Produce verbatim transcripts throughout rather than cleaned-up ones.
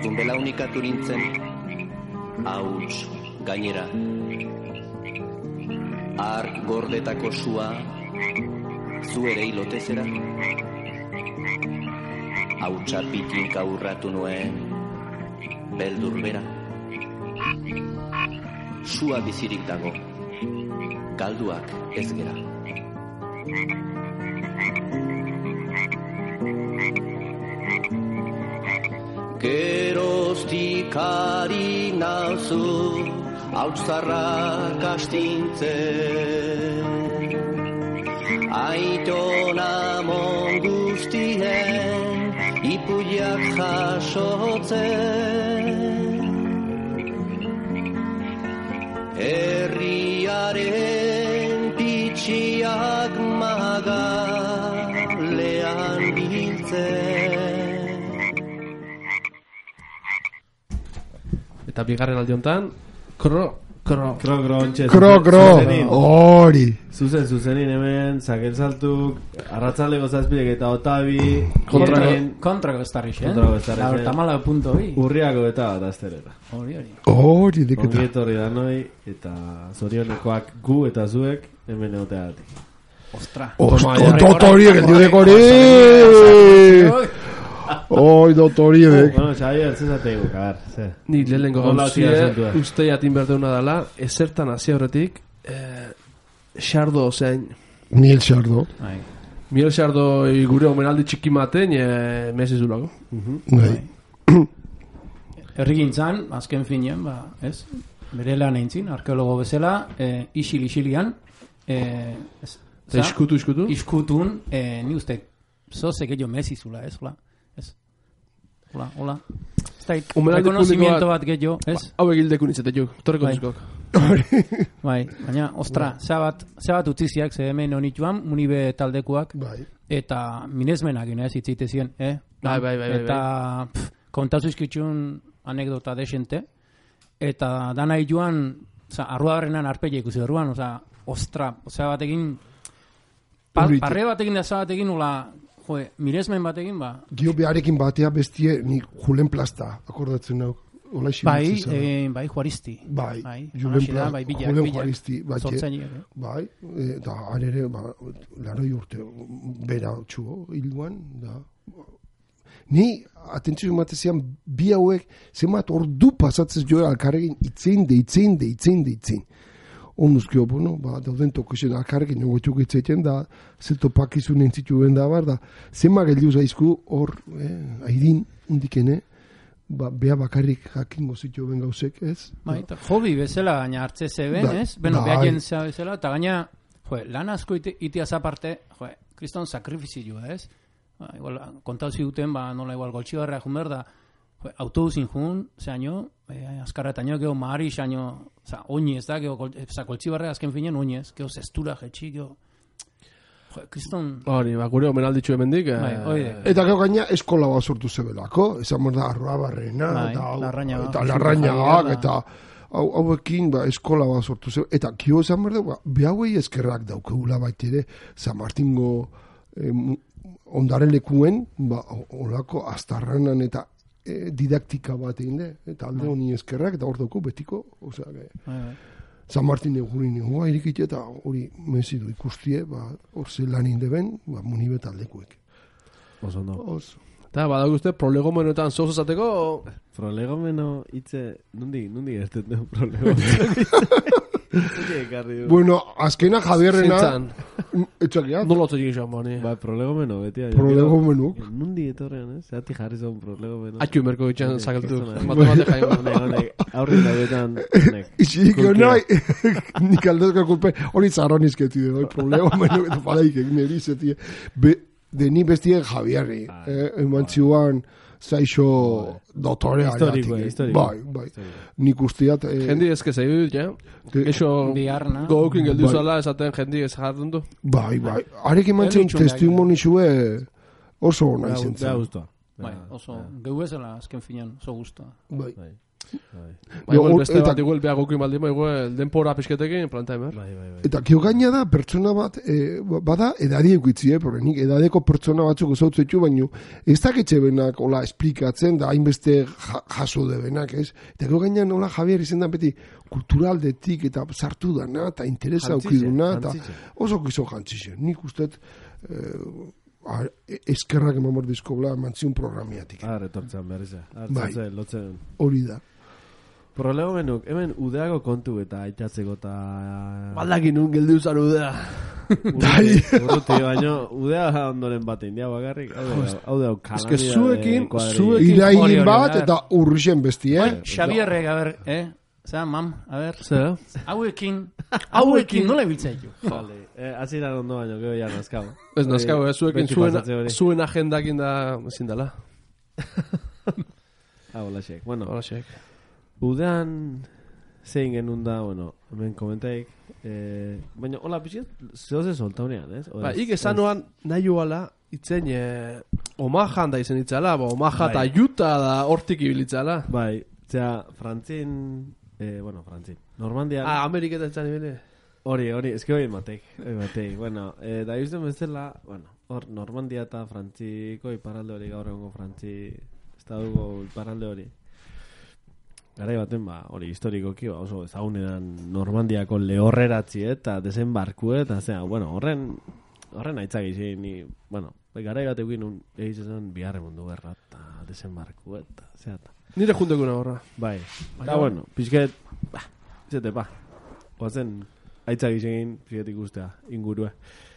Ordun belaunikatu nintzen, hauts gainera. Ark gordetako sua, zu ere hilotezera. Hautsa pitinka urratu nuen, beldur bera. Sua bizirik dago, galduak ez gera. Geroztik ari nauzu, hautzarrak astintzen. Aitona mon guztien, ipuiak jasotzen. Herriaren pitxiak magalean biltzen. Eta bigarren aldi hontan, kro, kro, kro, kro, ontxe, kro, kro, hori. Zuzen, zuzenin hemen, zaken saltuk, arratzaleko zazpidek eta otabi, kontrako estarrix, eh? Kontrako estarrix, eh? Tamala punto bi. Urriako eta bat azterera. Hori, hori. Hori, deketa. Ongietorri da noi, eta zorionekoak gu eta zuek hemen egoteagatik. Ostra. Ostra, dotoriek, el diudek hori! Oi, dotoriek. Bueno, Xavier, zezategu, kabar, ze. Ni lehenko gauzie, uste jatin berdeuna dela, ezertan hasi horretik, Xardo zein. Miel Xardo. Miel Xardo gure omenaldi txiki maten, mesizulako. Herrigintzan, azken finean, ba, ez? Bere lan eintzin, arkeologo bezala, isil-isilian, iskutu, iskutu? Iskutun, ni uste, zozek ello mesizula, ez? Ez. Hola, hola. Rekonozimiento bat gehiago, ez? Hau egildekun izatetuk, torreko dizkok. Bai, baina, ostra, zabat utziziak, ze hemen honituan, munibe taldekuak, eta minesmenak ina ez itzitezien, eh? Bai, bai, bai. Eta kontazu izkitxun anekdota desente, eta dana joan, arruagarrenan arpeia ikusi orduan, oza, ostra, oza batekin, parre batekin da zabatekin, nola, joe, miresmen batekin, ba. Gio beharekin batea bestie, ni Julen Plasta, akordatzen nauk. Bai, bai, Juaristi. Bai, Julen Juaristi. Bai, eta arere, laroi urte, bera txuo, hilduan, da. Ni, atentzio matezian, bi hauek, zemat ordu pasatzez joa alkarrekin, itzein de, itzein de, itzein de, itzein. Onduzkio, bueno, ba, dauden tokozen alkarrekin, negoetuk itzeiten da, zelto pakizun entzituen da, bar, da, zema geldiuz aizku, hor, eh, aidin, undikene, ba, bea bakarrik jakingo zitu ben gauzek, ez? Bai, eta hobi bezala, gaina hartze zeben, ez? Beno, beha jentzea bezala, eta gaina, joe, lan asko itiaz aparte, joe, kriston sakrifizioa, ez? Ba, igual, kontauzi duten, ba, nola igual goltxibarra jun behar da, joe, autobusin jun, zeaino, eh, askarretaino, geho mahari, zeaino, oza, oinez da, geho, goltxibarra azken finen, oinez, geho zestura, jetxi, geho, joe, kriston... Hori, ba, gure omenalditxu hemendik. Eta gero gaina eskola bat sortu zebelako, esan da Arruabarrena, eta Larrañagak, eta hauekin eskola bat sortu zebelako, eta kio esan behar da, behauei eskerrak daukegula baitere, San Martingo ondaren lekuen, olako astarranan eta didaktika bat egin de, eta alde honi eskerrak, eta hor dauko betiko, osea, San Martin egurin egoa irikite eta hori mezidu ikustie, hor ze lan indeben, munibet aldekuek. Oso no. Eta badaguzte, prolegomenoetan zoz esateko... Prolegomeno hitze, nundi, nundi gertet dugu prolegomeno. Bueno, azkena Javierrena... Etxakiat? Nola otzo egin joan bani. Ba, prolegomeno, beti. Prolegomeno. Nundi etorrean, ez? Zerati jarri zon prolegomeno. Atxu merko itxan zakaltu. Matemate jaio. Aurri da betan. Ixik, nahi. Nik aldezka kulpe. Hori zarron izketi de, prolegomeno. Eta palaik egin erizetie. De ni bestien Javierri. Emantziuan... Zaixo dotorea. Historiko, historiko. Bai, bai. Nik usteat... Jendi ezke zeidu, ja? Eixo gaukin geldu zala esaten jendi ez jardun du? Bai, bai. Arek emantzen testimonizue oso hona izen zen. Beha guztua. Bai, oso, geu ezela azken finan, oso guztua. Bai. Bai, igual beste bat igual behagokin baldima, igual denpora pixketekin plantaimer. Bai, bai, bai. Eta kio gaina da, pertsona bat, e, bada edadi eukitzi, eh, porque nik edadeko pertsona batzuk ezautzetxu, baino ez daketxe benak, hola, esplikatzen, da hainbeste jaso de benak, ez? Eta kio gaina nola Javier izen da beti kulturaldetik eta sartu dana, eta interesa aukiduna, eta oso kizo jantzize. Nik usteet, eh, eskerrak eman bordizko bla, mantziun programiatik. Ah, retortzen behar izan. Artzatzen, lotzen. Hori da. Problema menuk, hemen udeago kontu eta aitatzeko eta... Baldakin un geldi usan udea. Urruti, baino, udea ondoren batein, dia bakarrik. Hau da, kalamia de zuekin, zuekin... Irain bat eta urrixen besti, eh? Xabierrek, a ver, eh? Zer, mam, a ver. Zer? Hauekin, hauekin, nola ibiltzaitu? Vale, aziran ondo baino, gero ya nazkau. Ez nazkau, eh? Zuekin zuen agendakin da ezin dela. Ah, hola, xek. Bueno, hola, xek. Udean zein genuen da, bueno, hemen komentaik, eh, baina hola pixet, zehoze solta honean, ez? Ba, ik esan noan nahi joala, itzen eh, Omahan da izen itzala, ba, Omaha eta Utah da hortik ibilitzala. Bai, zera, Frantzin, eh, bueno, Frantzin, Normandian... Ah, Ameriketa etzan ibile. Hori, hori, eski hori mateik, hori mateik, bueno, eh, da izten bezala, bueno, hor, Normandia eta Frantziko iparalde hori, gaur egongo Frantzi, estaduko iparalde hori. Garai baten, ba, hori historikoki, ba, oso ezagunean Normandiako lehorreratzi eta desembarku eta, zera, bueno, horren, horren aitzak izin, ni, bueno, garai bat egin un, egitzen biharre mundu gerra eta desembarku eta, zera, eta. Nire juntekuna horra. Bai, eta, bueno, pixket, ba, izate, ba, oazen, aitzak izin, pixket ikustea, ingurue.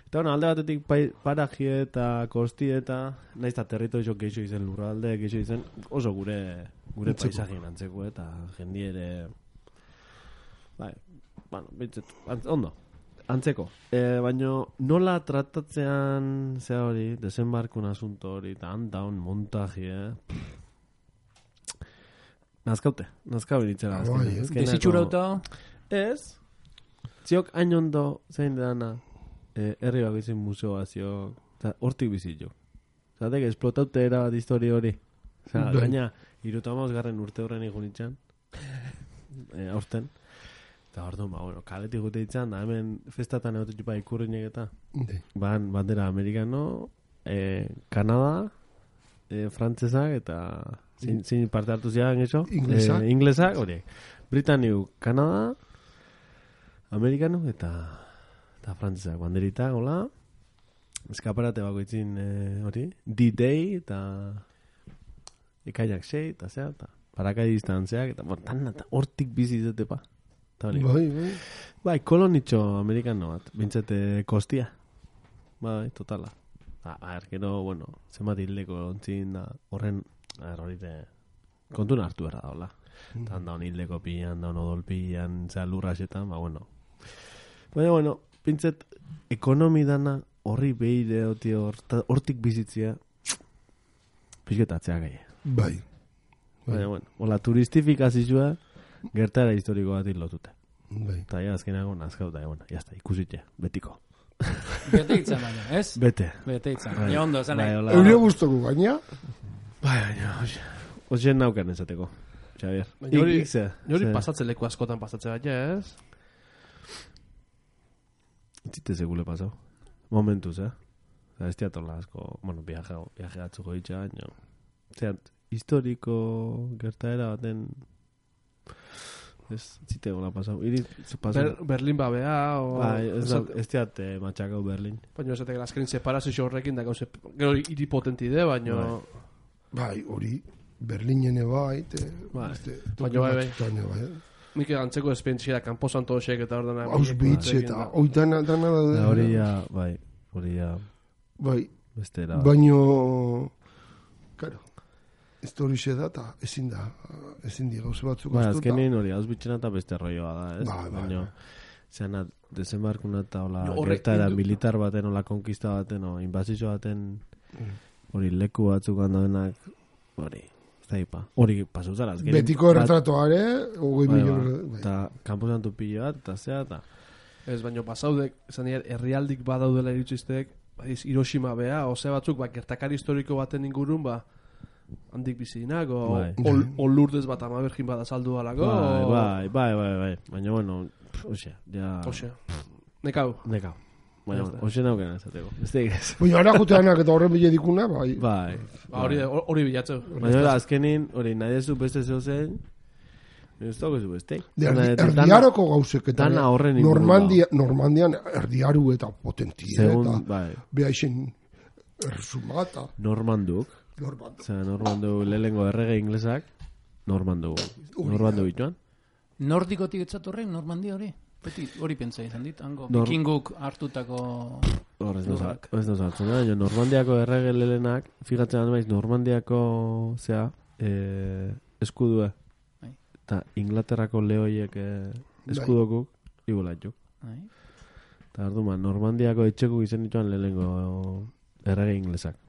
Eta, bueno, alde batetik parajie eta kosti eta, nahiz eta territorio geixo izen lurralde, geixo izen, oso gure... gure paisagien antzeko eta jendiere bai, bueno, bitzet, antz, ondo antzeko, e, baino nola tratatzean zea hori, desembarkun asunto hori eta handaun montaji, eh? Nazkaute, nazkau initzera desitxurauta ez ziok hain ondo zein dana eh, herri bako izin museoa ziok hortik bizitxo zatek esplotaute era bat histori hori oza, gaina Irutamauz garren urte horren egun itxan. E, aurten. Eta hor du, ba, bueno, kaletik gute itxan, da hemen festatan egote txupa ikurriñek eta. Ban, bandera amerikano, e, Kanada, e, frantzesak eta zin, zin parte hartu ziagan eso. Inglesak. E, inglesak, horiek. Britaniu, Kanada, amerikano eta eta frantzesak. Banderita, hola. Eskaparate bako itzin hori. E, D-Day eta... Ikaiak sei, eta zea, eta parakai distantzeak, eta bortan, eta hortik bizi izate pa. Bai, bai. Bai, kolonitxo amerikano bat, bintzete kostia. Bai, totala. A, a erkero, bueno, zenbat hildeko ontzin da, horren, a er, horite, kontuna hartu erra da, hola. Mm. Tan da hon hildeko pillan, da hon odol pillan, zea lurrasetan, ba, bueno. Baina, bueno, bintzet, ekonomi dana, horri behire, hortik bizitzia, pixketatzea gai. Bai. Baina, bueno, hola turistifikazioa gertara historiko bat lotute. Bai. Eta ja, azkenago nazkauta, ja, bueno, jazta, ikusitxe, betiko. Bete itzan baina, ez? Bete. Bete itzan. Bai. Ja, ondo, esan nahi. Eure guztoko gaina? Bai, baina, ozen naukan esateko, Xavier. Jori, jori pasatze leku askotan pasatze bat, ez? Zite segule pasau. Momentuz, eh? Ez teatola asko, bueno, viaje, viaje atzuko ditxa, baina... Zert, historiko gertaera baten ez zite gola pasau. Ber, Berlin babea o... Bai, ez, da, ez teat eh, matxakau Berlin. Baina ez da, azkenin separazio horrekin da gauze, gero hiri potenti de, baina... Bai, hori, Berlinene bai, te... Bai, baina bai, bai. Mike gantzeko espentzia, kanpo santo hosek eta hor dana... Auschwitz eta, hoi dana, dana da... Hori ja, bai, hori ja... Bai, bestera... Baina... Karo... Historixe da, eta ezin da, ezin di gauze batzuk ba, azkenin hori, Auschwitzen eta beste rolloa da, ez? Ba, ba, baina, zeana, desembarkuna eta hola, no, gertaera militar baten, hola, konkista baten, o, inbazio baten, hori, leku batzuk handabenak, hori, zaipa, hori pasuzara, azkenin. Betiko erretratoare, hogei milion. Eta, kanpo santu pilo bat, eta zea, eta... Ez, baina pasaudek, esan dira, herrialdik badaudela iritsiztek, Hiroshima bea, ose batzuk, ba, gertakari historiko baten ingurun, ba, handik bizinak, o, o, o lurdez bat ama bergin bat azaldu alako. Bai, bai, bai, bai, baina, bueno, osea, ja... Osea, nekau. Nekau. Baina, osea naukena esateko. Ez da igaz. Baina, ara juteanak eta horren bile dikuna, bai. Bai. Hori bilatzeu. Baina, azkenin, hori, nahi dezu beste zeu zen, ez dago ez beste. Erdiaroko gauzek eta Normandia, Normandian erdiaru eta potentia eta bai. Beha isen erzumata. Normanduk. Normanduk. Osea, Normanduk lehengo errege inglesak, Normanduk. Normanduk bituan. Nordikotik etzatorren, Normandia hori? Beti hori pentsa izan dit, hango vikinguk hartutako lurrak. Ez da zartzen, baina Normandiako errege lehenak, fijatzen maiz, Normandiako, zea, eskudua. Eta Inglaterrako lehoiek eskudokuk, igulatxuk. Eta ardu ma, Normandiako etxekuk izan dituan lehengo errege inglesak.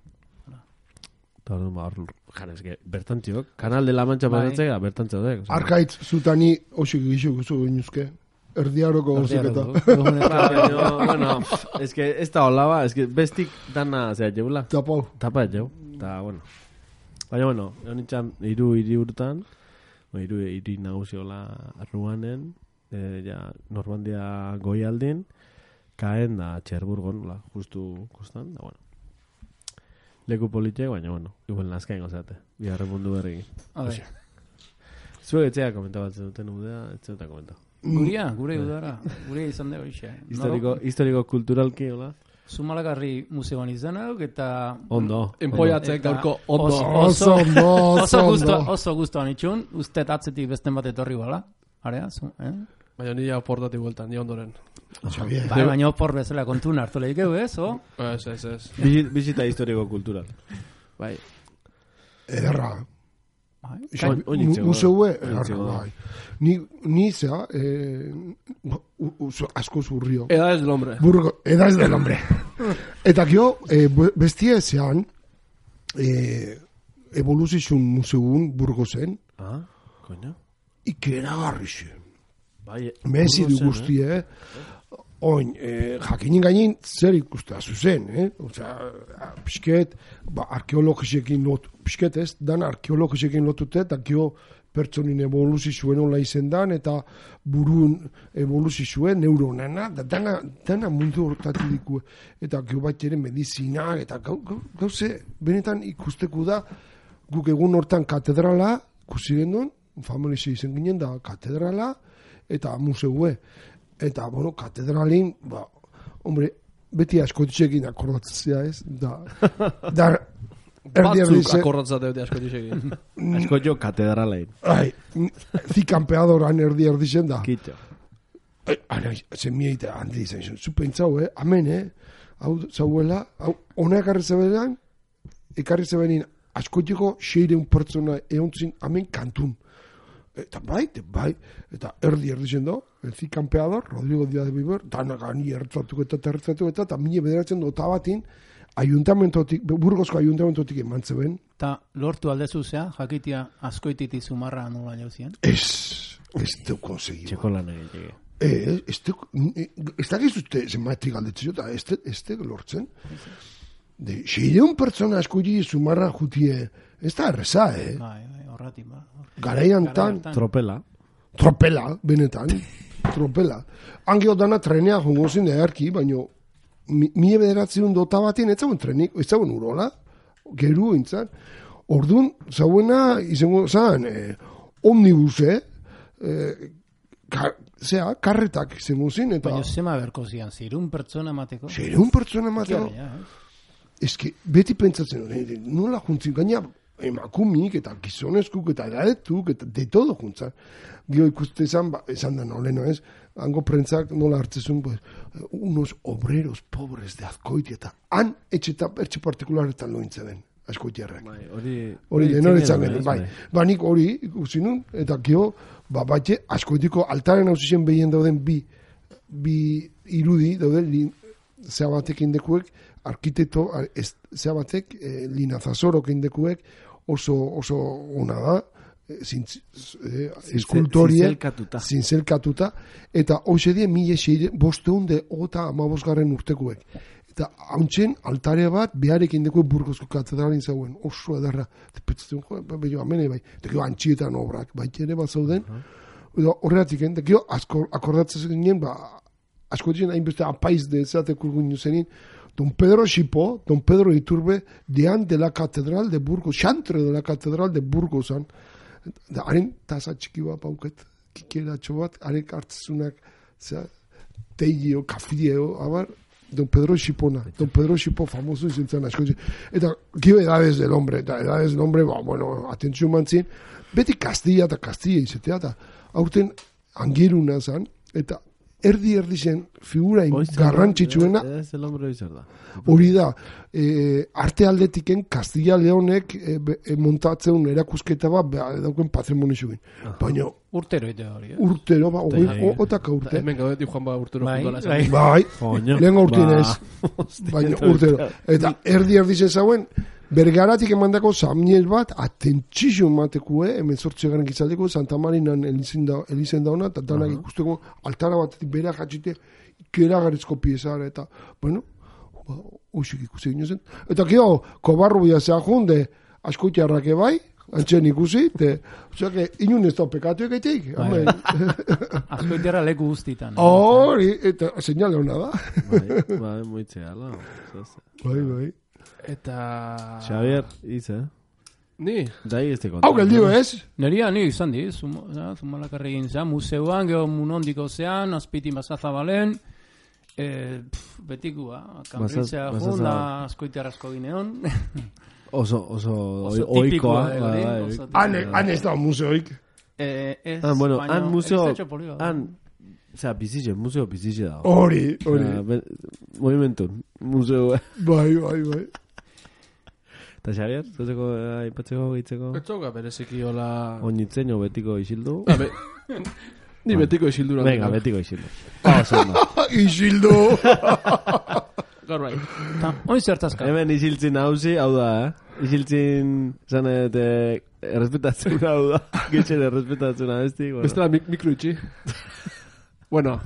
Eta ardu ma, jarezke, bertantziok, Kanal de la Mancha pasatzea, bertantziok. Arkaitz, zutani, osik gizuk guzu ginuzke. Erdiaroko gauziketa. Bueno, ez que ez da hola ba, ez que bestik dana, zera, jeula. Tapau. Tapa jau, eta bueno. Baina, bueno, egon itxan, iru iri urtan, iru iri naguziola arruanen, ja, Normandia goialdin, kaen da Txerburgon, la, justu kostan, da, bueno. Leku politiek, baina, bueno, igual nazkain gozate, biharre mundu berri. Zuek etxea komentabatzen duten udea, etxea eta komentau. Guria, gure udara, gure izan da horixe. Historiko, historiko kulturalki, hola? Zumalagarri museoan izan hau, eta... Ondo. Enpoiatzek gaurko ondo. Oso ondo, oso ondo. Oso guztuan itxun, uste atzetik besten bat etorri bala. Area, zu, eh? Baina nire oportati bueltan, nire ondoren. Bai, baina opor bezala kontun hartu lehik egu, ez, o? Ez, ez, ez. Bizita historiko kultural. Bai. Ederra. Museue, bai. Ni, ni zea, eh, asko zurrio. Edades del hombre. Burgo, edades del hombre. Eta gio, eh, bestia ezean, eh, evoluzizun museun Burgosen. Ah, koina. Ikera garrixe. Bai, Mezi du guztie, eh? Oin, eh, jakinin gainin zer ikustea zuzen, eh? Osea, pixket, ba, arkeologisekin lotu, pixket ez, dan arkeologisekin lotute, eta gio pertsonin evoluzizuen hola izen dan, eta burun evoluzizuen neuronena, da dana, dana mundu hortati dikue, eta gio bat ere medizina, eta gau, gau, gauze, benetan ikusteko da, guk egun hortan katedrala, ikusi gendun, familize izen ginen da, katedrala, eta museue. Eta, bueno, katedralin, ba, hombre, beti askotxekin akordatzea ez, da, da, batzuk akordatzea beti askotxekin. Askotxo katedralein. Ai, zikampeadoran erdi erdixen da. Kitxo. Ana, zen mieita handi izan, zu pentsau, eh, amen, eh, hau zauela, hau, ona ekarri zebenean, ekarri zebenean, askotxeko seireun pertsona eontzin, amen, kantun. Eta bai, bai, eta erdi erdi zen do, elzi kampeador, Rodrigo Díaz de Viver, dana gani ertzatu eta tertzatu eta, eta mine bederatzen dota batin, ayuntamentotik, Burgozko ayuntamentotik eman zeben. Eta lortu aldezu zea, jakitia askoititi zumarra nola jauzien? Ez, ez teu konsegi. Txeko lan egin. Ez, ez teu, ez da gizute zenbatik aldetzio, eta ez teu lortzen. De, seireun pertsona askoiti zumarra jutie, ez da erreza, eh? Bai, bai, horratik, ba. Garaian tan, tropela. Tropela, benetan. Tropela. Angeo dana trenea jongo zen eharki, baina mie bederatzen dota batien, ez zauen trenik, ez zauen urola, geru intzan. Orduan, zauena, izango zan, eh, omnibuse, eh, ka, zera, karretak izango zen, eta... Baina zema berko zian, zirun pertsona mateko? Zirun pertsona mateko? Ez que, beti pentsatzen, nola juntzin, gaina... emakumik eta gizonezkuk eta edadetuk eta de todo juntzan. Gio ikuste esan, ba, esan da noleno ez, hango prentzak nola hartzezun, pues, unos obreros pobres de Azkoiti eta han etxeta etxe partikularetan lointze den, Azkoitiarrak. Bai, hori... Hori denoretzan den, bai. Ba, nik hori ikusi nun, eta gio, ba, batxe, Azkoitiko altaren hausizien behien dauden bi, bi irudi, dauden, zea batek indekuek, arkitekto, zea batek, eh, linazazorok indekuek, oso, oso ona da, eh, zintz, eh, eskultorie, zinzelkatuta. zinzelkatuta, eta hoxe die mila seire, bosteun de ota amabosgarren urtekuek. Eta hauntzen altare bat beharekin deko Burgosko katedralin zauen. Oso edarra. Eta petzatzen, jo, bello, amene bai. Eta gero antxietan obrak, baita ere bat zauden. Eta horregatik, eta gero akordatzen ginen, ba, asko dizen hainbeste apaiz de ezateko ginen zenin, Don Pedro Xipo, Don Pedro Iturbe, dean de la catedral de Burgos, xantre de la catedral de Burgosan. Da, haren tasa txiki bat pauket, kikeratxo bat, haren hartzezunak, zera, teigio, kafio, abar, Don Pedro Xipona, Don Pedro Xipo famoso izan zen asko. Eta, gio edades del hombre, eta edades del hombre, ba, bueno, atentzio mantzien, beti Castilla eta Castilla izatea, eta aurten angiruna zen, eta erdi erdi zen figura garrantzitsuena hori da e, arte aldetiken Castilla Leonek e, e, montatzen erakusketa bat dauken patrimonio zuen baina urtero ite hori urtero ba otaka urte hemen gaudetik joan ba urtero bai lehen urtinez baina urtero eta erdi erdi zen zauen Bergaratik emandako Samniel bat atentzio matekue, hemen sortze garen gizaldeko, Santa Marinan elizen dauna, eta danak uh-huh. ikusteko altara batetik bera jatxite, ikeragarrizko piezara, eta, bueno, ba, oisik ikusi gino zen. Eta kio, kobarru bia zea junde, askoitiarrake bai, antzen ikusi, te, osea, inun ez da pekatu egeitek. Askoitiarra leku guztitan. Hori, eta señale hona da. Bai, bai, moitzea, la. Bai, bai. Eta... Xavier, iz, eh? Ni? Dai ez te konta. Hau geldio, ez? Neria, ni izan di, zumalakarri egin zean, museuan, geho munondiko zean, azpiti mazazabalen, e, betikua, kambritzea jun, da askoitiarrazko gineon. Oso, oso, oikoa. Han ez da museoik. Ez, ah, bueno, baina, han museo, han... Osea, bizitxe, museo bizitxe da. Hori, hori. Movimentun, museo. Bai, bai, bai. Eta Xavier, zuzeko, aipatzeko, gitzeko? Etxoka bereziki hola... Oinitzen, o betiko isildu? Ni betiko isildu. Venga, betiko isildu. Isildu! Gaur bai. Oin zertazka. Hemen isiltzin hauzi, hau da, eh? Isiltzin, zanet, errespetatzen hau da. Gitxen errespetatzen abesti. Bestela mikro itxi. Bueno.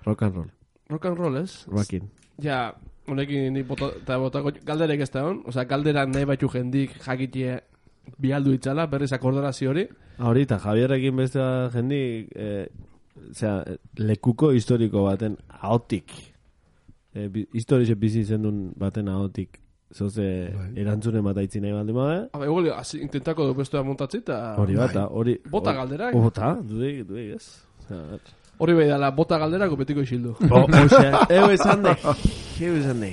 Rock and roll. Rock and roll, ez? Rockin. Ja, honekin ni bota, eta botako galderek ez da hon. Osa, galderan nahi batxu jendik jakitie bialdu itzala, berriz akordarazio hori. Ahorita, Javierrekin beste jendik, eh, osea, lekuko historiko baten ahotik. Eh, historize bizi zendun baten ahotik. Zoze, erantzunen bat aitzin nahi baldin bada. Habe, igual, intentako du bestua montatzi eta... Hori bata, hori... Bota galderak. Bota, dudik, dudik, ez. Hori bai dala, bota galderako betiko isildu. Oxe, ego esan de. Ego esan de.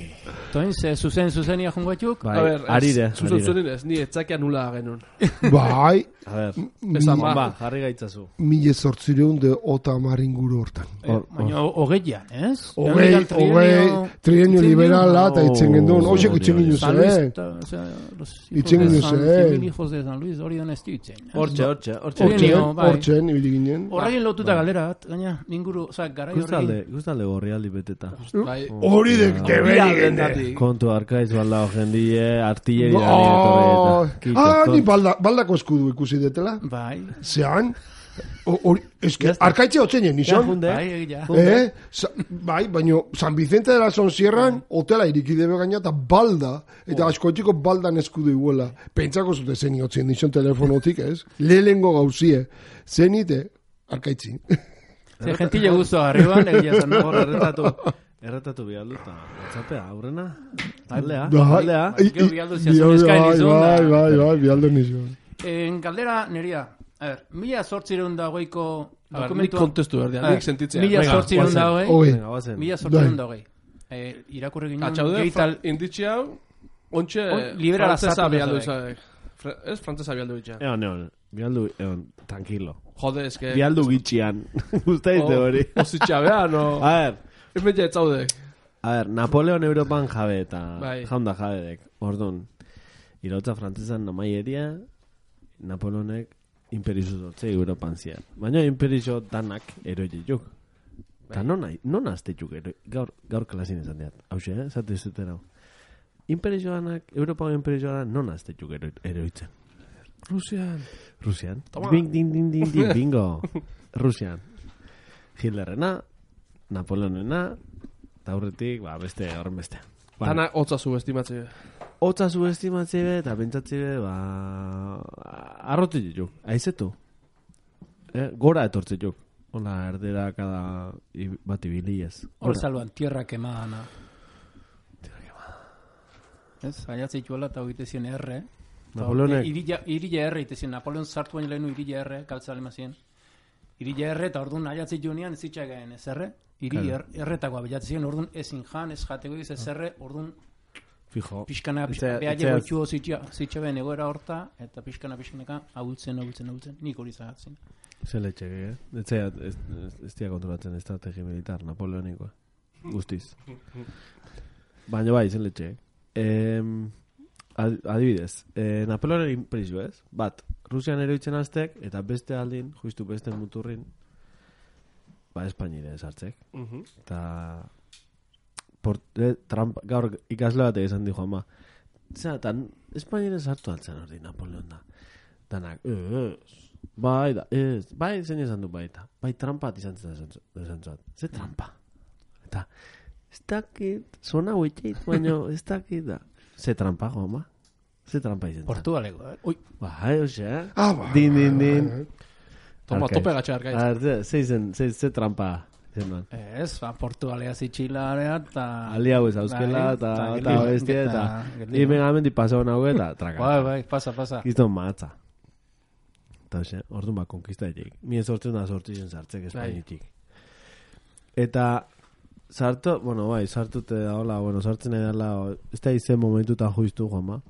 Toin, ze zuzen zuzenia jungo batzuk? Bai, arire. Zuzen zuzen ez, ni etzakia nula genuen. Bai. A ver, esan ba, jarri gaitzazu. Mille sortzireun de ota maringuru hortan. Baina hogeian, ez? Hogei, hogei, trienio liberala eta itzen gendun. Oxek itzen ginu ze. Itzen ginu ze. Hijos de San Luis, hori dan ez ditzen. Hortxe, hortxe, hortxe. Hortxe, ibili ginen. Horregin lotuta galerat, gaina, ninguru, oza, gara horregin. Guztalde gorrialdi beteta. Hori de keberi gende. Kontu arkaiz balda jendie, artilleria. Ah, ni baldako eskudu ikusi detela. Bai. Zean, eske, arkaitze otzenien, nizon? Bai, egia. Eh, bai, baino, San Vicente de la Sonsierran, hotela irikidebe gaina, eta balda, eta askoetiko baldan eskudu iguela. Pentsako zute zeni otzen, nizon telefonotik, ez? Lehengo gauzie, zenite, arkaitzi. Ze gentile guztu arriban, egia zan. Erretatu, erretatu bialdu, eta WhatsAppea, aurrena, taldea, taldea. Gero bialdu ziazun eskain izun. Bai, bai, bai, bialdu nizun. En galdera, neria, a ver, mila sortzireun dagoiko dokumentua... Nik kontestu berdean, nik sentitzea. Mila sortzireun dagoei, mila sortzireun dagoei. Irakurri ginen... Atxaude, inditzi hau, ontxe... Liberala frantzesa bialdu izadek. Ez frantzesa bialdu itxea. Egon, egon, bialdu, egon, tranquilo. Jode, eske... Bialdu gitxian. Guztaite hori. Ositxa beha, no... A ver... Ez metxe etzaudek. A ver, Napoleon Europan jabe eta... Jaunda jabedek. Ordun, irautza frantzesan namaieria... Napoleonek imperizu dutze Europan zian. Baina imperizu danak eroi juk. Eta non azte juk eroi. Gaur, gaur klasin esan diat. Hau xe, eh? Zate zuten hau. Imperizu danak, Europan imperizu danak non azte juk eroitzen. Rusian. Rusian. Bing, ding, ding, ding, ding, bingo. Rusian. Hitlerrena, Napoleonena, Eta aurretik, ba, beste, horren beste. Tana hotza subestimatze. Hotza subestimatze be, eta pentsatze be, ba... Arrote ditu, aizetu. Eh, gora etortze juk. Hola, erdera kada bat ibiliez. Hor salban, tierra quemada. Tierra quemada. Ez, aiatze ituela eta hogeite zien erre. Napoleonek. Irilla erre, ite zien, Napoleon sartu baino lehenu irilla erre, kaltza alema zien. Irilla erre, eta orduan aiatze junean ez itxagaen ez erre. Iri erretakoa bilatzen ziren, orduan ezin jan, ez jateko ez ez erre, orduan fijo. Pixkana, behaile goitxu zitxaben egoera horta, eta pixkana, pixkanaka, ahultzen, ahultzen, ahultzen, nik hori zagatzen. Zer letxe, eh? Ez ez dia kontrolatzen estrategi militar, napoleonikoa. Guztiz. Baina bai, zer letxe. Eh, adibidez, eh, Napoleonen impresio, ez? Bat, Rusian eroitzen aztek, eta beste aldin, justu beste muturrin, ba, Espainire esartzek. Uh-huh. Eta eh, Trump, gaur ikasle bat esan dijo, ama, zera, tan Espainire sartu altzen hori Napoleon da. Danak, ez, bai da, ez, bai zein esan du baita. Bai trampat izan zat. Ze trampa? Eta, ez dakit, zona huetxeit, baina ez dakit da. Ze trampa, goma? Ze trampa izan zat. Portugaleko, eh? Ui. Bai, oxe, Ah, ba. din, din, din. Toma, tope gatxe arkaitz. Ze izen, ze, ze trampa. Ez, ba, Portugalea zitxilarea, eta... Ali hau ez auskela, eta bestia, eta... Imen amendi pasau nahu eta traka. Bai, bai, pasa, pasa. Gizton matza. Eta hoxe, orduan ba, konkista etik. Mie sortzen da sortzen sartzek Espainitik. Eta, sartu, bueno, bai, sartute da, hola, bueno, sartzen edala, ez da izen momentuta juiztu, Juanma.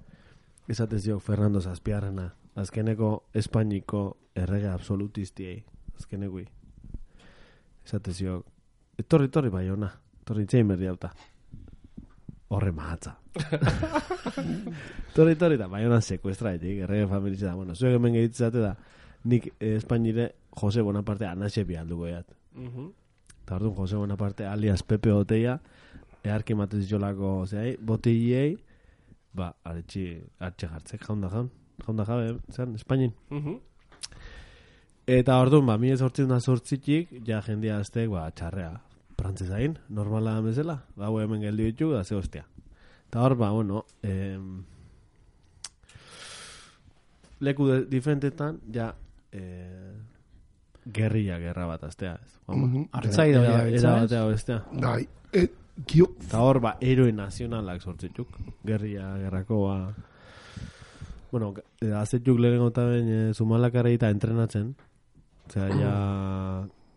Esaten ziok Fernando Zazpiarrena, azkeneko Espainiko errege absolutistiei, azkenekui. Esate ziok, etorri, etorri bai ona, etorri itxein berri hauta. Horre mahatza. Etorri, etorri da, bai ona sekuestra etik, errege familitza da. Bueno, zuek hemen gehitzate da, nik eh, Espainire Jose Bonaparte anaxe bialduko eat. Uh-huh. Eta orduan Jose Bonaparte alias Pepe Boteia, earki matez jolako, zehai, boteiei, ba, aretxi, hartxe jartzek, jaunda jaun, jaunda jabe, zean, Espainin. Uh-huh. Eta orduan, ba, mi ez hortzen da sortzitik, ja jendia aztek, ba, txarrea. Prantzezain, normala bezala, ba, hau hemen geldi ditu, da ze hostia. Eta hor, ba, bueno, eh, leku de, diferentetan, ja, eh, gerrilla, gerra bat aztea, ez. Mhm. Artzai da, Era batea bestea. Bai, et, kio... Eta hor, ba, eroe nazionalak sortzituk, gerrilla, gerrako, ba... Bueno, azetuk lehenengo eta ben, e, Zumalakara eta entrenatzen, osea, ja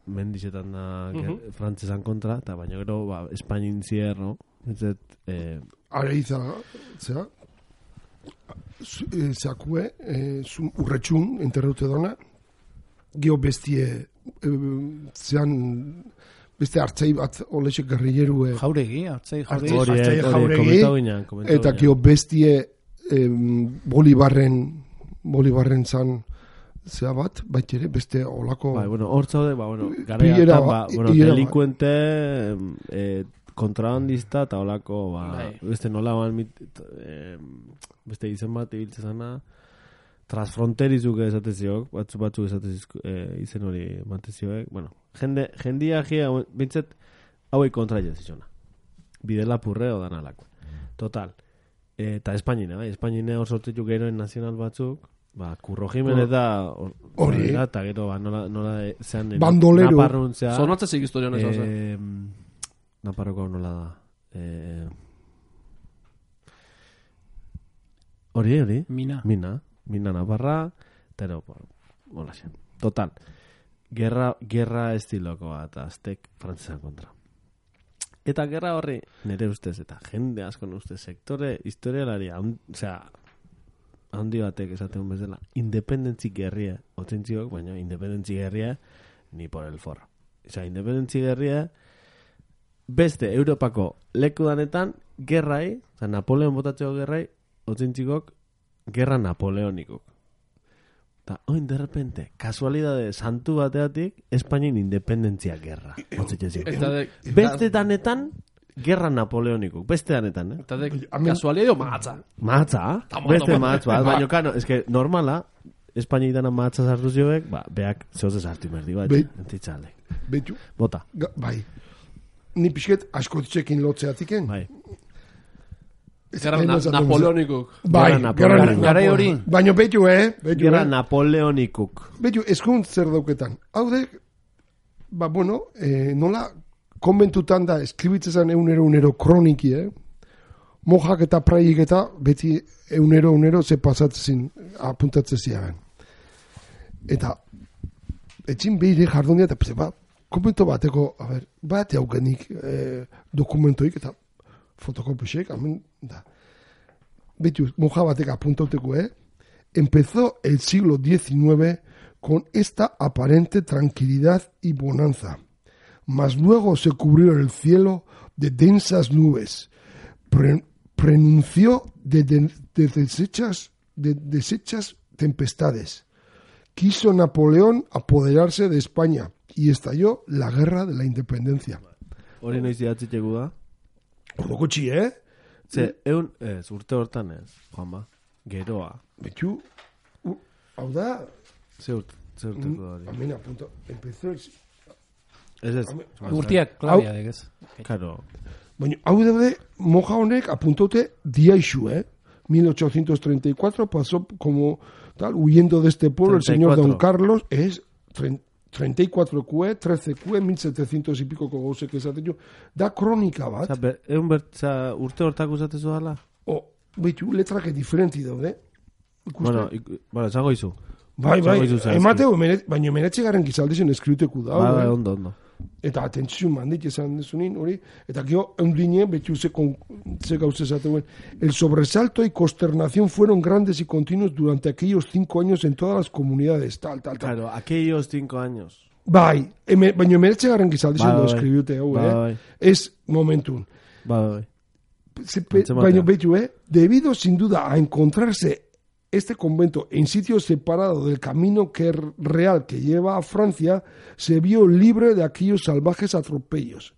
mendizetan da Uh-huh. frantzesan kontra, eta baina gero, ba, Espainin zier, no? Ez eh, Are iza, zera, zakue, e, urretxun, enterraute dona, gio bestie, e, zean, beste hartzai bat, olesek garrilleru, e, Jauregi, hartzai jauregi. hori, Hartzai hori, jauregi, komentau ginen, komentau eta ginen. gio bestie, e, Bolibarren, Bolibarren zan, zea bat, bait ere, beste olako... Bai, bueno, hor zaude, ba, bueno, Pilera garaiatan, ba, bat, bueno, pilera bat. delinkuente, eh, kontrabandista, eta olako, ba, Bai. beste nola, ban, mit, eh, beste izen bat, ibiltzen zana, transfronterizuk esateziok, batzu batzu esatezizko, eh, izen hori mantezioek, bueno, jende, jendia gia, bintzet, hauei kontra jazizona. Bidela purreo dan alako. Total. Eh, eta Espainine, bai, Espainine hor sortzituk geroen nazional batzuk, ba, Curro Jimenez da, Hori. eta gero, ba, nola, nola, zean, Bandolero. Naparruntzea, Zonatzezik historia honek, oza. eh, Naparroko nola da, eh, hori, hori, Mina. Mina, Mina Navarra, pero, hola xe. Total, gerra, gerra estiloko bat, aztek frantzesan kontra. Eta gerra horri, nire ustez, eta jende asko ustez, sektore historialari, osea, handi batek esaten bezala, independentzi gerria, otzentziok, baina independentzi gerria, ni por el forro. Osea, independentzi gerria, beste Europako leku danetan, gerrai, osea, Napoleon botatzeko gerrai, otzentzikok, gerra napoleonikok. Eta, oin, de repente, kasualidade santu bateatik, Espainin independentzia gerra. Otzetxezik. Eta de... Beste danetan, gerra napoleonikok. Beste danetan, eh? Eta de Amen. kasualia edo maatza. Matza, beste matz bat, baina kano, eske normala, Espainik dana matza sartu zioek, ba, beak zehoz ez hartu merdi bat, Be- entitzale. Betu, Bota. ga, bai. ni pixket askotxekin lotzeatiken. Bai. Gerra Napoleonikuk. Bai, gerra Garai hori. Baina betu, eh? Gerra Napoleonikuk. Betu, eskunt zer dauketan. Hau de, ba, bueno, eh, nola konbentutan da, eskribitzezan eunero, eunero kroniki, eh? Mojak eta praik eta beti eunero, eunero ze pasatzezin apuntatzezia. Eta, etxin behire jardonia, eta ba, komento bateko, a ver, bate haukenik eh, dokumentoik, eta fotokopixek, amen, da. Betu, moja batek apuntauteko, eh? Empezó el siglo diecinueve con esta aparente tranquilidad y bonanza. Mas luego se cubrió el cielo de densas nubes. Pre, pronunció de, de, de, deshechas, de deshechas tempestades. Quiso Napoleón apoderarse de España y estalló la guerra de la independencia. Hori noiz idatzitegu da? Odo gutxi, eh? Ze, eun, ez, urte hortan ez, Juanba, geroa. Betxu, uh, hau da... Ze urte, ze urteko hori. Amena, punto, empezó... Ez ez. Urtiak klabia, degez. Karo. Baina, hau daude, moja honek apuntote diaixu, eh? mil ochocientos treinta y cuatro pasó como tal, huyendo de este pueblo, treinta y cuatro. El señor Don Carlos es treinta y cuatro Q, trece Q, mil setecientos y pico gauzek esaten jo. Da kronika bat. Osa, ber, egun bertza urte hortako usatezu dala? O, behitu, letrak diferenti daude. Ikuste? Bueno, ik, bueno, zango izu. Bai, bai, emateu, baina emenetxe garen gizaldezen eskriuteku da. Bai, bai, ondo, ondo. Eta atentzio mandik esan desunin, hori, eta gio, eundine, behitu ze, ze gauze esateuen. El sobresalto y consternación fueron grandes y continuos durante aquellos cinco años en todas las comunidades, tal, tal, tal. Claro, aquellos cinco años. Bai, eme, baina emenetxe garen gizaldezen bai, eskriute, hau, bai, eh? Bai. Ez momentun. Bai, bai. Baina behitu, eh? Debido, sin duda, a encontrarse este convento en sitio separado del camino que real que lleva a Francia, se vio libre de aquellos salvajes atropellos.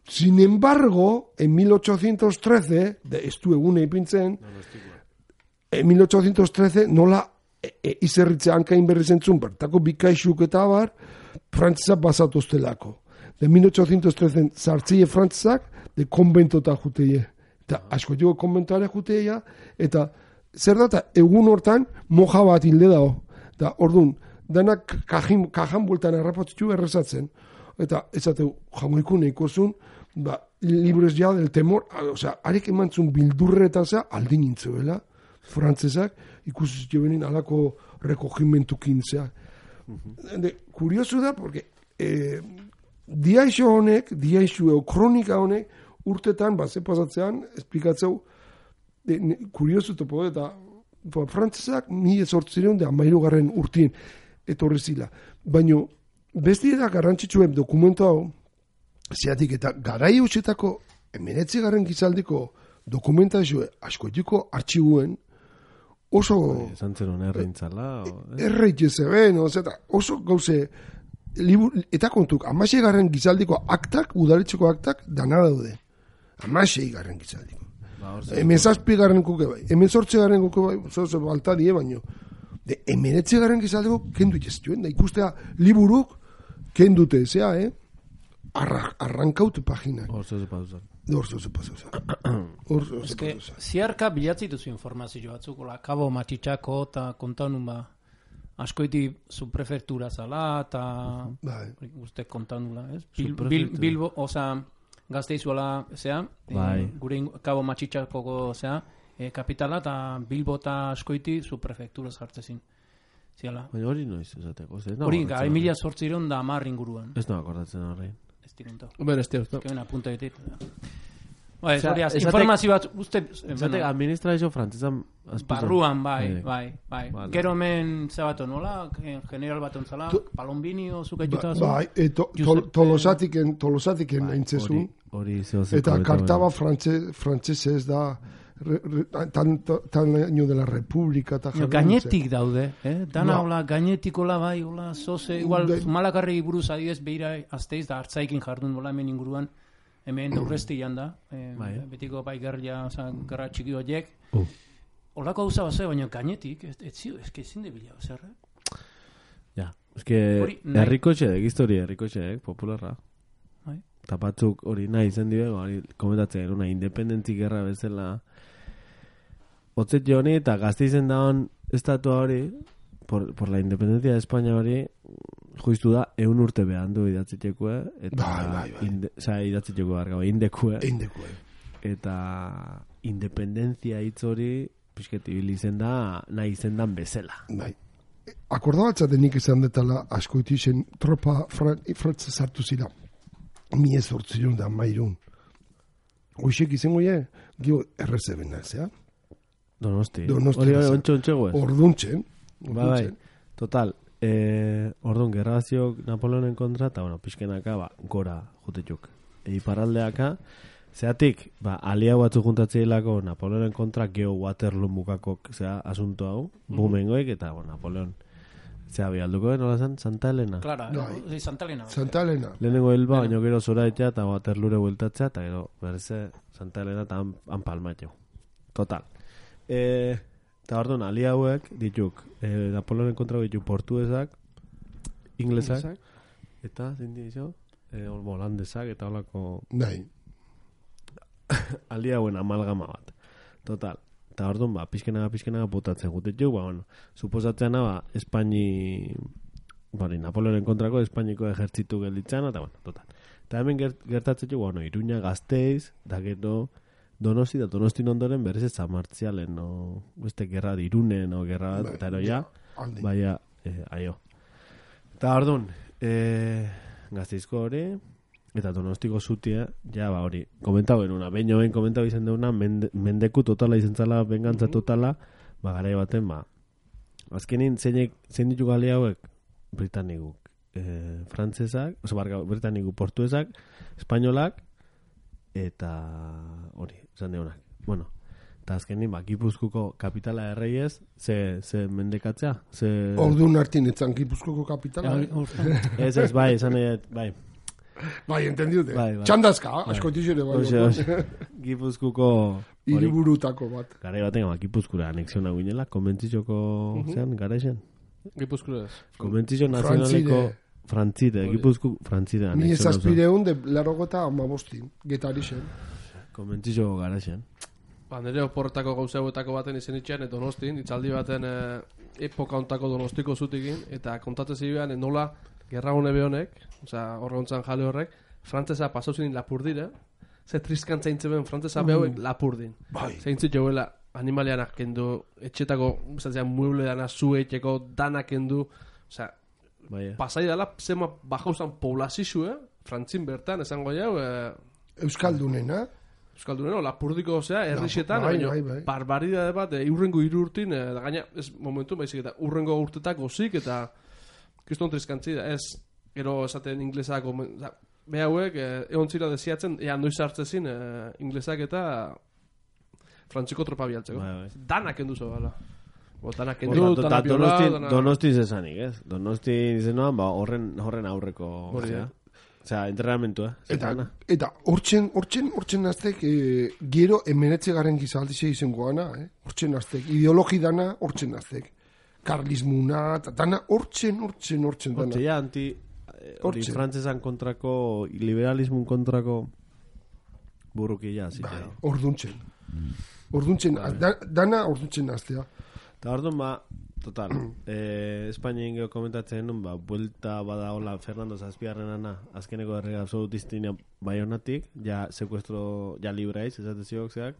Sin embargo, en mil ochocientos trece, de, estuve una y pintzen, en mil ochocientos trece nola e, e, izerritze hankain berri zentzun, bertako bikaixuk eta abar, frantzesa basatoztelako. De mil ochocientos trece zartzeie frantzak, de konventota juteie. Eta asko jo konventoare juteia, eta zer data, egun hortan moja bat hilde dago. Da, orduan, danak kajan, kajan bultan errapotzitu errezatzen. Eta, ezateu, jamoiku nahiko ba, libres ja del temor, osea, arek emantzun bildurreta za, aldin nintzebela, frantzesak, ikusi benin alako rekogimentukin zea. Uh-huh. Kuriosu da, porque eh, diaixo honek, diaixo eo kronika honek, urtetan, bat ze pasatzean, esplikatzeu, kuriosu topo, eta ba, frantzesak mi ezortzireun da amairugarren urtien etorri zila. Baina, besti da garrantzitsuen dokumentu hau, zeatik eta garai hausetako emeretzi garren gizaldiko dokumentazioe askoetiko artxibuen oso... Zantzeron erreintzala? Erreitze zeben, oso gauze... Libur, eta kontuk, amasei garren gizaldiko aktak, udaletxeko aktak, dana daude. Amasei garren gizaldiko. Hemen zazpi garren kuke bai, hemen zortze garren kuke bai, zozo balta die baino. De emenetze garren gizaldeko kendu itxestuen, da ikustea liburuk kendute, zea, eh? Arra, arrankaute paginak. Orzo ze pauzan. Orzo ze pauzan. Orzo ze pauzan. Ziarka bilatzituzu informazio batzuk, la kabo matxitxako eta kontanun ba, askoiti zu prefektura zala, eta bai. Uste kontanula, ez? Bil, bil, bilbo, oza... Gazteizuela, zea, bai. e, gure kabo matxitxakoko, zea, e, kapitala eta Bilbo eta askoiti zu prefektura zartzezin. Ziala. Baina hori noiz esateko. Hori, gai mila sortzireun da amar inguruan. Ez no akordatzen horrein. Ez dirunto. Hombre, ez dirunto. Ez que bena, punta ditit. Ba, ez hori, informazio bat, uste... Zatek, administrazio frantzizan... Barruan, bai, bai, bai. Vale. Gero men, zabato, nola? General bat ontzala, Palombinio, zukaituta zu? Bai, e, to, to, tolosatiken, tolosatiken aintzezun. Hori, zehozeko. Eta kartaba frantzesez da, re, re, tan, tan año de la República. Ta no, gainetik daude, eh? Dana, hola, gainetikola bai, hola, zoze, igual, de... Zumalakarri buruz adidez behira azteiz da hartzaikin jardun, hola, hemen inguruan. Hemen daurrezti janda, eh, bai. Betiko bai gerria, gerra txiki horiek. Uh. Olako hauza bat baina gainetik, ez zio, ez que ezin de bila, zer? Ja, ez que herriko txedek, historia herriko txedek, popularra. Bai. eta batzuk hori nahi izen dio, hori komentatzen, una independentzi gerra bezala, otzet joni, eta Gasteizen daun estatua hori, por, por la independencia de España hori, juiztu da, eun urte behan du idatzitxekue, eta bai, bai, bai. Inde, oza, idatzitxekue barga, indekue, Indekue. eta independentzia hitz hori, pixket ibili izen da, nahi izen dan bezala. Bai. Akordabatzaten nik izan detala askoiti zen tropa frantze sartu zira. Mi ez hortzion da mairun. Goixek izango ye, gio errezeben nazea. Donosti. Donosti. Hori hori ontsu ontsu guez. Orduntzen. Ba, bai. Total. Eh, orduan, gerraziok Napoleonen kontra, eta bueno, pixkenaka, ba, gora jutetxuk. Iparraldeaka, zeatik, ba, alia batzu juntatzeilako Napoleonen kontra geo Waterloo mukakok, zea, asunto hau, bumengoek, eta, bueno, Napoleon, zea, bialduko, nola zen? Santa Elena? Clara, Bai. eh? Santa Elena. Santa Elena. Lehenengo helba, baino gero zora etea, eta Waterloore bueltatzea, eta gero, berze, Santa Elena, eta han, han palmatxeu. Total. Eh, eta orduan, alia hauek, dituk, eh, Napoleonen kontra dituk portuesak, inglesak, eta, zein dizio? Eh, holandesak, eta holako... Bai. Alia hauen amalgama bat. Total. Eta orduan, ba, pizkenaga, pizkenaga botatzen gutetxuk, ba, bueno, suposatzeana, ba, Espaini, bari, Napoleonen kontrako Espainiko ejertzitu gelditzen, eta, bueno, total. Eta hemen gert, gertatzetxuk, bueno, Iruña, Gasteiz, da gero, Donosti, da Donostin ondoren berez ez zamartzialen, no, beste gerra dirunen, no, gerra bat, eta ero ja, baina, eh, aio. Eta orduan, eh, Gasteizko hori, eta Donostiko zutia, ja, ba, hori, komentau benuna, behin joen komentau izan deuna, mende, mendeku totala izan zala, bengantza totala, ba, garai baten, ba, azkenin, zeinek, zein ditu gali hauek, Britanikuk, eh, frantzesak, oso, barga, Britanikuk, portuesak, espainolak, eta hori, esan deunak. Bueno, eta azkenin, ba, Gipuzkuko kapitala erreiez, ze, ze mendekatzea, ze... Orduan hartin etzan Gipuzkoko kapitala. Ez, ez, bai, esan egin, bai. Bai, entendiute. Bai, bai. Txandazka, Bai. asko tixere bai. Oxe, oxe. Gipuzkuko... Hiriburutako bat. Garai baten, ba, Gipuzkura anexiona guinela, konbentzizoko, uh -huh. zean, garaixen? Gipuzkura ez. Konbentzizio nazionaleko... Frantzide, Gipuzku, Frantzide. Ni ezazpireun de larogota amabostin, getari zen. Konbentzizio garaixen. Ba, nire oporretako gauza hauetako baten izen itxean, Donostin, itzaldi baten eh, epoka ontako Donostiko zutikin, eta kontatzen zibean, nola, gerra hone behonek, oza, horre ontzan jale horrek, frantzesa pasauzin lapurdire, ze triskantza intzeben frantzesa behauek lapurdin. Bai. Zeintzik joela animalianak kendu, etxetako, zatzean, mueble dana, zuetxeko, danak kendu, oza, Baia. pasai dela, zema bajauzan poblazizue, frantzin bertan, esango jau, eh, Euskaldunena. Euskaldunena, lapurdiko, osea, errixetan, bai, baina bai, bai. barbaridade bat, e, urrengo hiru urtin, e, da gaina, ez momentu, baizik eta urrengo urtetak gozik, eta kriston triskantzi da, ez, gero esaten inglesak, beha hauek, e, egon zira desiatzen, ea noiz hartzezin, e, inglesak eta frantziko tropa bialtzeko. Bai, bai. Danak enduzo, bala. Bo, danak Bueno, endu, ta- danak biola, Donostin, danak... Donostin zezanik, ez? Donostin izenoan, ba, horren, horren aurreko, Hori da. osea, osea, entrenamentu, eh? Eta, Zertana. eta hortzen, hortzen, hortzen aztek, e, gero emenetze garen gizaldize izango gana, eh? Hortzen aztek, ideologi dana hortzen aztek. Karlismuna, eta dana hortzen, hortzen, hortzen dana. Hortze, ja, anti, eh, hori Hortxe. frantzesan kontrako, liberalismun kontrako burruki, ja, zite. Bai, orduntzen. Orduntzen, da, dana orduntzen aztea. Eta orduan, ba, total, eh, Espainien geho komentatzen nun, ba, buelta bada hola Fernando Zazpiarrenana, azkeneko errega absolutistina Baionatik, ja sekuestro, ja libraiz, esatezioak zeak,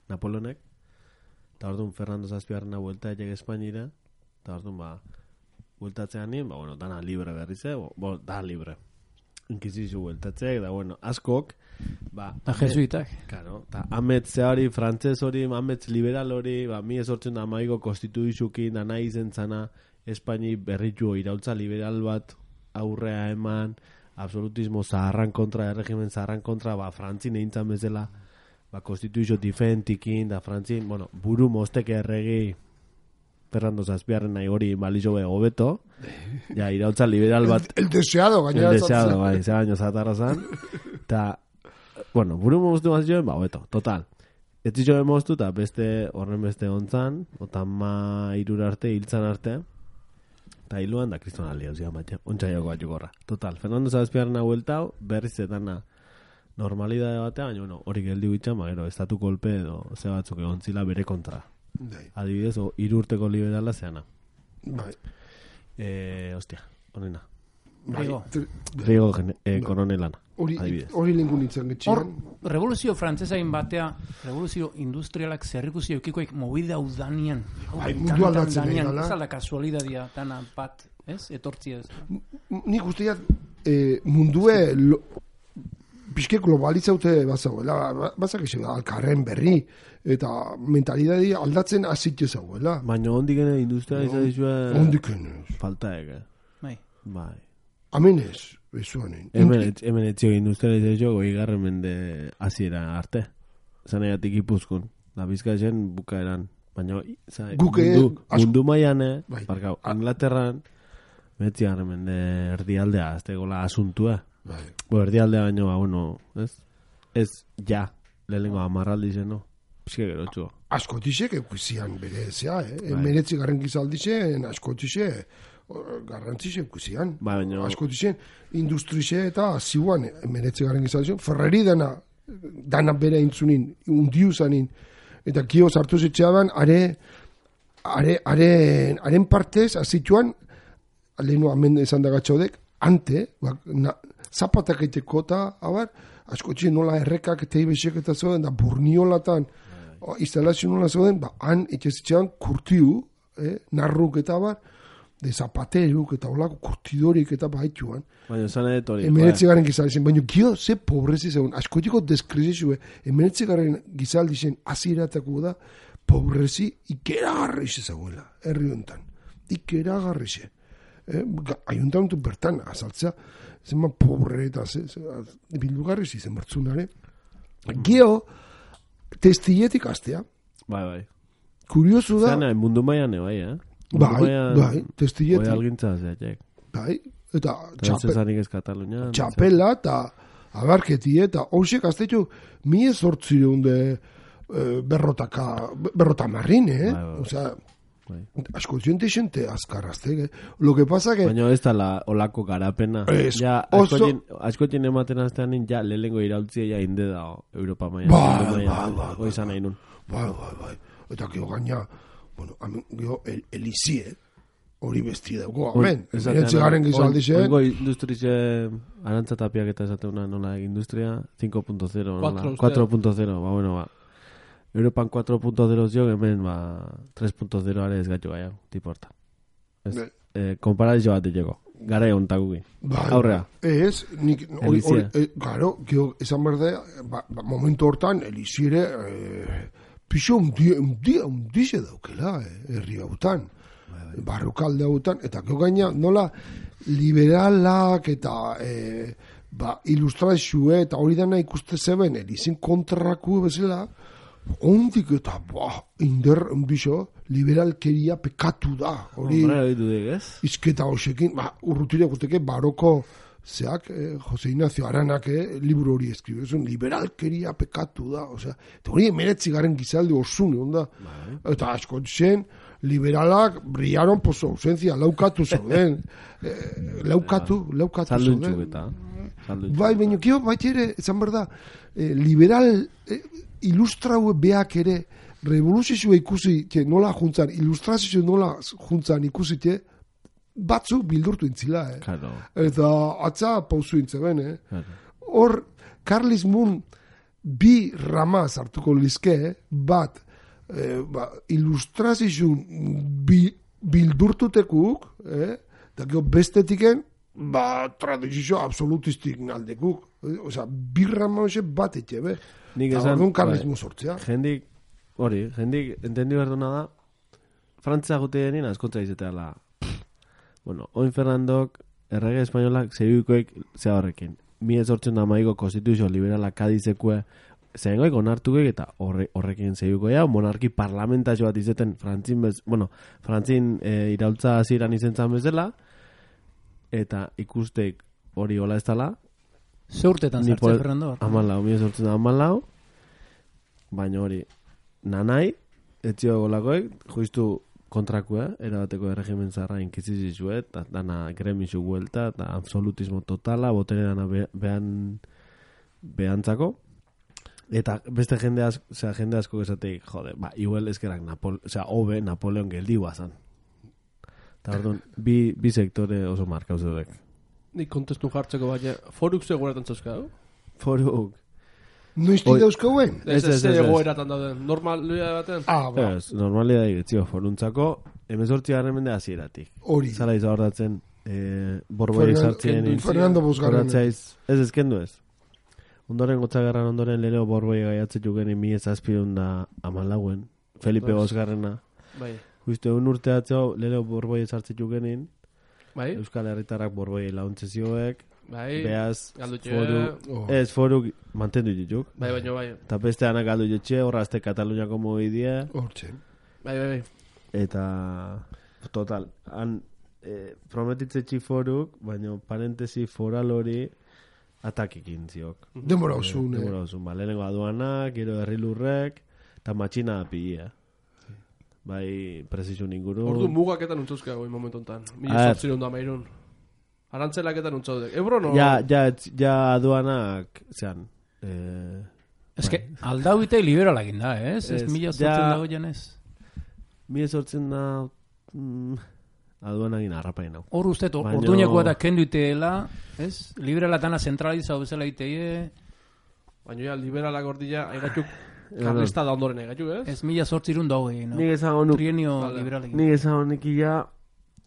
Napoleonek, eta orduan Fernando Zazpiarrena buelta etxek Espainira, eta orduan, ba, bueltatzean nien, ba, bueno, dana libre berriz, eh? Bo, bo, dana libre. Inkizizio bueltatzek, da, bueno, askok, ba, Da jesuitak. claro, eta ametze hori, frantzez hori, ametz liberal hori, ba, mi esortzen da maigo konstituizukin, da nahi zen zana, Espaini berritu iraultza liberal bat aurrea eman, absolutismo zaharran kontra, erregimen zaharran kontra, ba, frantzin eintzan bezala, ba, konstituizio diferentikin, da frantzin, bueno, buru mostek erregi, Fernando Zazpiarren nahi hori balizo be hobeto, ja, iraultza liberal bat, El, el deseado, gainera. el deseado, bai, ze baino zatarra zan, eta, bueno, buru moztu mazioen, ba, hobeto, total. Ez zizioen moztu, eta beste, horren beste ontzan, otan ma irura arte, hiltzan arte, eta hiluan da kriston alia, ozia, matxe, ontsailoko bat jukorra. Total, Fernando Zazpiarna hueltau, berriz zetana normalidade batean, baina, bueno, hori geldi bitxan, ba, gero, estatu kolpe edo ze batzuk egon zila bere kontra. Adibidez, o, irurteko liberala zeana. Bai. Eh, ostia, honena. Rigo. Rigo eh, koronelana. Hori lengun nintzen getxian. Hor, revoluzio frantzesain batea, revoluzio industrialak zerrikusi eukikoik mobida udanian. Bai, mundu aldatzen nahi gala. Ez ala kasualidadia, tana bat, ez? Etortzi ez. Nik usteak eh, mundue lo, pixke globalitzaute bazauela. Bazak esen alkarren berri eta mentalidadi aldatzen azitxe zauela. Baina ondik ene industria izan dizua... Ondik ene. Falta ege. Bai. Bai. Amenez, bezuanen. Hemen etzio industrializazio goi garren mende aziera arte. Zan egatik ipuzkun. Da bizkatzen bukaeran. Baina Guke, mundu, asko, mundu maiane, bai. Barkau, Inglaterran, metzi garren mende erdialdea, azte gola asuntua. Bai. Bo, erdialdea baino, ba, bueno, ez? Ez, ja, lehenengo amarraldi zen, no? Pizke gero txuo. Askotixek ekusian bere zea, eh? Bai. Meretzi garren gizaldixen, askotixek garrantzixen ekusian. Bai, baina... Askotixen industrixe eta ziuan meretzi garren gizaldixen. Ferrari dana, dana bere intzunin, undiu zanin. Eta kio sartu zetxeaban, are, are, are, haren partez, azituan, lehenu amen esan dagatxaudek, ante, bak, na, zapatak eiteko eta, abar, askotxe nola errekak eta ibesek eta zoden, da burniolatan, o, instalazio nola zoden, ba, han etxezitxean kurtiu, eh, narruk eta abar, de zapateruk eta olako kurtidorik eta baituan. Baina, zan edo hori. Emeretzi garen gizaldizen, baina gio ze pobrezi zegoen, askotiko deskrezizue, emeretzi garen gizaldizen aziratako da, pobrezi ikeragarrize zegoela, herri honetan. Ikeragarrize. Eh, Aiuntan dut bertan, azaltzea, zenba pobre eta ze, ze, bildugarriz izen bertzunare. Gio, testilletik astea. Bai, bai. Kuriosu da. Zena, mundu maian bai, eh? Bai, bai, testilletik. Oi algintza zeatek. Bai, eta txapela ez Katalunia. Txapela eta abarketi eta hoxek aztetu mi ezortzireun de eh, berrotaka, berrota marrin, eh? Bai, bai. Osea, bai. asko ziente xente azkarrazte, eh? Lo que pasa que... Baina ez da la olako garapena. Es, ja, oso... askotin ematen aztean ja lehengo iraultzia ja inde da Europa maia. Bai, bai, bai. Hoi zan nahi nun. Bai, bai, bai. Eta gio gaina, bueno, gio el, elizie, hori besti dugu, amen. Erentzi garen gizaldize. Oingo industrize arantzatapiak eta esateuna nola industria cinco punto cero, nola? cuatro punto cero, ba, bueno, ba. Europan cuatro punto cero zio, hemen, ba, tres punto cero are ez gaitu gaia, tiporta. Ez, eh, komparazio bat diteko. Gara egon takuki. Bai, aurrea. Ez, nik, hori, hori, eh, garo, gio, esan berde, ba, ba, momentu hortan, eliziere, eh, pixo undi, undi, undize daukela, eh, herri hautan. Barrukalde hautan, eta gio gaina, nola, liberalak eta eh, ba, ilustrazioe eta hori dana ikuste zeben, elizin kontraku bezala, ondik eta, ba, inder, undizo, liberalkeria pekatu da. Hori, izketa hoxekin, ba, urrutire guzteke, baroko, zeak, eh, Jose Ignacio Aranak eh, liburu hori eskribe, zuen, liberalkeria pekatu da, osea, eta hori emeretzi garen gizaldi osune, onda, eta asko zen, liberalak brillaron por su ausencia, laukatu zauden, eh, laukatu, laukatu zauden. Bai, baina kio, baita ere, ezan berda, eh, liberal, eh, ilustraue beak ere, revoluzioa ikusi, que nola juntzan, ilustrazio nola juntzan ikusi, batzu bildurtu intzila, eh? Claro. Eta atza pauzu intzeben, eh? Claro. Hor, Karlismun bi ramaz hartuko lizke, eh? Bat, eh, ba, ilustrazioen bi, bildurtutekuk, eh? Eta gero bestetiken, ba, tradizio absolutistik naldekuk. Eh? Osea, bi rama hoxe bat etxe, be? Nik esan, orduan Karlismun sortzea. Jendik, hori, jendik, entendi berduna da, Frantzia gute denien askontza izatea la... Bueno, oin Fernandok, errege espainolak, zeibikoek zea horrekin. Mi ez hortzen da maiko konstituzio liberala kadizekue, zehengoik onartuek eta horre, horrekin zeibikoea, monarki parlamentazio bat izeten, frantzin bez, bueno, frantzin e, iraultza aziran izentzan bezala, eta ikusteik hori hola ez dala. Ze urtetan zartze, Fernando? Amalau, mi ez hortzen da amalau, baina hori, nanai, etzio golakoek, juistu kontrakua, erabateko erregimen zarra inkizizizue, eta dana gremizu guelta, eta absolutismo totala, botere dana behan behantzako. Eta beste jende asko, o sea, jende asko esateik, jode, ba, igual eskerak Napol, o sea, hobe Napoleon geldiua zan. Eta orduan, bi, bi sektore oso markauz dudek. Nik kontestu jartzeko baina, foruk zegoeratan zauzkau? Foruk. Noizti dauzkauen? Ez, ez, ez, egoeratan dauden. Normalia baten? Ah, ba. Ez, normalia da egitzio, foruntzako, emezortzi garren mende hasieratik. Hori. Zala izahordatzen, eh, borboi sartzen. Fernando Bosgarren. Ez, ez kendu ez. Ondoren gotzagarran ondoren leheno borboi gaiatzen juken mi ezazpidun da amalauen. Felipe Bosgarrena. Bai. Justo un urte atzau leheno borboi sartzen jukenin. Bai. Euskal Herritarrak borboi launtze zioek. Bai. Beaz, Galdutxe. foru, Oh. ez foru mantendu dituk. Bai, baino, bai. Eta beste anak galdu jotxe, horra azte Kataluniako mogidea. Hortxe. Bai, bai, bai. Eta, total, han eh, prometitze txiforuk, baina parentesi foral hori atakikin ziok. Demora osun, eh? Demora osun, ba, lehenengo aduanak, gero herrilurrek, eta matxina apia. Bai, presisun inguru. Ordu mugaketan untzuzka goi momentu ontan. Mila A ver. sortzirun da mairun. Arantzelaketan untzaudek. Ebro no? Ja, ja, ja aduanak, zean, eh, Ez que, aldau ite liberalak inda, ez? Ez Ez, mila ja- sortzen dago janez. mi sortzen da, mm, aduanagin harrapain hau. Hor uste, Baino- orduñako eta kendu iteela, ez? Liberalatana zentralizau bezala iteie, Baina ja, liberalak ordila, aigatuk, karlista da ondoren aigatuk, ez? ez mila sortzirun dago egin, no? Nik ezago nuk, Trienio Vale. liberalekin. nik ezago nikia,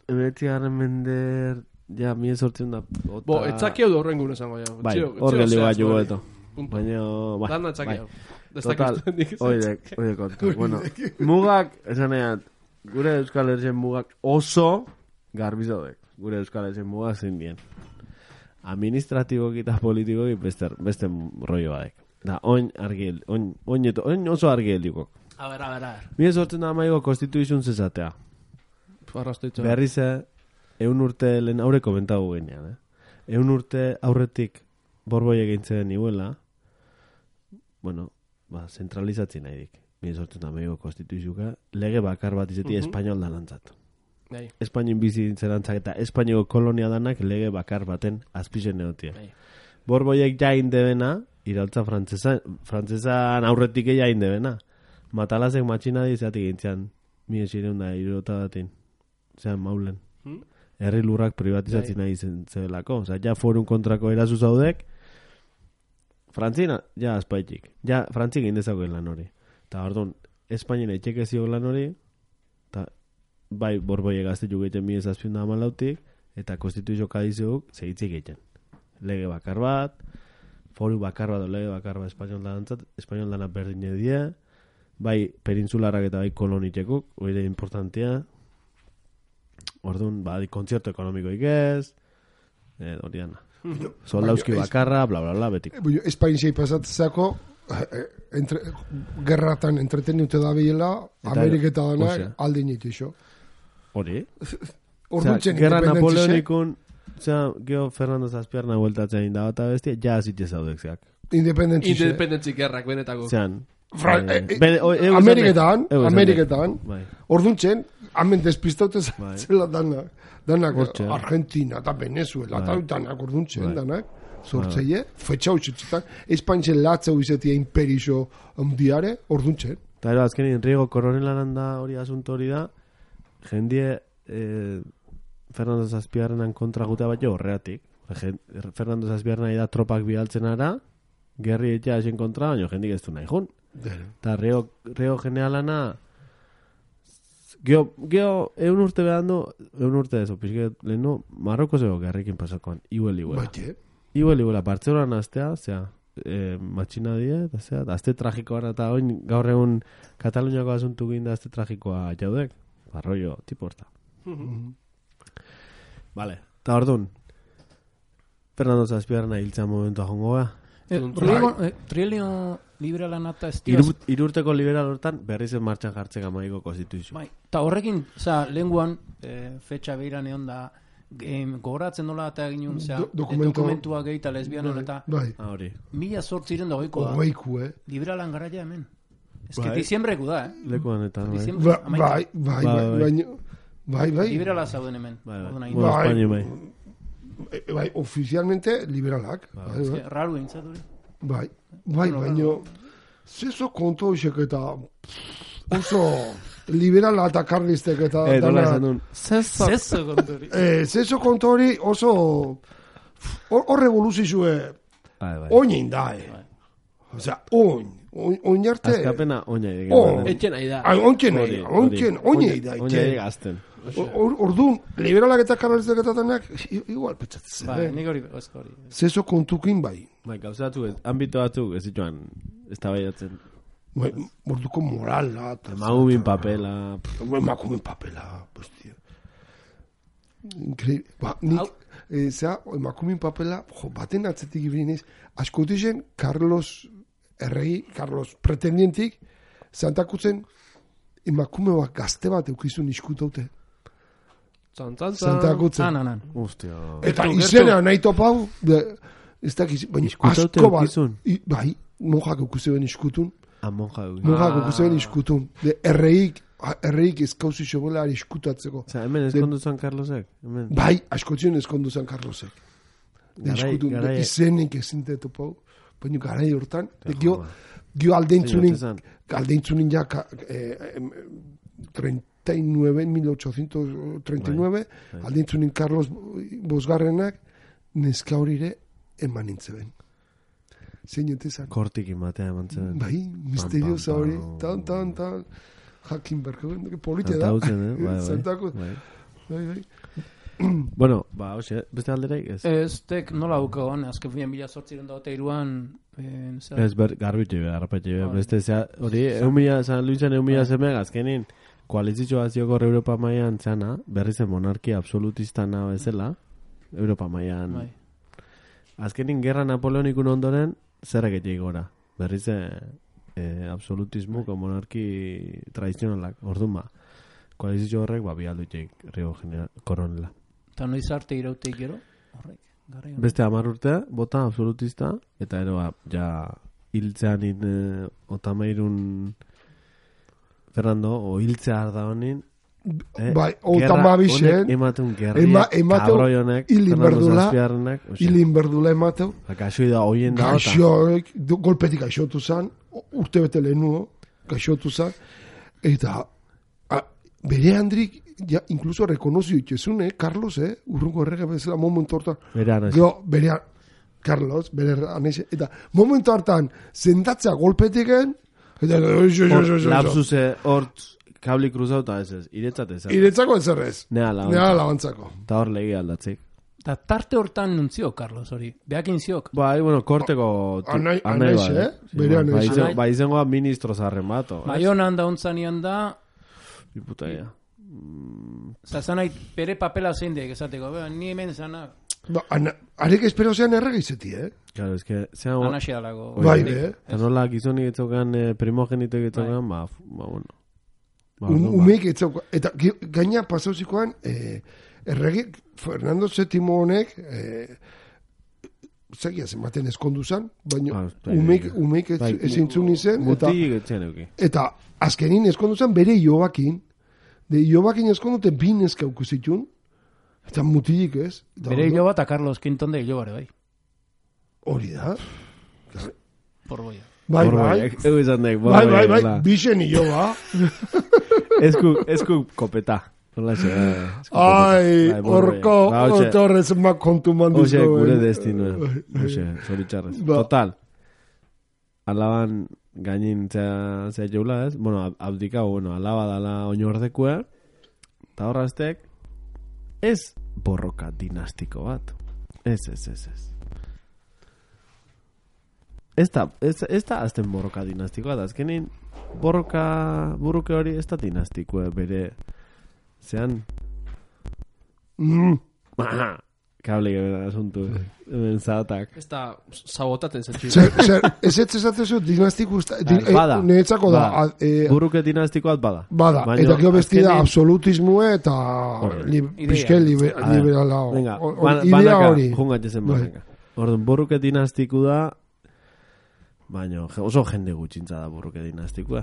emeretzi garren mender, ja, mi sortzen da, ota... Bo, etzaki hau da horren gure zango, ja. Bai, Txio- hor txio geldi zehaz, bat jugo bai. eto. Punto. Baina, bai. Dana etzaki bai. hau. Total, Destakizten oidek, oidek konta. Bueno, mugak, esanean, gure Euskal Herrien mugak oso garbizaudek. Gure Euskal Herrien mugak zein dien. Administratiboki eta politikoki beste, beste rollo badek. Da, oin argi, oin, oin, eto, oin oso argi heldikok. A ver, a ver, a ver. Mire sortzen da maigo konstituizun zezatea. Arrastoitza. Berrize, eun urte lehen aurre komentagu genean, eh? Eun urte aurretik borboi egintzen iguela, bueno, ba, zentralizatzen nahi dik. Mire sortzen da maigo konstituizuka, lege bakar bat izeti Mhm. espainol danantzat. Bai. Espainien bizi zerantzak eta Espainiako kolonia danak lege bakar baten azpizen neotia. Bai. Borboiek jain debena, irautza frantzesa, frantzesan aurretik jain debena. Matalazek matxina dizatik gintzean, mi esireun da irota batin. Zean maulen. Hmm? Herri lurrak privatizatzen Bai. nahi zen zebelako. Osa, ja forun kontrako erazu zaudek, Frantzina, ja aspaitik. Ja, Frantzik indezako lan hori. Eta orduan, Espainien etxeke ziok lan hori, eta bai borboi gazte jugeiten mi ezazpion da amalautik, eta konstituizio kadizeuk segitzik egiten. Lege bakar bat, foru bakar bat, lege bakar bat espainol dantzat, espainol dana berdin edie, bai peninsularrak eta bai kolonitekuk, hori importantia. Orduan, bai kontzertu ekonomikoik ez, eh, hori dana. Soldauski Baina, bakarra, bla, bla, bla, betik. Bueno, Espain sei pasatzeko entre, gerratan entreteniute da biela, Eta- Ameriketa dana Osea. aldin itixo. Hori? Ordutzen Gerra independentzia. Napoleonikun, osea, geho Fernando Zazpiarna bueltatzen inda bat abestia, ja zitze zaudekziak. Independentzia. Independentzi gerrak benetako. Zean, Fra- eh, eh, bene- o- eu Ameriketan, esan dek, eu esan Ameriketan, dek. Bai. orduntzen, hemen despistaute Bai. zela danak, danak Hortxe. Argentina eta Venezuela, eta Bai. danak orduntzen, Bai. danak, sortzeie, fetxa utxetzetan, Espainitzen latzeu izetia imperixo ondiare, orduntzen. Eta ero, azkenin, Riego Koronelaran da hori asunto hori da, jendie eh, Fernando Zazpiarrenan kontra gutea bat jo horreatik. Gen- Fernando Zazpiarrena da tropak bialtzen ara, gerri etxea esen kontra, baina jendik ez du nahi jun. Eta Riego, Riego generalana, Geo, geo, eun urte behandu, eun urte dezo, pixket, lehenu, Marroko zego gerrikin pasakoan, iguel, iguel. Baite, Igual, igual, Bartzelonan aztea, zera, e, matxina die, eta zera, azte tragikoa, eta oin gaur egun Kataluniako asuntu ginda azte tragikoa jaudek, barroio, tipo horta. Vale, eta orduan, Fernando Zazpiarrena hiltzea momentua jongo ga. Eh, Trienio eh, Trienio liberalana eta ez diaz- Iru, irurteko liberal hortan, berriz en martxan jartzeka maiko konstituizio. Bai, eta horrekin, oza, lenguan, e, fetxa behiran egon da, em, gogoratzen nola eta egin un, Do- dokumento- dokumentua gehi eta lesbianon eta bai, Ah, hori. mila sortziren da goiko da. hogeiku, eh? Liberalan garaia hemen. Ez que diciembreku da, eh? Lekuan eta, bai. Bai, bai, bai, bai, bai. Liberala zauden hemen. Bai, bai. Bai, oficialmente liberalak. Ez que, raro entzat hori. Bai, bai, baina zezo konto hoxek eta oso liberala eta karlistek eta eh, dana. Zezo konto hori. Eh, zezo konto hori oso hor revoluzizue oinin da, eh. Osea, oin. Oin arte. Azkapena oina egin. Etxen nahi da. Ointxen nahi da. Ointxen, oina da. Oina egazten. Orduan, liberalak eta karlistek eta danak, igual petxatzen. Bai, nik hori, osko hori. Zezo kontukin bai. Bai, gauza batzuk, ambito batzuk, ez dituan, ez da baiatzen. Bai, morduko morala. Emakumin papela. Emakumin papela, postia. Increíble. Ba, nik, zera, emakumin papela, jo, baten atzetik ibrinez, askotizen, Carlos Erregi, Carlos pretendientik, zantakutzen, emakume bat gazte bat eukizun iskutaute. Zantakutzen. Anan, anan. Ustia. Eta izena nahi topau, ez dakiz, baina asko bat. Bai, monjak eukizuen iskutun. Ah, monjak eukizuen. Monjak eukizuen iskutun. Erreik, erreik ezkauzi xobela iskutatzeko. Oza, hemen eskondu zan Carlosek? Bai, askotzen eskondu zan Carlosek. Iskutun, izenik ezinte topau. Baina garai hortan, gio aldeintzunin, aldeintzunin ja treinta y nueve, mil ochocientos treinta y nueve, aldeintzunin Carlos Bosgarrenak neska horire eman nintzeben. Zein entezan? Kortik imatea eman zeben. Bai, misteriosa hori, tan, tan, tan, jakin berko, polite da. Zantautzen, eh? Bai, Zantakut. Bai, bai. Bueno, ba, hoxe, beste aldereik ez? Ez, tek nola dukagon, azken finean bila sortziren da eta iruan... Ez, ber, garbitxe be, garrapetxe be, beste, zea, hori, egun mila, San Luisen egun mila zemeak, azkenin, koalizitxoazioko Europa maian zana, berri zen monarkia absolutista nahi bezala, Europa maian. Azkenin, gerra napoleonikun ondoren, zerrak etxeik gora. Berri zen, absolutismuko monarki tradizionalak, orduan ba. Koalizitxo horrek, ba, bialdu etxeik, Rio Koronela. Eta noiz arte irauteik gero? Horrek, garri. Beste hamar urte, bota absolutista, eta ero, ja, hiltzean in, eh, otamairun Fernando, o hiltzea arda honin, eh, bai, otamabixen, ematun gerriek, cabroionek, Fernando Zazpiarrenak, hilin berdula emateu, akaxoi da, oien da, gaixoek, golpetik gaixotu zan, urte bete lehenuo, gaixotu zan, eta bere handrik, ja, incluso rekonozio itxezun, eh, Carlos, eh, urrungo errege bezala momentu hortan. Bere anaiz. Gero, bere, Carlos, bere anaiz, eta momentu hartan, zendatzea golpetiken, eta, lapsuse, hort, kabli cruzau, eta ez ez, iretzat ez. Iretzako ez errez. Nea labantzako. Nea labantzako. Eta hor legi aldatzik. Eta tarte hortan nuntzio, Carlos, hori. Beakin ziok. Bai, bueno, korteko... Anaiz, eh? Bere anaiz. Ba, izengoa ministro zarren bato. Baionan da ontzanian da... Diputaia. Zazanait, bere papela zein deek esateko, ni hemen zana... Ba, arek espero zean erregizeti, eh? Claro, es que... Anaxea dago. Bai, eh? Eta nola gizonik etzokan, primogenito etzokan, ba, ba, bueno. Umeik etzokan. Eta gaina pasauzikoan, erregik, Fernando séptimo honek, zegia zenbaten eskondu zan, baina umeik ezintzun izen. Mutik etxen euki. Eta azkenin eskondu zan bere Iobakin, de Iobakin eskondute bin eskauku zitun, eta mutilik ez. Bere Ioba eta Carlos Quinton de Iobare, bai. Hori da. Porboia. Bai, bai. Egu izan dek, bai, bai, bai, bixen Ioba. Esku, esku kopeta. Ai, orko, otorrez ma kontu mandizko. Oxe, gure destino. Oxe, zoritxarrez. Total. Alaban gainin zea jeula ez. Bueno, abdika, bueno, alaba dala oinordekua. Eta horraztek, ez borroka dinastiko bat. Ez, ez, ez, ez. Ez da, ez da azten borroka dinastiko bat. Azkenin, borroka, burruke hori ez da dinastikoa bere... Zean... Mm. Kable gara asuntu. Hemen zaotak. Ez da sabotaten zetxu. Ez ez ezatezu dinastiko... Bada. Neetzako da. Burruke dinastikoat bada. Bada. Eta kio bestida absolutismue eta... Piske liberala. Venga, banaka. Jungatzezen banaka. Orduan, burruke dinastiku da... Baina oso jende gutxintza da burruke dinastikoa.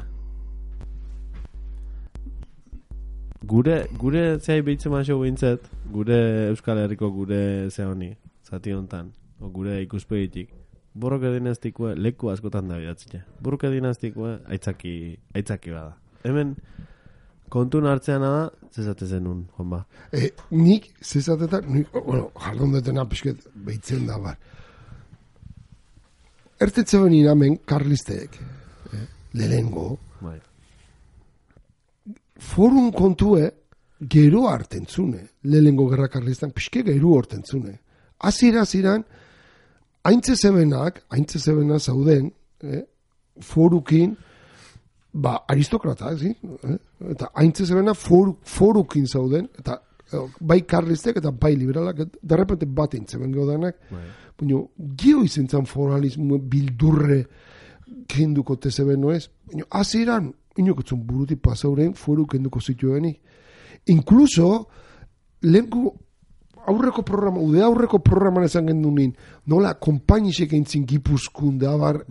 gure, gure zehai behitzen maso behintzet, gure Euskal Herriko gure ze honi, zati hontan, o gure ikuspegitik. Borroke dinastikue leku askotan da bidatzea. Borroke dinastikue aitzaki, aitzaki bada. Hemen, kontun hartzean da, zezate zenun, Juanba. E, nik, zezatetan, nik, bueno, jardun detena pixket behitzen da, bar. Ertetze benin hemen, karlisteek, eh, lehengo, bai. Forun kontue, gero hartentzune, lehengo gerra karlistan, pixke gero hartentzune. Azira, aziran, haintze zebenak, haintze zebenak zauden, eh, forukin, ba, aristokrata, zi? Eh? Eta haintze zebenak foru, forukin zauden, eta eh, bai karlistek eta bai liberalak, derrepente bat eintzeben gaudanak, baina, gio izentzan foralismo bildurre kenduko tezeben noez, baina, aziran, inokotzun buruti pasauren foru kenduko zituenik. Inkluso, lehenko aurreko programa, ude aurreko programan esan gendunin, nola, kompainisek eintzin gipuzkun da, bar,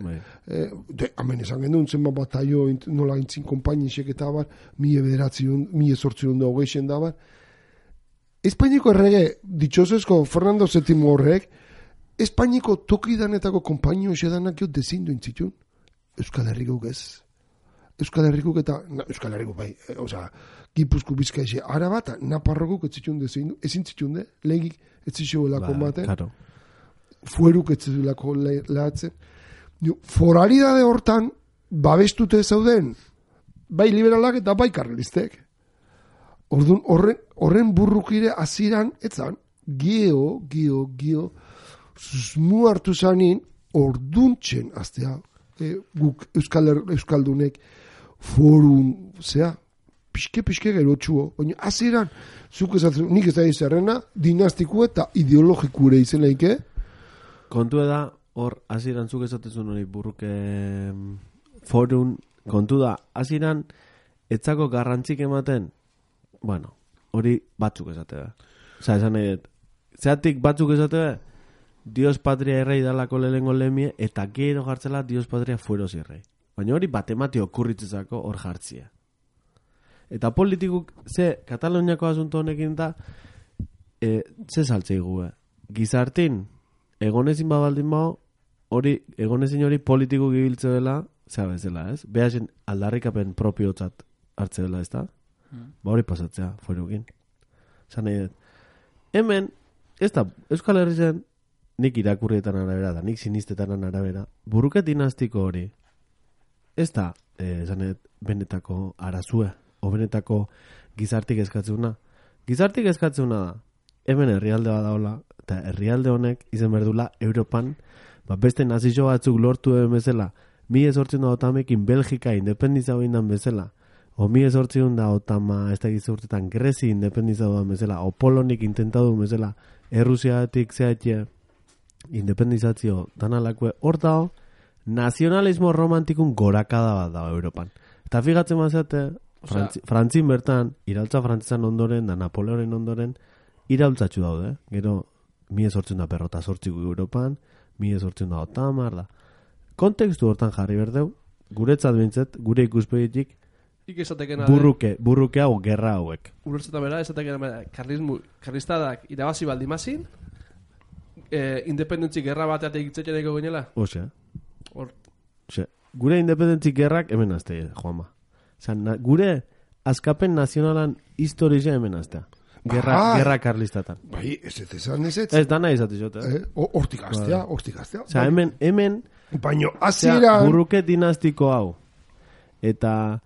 eh, de, amen esan gendun, zenba bataio, nola eintzin kompainisek eta bar, mie bederatzion, mie sortzion da hogeixen da, bar. Espainiko errege, ditxosezko Fernando Sétimo horrek, Espainiko tokidanetako kompainio esedanak jo dezindu intzitun. Euskal Herriko ez. Euskal Herriko eta, na, Euskal Herriko bai, e, oza, Gipuzko Bizkaia Araba eta Naparroko etzitun dezindu, ezin zitun de, lehigik etzitxuelako ba, baten, claro. Fueruk etzitulako lehatzen. Foralidade hortan, babestute zauden, bai liberalak eta bai karlistek. Orduan, horren, horren burrukire aziran, etzan, gio, gio, gio, susmu hartu zanin, orduntzen, aztea, e, guk Euskal, Euskaldunek, forun, zea, pixke, pixke gero txuo, baina aziran, zuk ezatzen, nik ez da izarrena, dinastiko eta ideologikure izen leike. Kontu da, hor, aziran zuk ezatzen hori burruke forun, kontu da, aziran, etzako garrantzik ematen, bueno, hori batzuk esate da. Osa, esan nahi dut, zeatik batzuk esate da, Dios patria errei dalako lehengo lemie, eta gero jartzela Dios patria fueros irrei. Baina hori batemati okurritzezako hor jartzia. Eta politikuk, ze, Kataloniako asunto honekin da, e, ze saltzei gu, eh? Gizartin, egonezin babaldin bao, hori, egonezin hori politikuk ibiltze dela, zea bezala, ez? Behasen aldarrikapen propiotzat hartze dela, ez da? Mm. Ba hori pasatzea, fuerukin. Zan nahi dut. Hemen, ez da, Euskal Herri zen, nik irakurrietan arabera da, nik sinistetan arabera, buruket dinastiko hori, ez da, eh, zanet, benetako arazue, o benetako gizartik eskatzuna. Gizartik eskatzuna da, hemen herrialde bat daola, eta herrialde honek izen berdula Europan, ba, beste nazio batzuk lortu den bezala, mi ezortzen da otamekin Belgika independiza hoindan bezala, o mi ezortzen da otama, ez da gizurtetan Grezi independiza hoindan bezala, o Polonik intentadu bezala, Errusiatik zehatxe, independizazio danalakue, hor dao, nazionalismo romantikun gorakada bat dago Europan. Eta figatzen mazate, Frantzi, Frantzin bertan, iraultza frantzizan ondoren, da Napoleonen ondoren, iraultzatxu daude. Gero, mi ezortzen da perrota sortziko Europan, mi ezortzen da otamar da. Kontekstu hortan jarri berdeu, guretzat bintzet, gure ikuspegitik, burruke, burruke hau, gerra hauek. Urertzeta bera, esatek karlismu, karlistadak irabazi baldimazin, eh, independentzi gerra bateatek itzetxeneko ginela? Ose. Or. Ose. Gure independentzi gerrak hemen azte, Juanma. Zan, na, gure askapen nazionalan historia hemen aztea. Gerra, ah, gerra karlistatan. Bai, ez ez ezan ez ez. Ez dana izate jote. Eh, hortik aztea, hortik aztea. Osa, hemen, hemen, baino, aziran... burruke dinastiko hau. Eta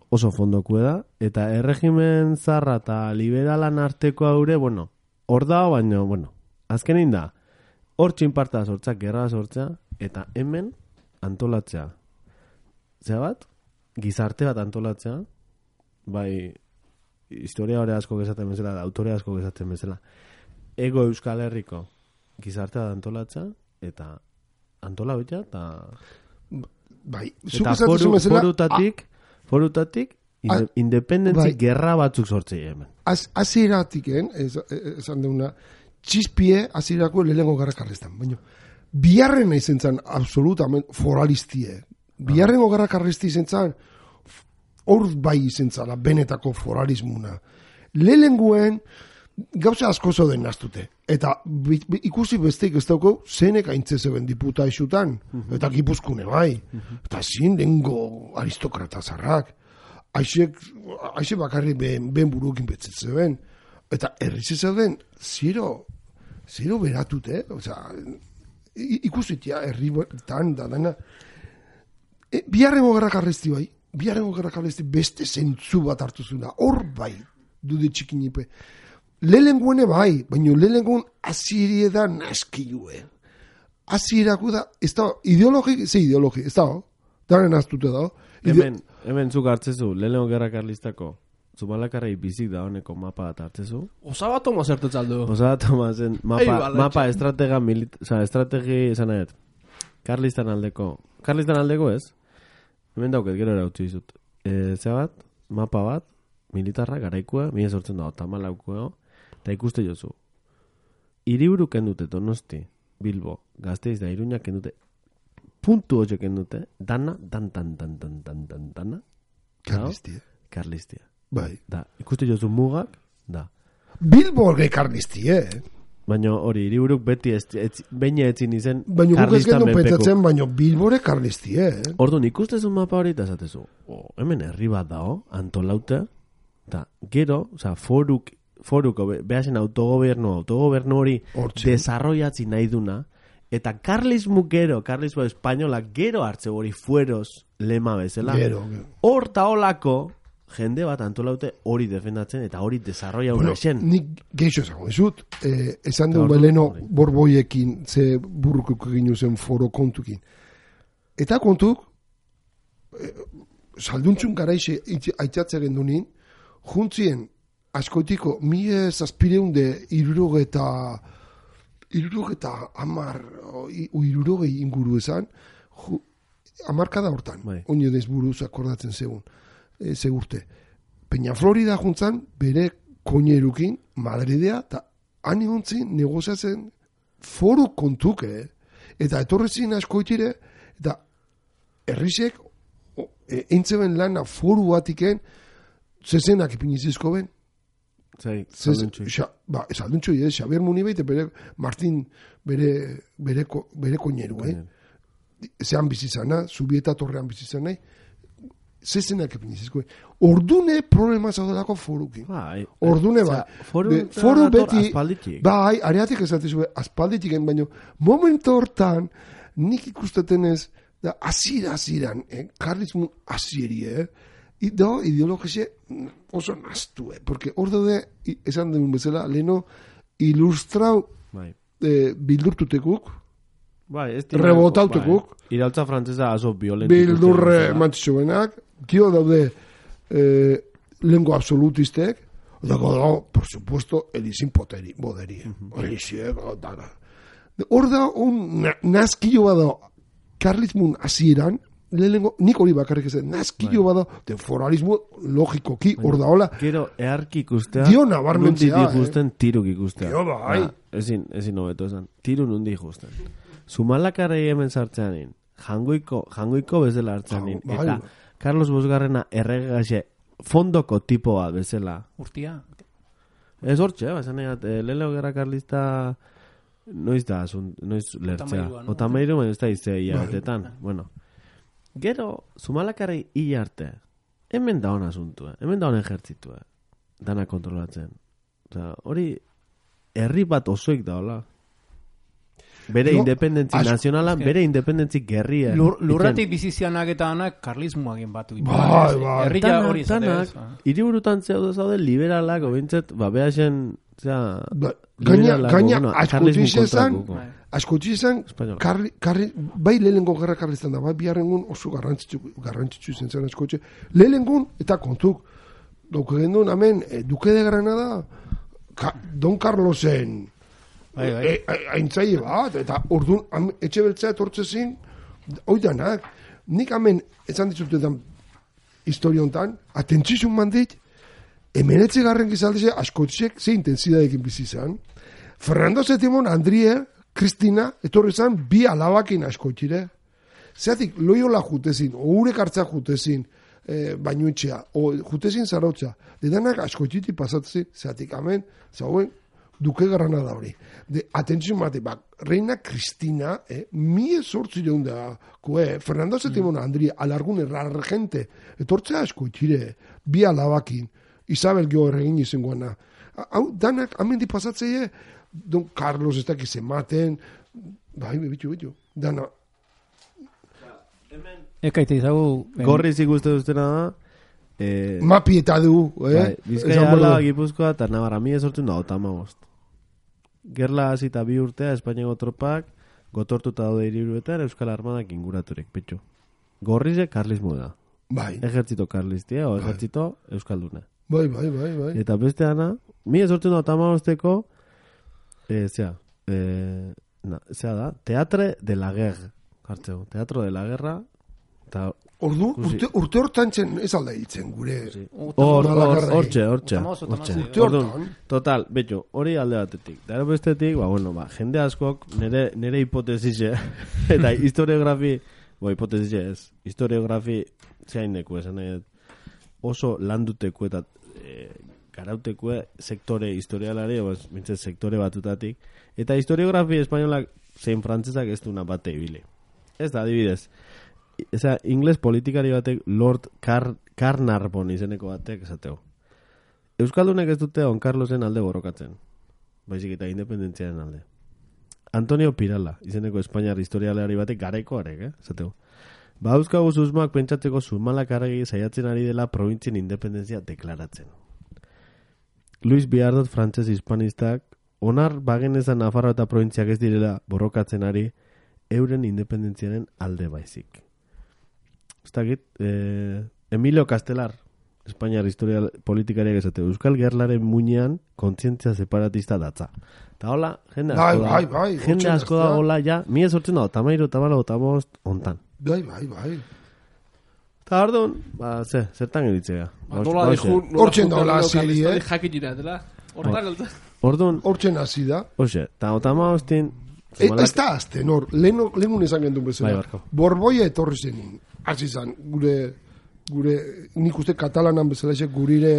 oso fondokue da. Eta erregimen zarra eta liberalan arteko haure, bueno, hor da, baina, bueno, azkenin da, hor txinparta sortzak, gerra sortzea, eta hemen antolatzea. Zea bat? Gizarte bat antolatzea, bai, historia hori asko gezaten bezala, autore asko gezaten bezala. Ego Euskal Herriko gizarte bat antolatzea, eta antola bitea, eta... Bai, eta foru, forutatik, forutatik, inde, a, independentzi bai, gerra batzuk sortzei hemen. Az, aziratiken, esan deuna, txispie azirako lehengo garra karlistan, baina, biharren izen zan, absolutamente, foralistie. Biharrengo garra karlisti izen zan, hor bai izentzala, benetako foralismuna. Lelenguen, gauza asko zoden naztute. Eta bi, bi, ikusi besteik ez dauko, zenek aintzezeben diputa isutan, uh-huh. eta gipuzkune bai. Uh-huh. Eta zin dengo aristokrata zarrak. Aixek, aixe bakarri ben, ben burukin betzetzen. Eta errize zauden, zero, zero beratute, osea, ikusitia, herri tan da dana. E, biharrengo gerrak arresti bai, biharrengo gerrak arresti beste zentzu bat hartu zuna, hor bai, dude txikinipe. Lehenguene bai, baina lehengun azirie da naskilue. Azierako da, ez da, ideologi, ze ideologi, ez da, daren aztute da. Hemen, hemen zuk hartzezu, lehenengo gerra karlistako, Zumalakarrei bizik da honeko mapa bat hartzezu. Osaba Tomas ertetzaldu. Osaba Tomasen mapa, mapa estratega, milit, oza, estrategi, esan nahet, karlistan aldeko, karlistan aldeko ez, hemen dauket, gero erautzi dizut. E, Zer bat, mapa bat, militarra, garaikua, mila sortzen dago, tamalaukua, eta ikuste jozu. Hiriburu kendute Donosti, Bilbo, Gasteiz da Iruña kendute, puntu hoxe kendute, dana, dan, dan, dan, dan, dan, dan, dana. Karlistia. Karlistia. Bai. Da, ikuste jozu mugak, da. Bilbo ge karlistia, eh? Baina hori, hiriburuk beti ez, ez, beina etzin izen baina karlistan menpeko. Baina guk ez petatzen, baina Bilbore karlistia, eh? Orduan, ikustezun mapa hori eta esatezu, oh, hemen herri bat dao, antolaute, eta gero, oza, foruk, foruko, behasen autogobernu, autogobernu hori desarroiatzi nahi duna, eta karlismu gero, karlismo espainola, gero hartze hori fueros lema bezala. Gero, gero. Hor taolako, jende bat antolaute hori defendatzen eta hori desarroia bueno, una esen. Nik geixo esango dizut, eh, esan duen beleno borboiekin, ze burrukuk egin zen foro kontukin. Eta kontuk, eh, salduntzun garaixe aitzatzen gendunin, juntzien askoitiko mie zazpireun de irurogeta irurogeta amar irurogei inguru esan, ju, amarkada hortan, bai. Oino dez buruz akordatzen zegun. E, segurte. Peña Florida juntzan, bere koinerukin, Madridea, eta han egontzin negoziatzen foru kontuke, eta etorrezin askoitire, eta errisek, e, eintzeben lana foru batiken, zezenak ipinizizko ben. Zai, salduntxui. Ba, salduntxui, eh? Xabier Munibeite, bere Martin, bere, bere, bere koineru, eh? Zean bizizana, Zubieta torrean bizizana, zezenak epinizizko. Ordune problema zaudelako forukin. Bai. Ordune bai. Foru, foru beti, aspalditik. bai, areatik esatizue, aspalditiken, baino, momentu hortan, nik ikustetenez, da, azira, aziran, eh? Karlismun aziri, eh? Ido, ideologize oso naztu, eh? Porque hor daude, esan den bezala, leheno, ilustrau bai. eh, bildurtutekuk, bai, rebotautekuk, bai. Irautza frantzesa aso violentik. Bildurre mantxuenak, kio daude eh, lengo absolutistek, dago dago, por supuesto, elizin poteri, boderi, uh-huh. Eliziek, dara. Hor da, un na, nazkillo bada, karlismun azieran, lehenengo, nik hori bakarrik ezen, nazkillo bada, de foralismo logikoki, hor da, hola. Gero, earki ikustea, dio nabarmentzea, nundi ikusten, eh? Tiruk ikustea. Dio bai. Ba, ezin, ezin hobeto esan, tiru nundi ikusten. Zumalakarrei hemen sartzeanin, jangoiko, jangoiko bezala hartzeanin, bai. eta Carlos Bosgarrena erregaxe fondoko tipoa bezala. Urtia. Ez hortxe, eh? Baina eh, leleo gerra karlista noiz da, asun, noiz lertzea. Otameiru, baina ez da iztea hilabetetan. Bueno, gero, Zumalakarrei hila arte, hemen da hona asuntua, hemen da hona ejertzitue, dana kontrolatzen. Osa, hori, herri bat osoik da, hola. Bere no, independentzi as... nazionala, bere independentzi gerria. Lur, lurratik bizizianak eta anak karlismoagin batu. Bai, bai. Herria hori zateaz. Hiriburutan zeude zaude liberalak, obintzet, ba, behasen, zera... Ba, gaina, gaina, bueno, askotizizan, askotizizan, bai lehenengo gerra karlistan da, bai biharrengun oso garrantzitsu, garrantzitsu zen zen askotxe. Lehenengun, eta kontuk, dauke gendun, amen, eh, Duque de Granada, ka, Don Carlosen, bai, bai. E, e, aintzaile bat, eta orduan, etxe beltzea etortzezin, oidanak, nik hemen, esan ditzutetan, historia hontan, atentzizun mandit, emenetze garren gizaldeze, askotxek, ze intensidadekin bizizan, Fernando Setimon, Andrie, Kristina, etorri zan, bi alabakin askotxire. Zeatik, loiola jutezin, ourek hartza jutezin, eh, bainuitxea, o jutezin zarautza, dedanak askoititi pasatzen, zeatik amen, zauen, duke garrana da hori. De, atentzio mate, bak, Reina Cristina, eh, mie sortzi deun da, koe, Fernando Setimona, mm. Andria, alargun errargente, etortzea askoitire, bi alabakin, Isabel geho erregin izangoana. Hau, danak, amendi pasatzeie, Don Carlos ez dakiz ematen, bai, bitu, bitu, dana. Ekaite izagu... Gorriz ikuste duztena da... Eh, Mapi eta du, eh? Bai, Bizkaia ala, Gipuzkoa eta Navarra, mi esortzen da, otama bost. Gerla hasita bi urtea, Espainiako tropak, gotortuta daude hiriburuetan, Euskal Armadak inguraturek, petxo. Gorrize, karlismo da. Bai. Ejertzito karlistia, o ejertzito euskalduna. Bai, bai, bai, bai. Eta beste ana, mi esortzen da, otama bosteko, eh, zea, eh, na, zea da, Teatre de la Guerra, hartzeu, Teatro de la Guerra, eta... Ordu, urte, urte hortan txen, ez alda hitzen, gure... Hortxe, hortxe, hortxe. Total, betxo, hori alde batetik. Dara bestetik, ba, bueno, ba, jende askok, nere, nere hipotesize, eta historiografi, bo, hipotesize ez, historiografi, zehaineko, esan nahi, oso landuteko eta e, garauteko sektore historialari, oz, mintzet, sektore batutatik, eta historiografi espainolak zein frantzesak ez duna bate ibile. Ez da, adibidez, eza, ingles politikari batek Lord Car Carnarvon izeneko batek esateo. Euskaldunek ez dute Don Carlosen alde borrokatzen. Baizik eta independentziaren alde. Antonio Pirala izeneko Espainiar historialeari batek garaiko arek, eh? Esateo. Ba, euskagu susmoak pentsatzeko Zumalak argi saiatzen ari dela provintzien independentzia deklaratzen. Luis Biardot frantses hispanistak onar bagenezan Nafarroa eta provintziak ez direla borrokatzen ari euren independentziaren alde baizik. Ez dakit, eh, Emilio Castelar, Espainiar historia politikariak esate, Euskal Gerlaren muinean kontzientzia separatista datza. Eta hola, jende asko da, bai, bai, jende asko da, hola, ja, mi esortzen da, tamairu, tamalo, tamost, ontan. Bai, bai, bai. Eta ordun, ba, ze, zertan eritzea. Nola dejun, hortzen da, hola, zili, eh? Jakitira, dela, hortan alta. Ordun, hortzen hasi da. Oxe, eta otamostin... Ez da azte, nor, lehenun esan gendun bezala. Bai, Borboia etorri zenin. Hasi zan, gure, gure, nik uste katalanan bezala esek gurire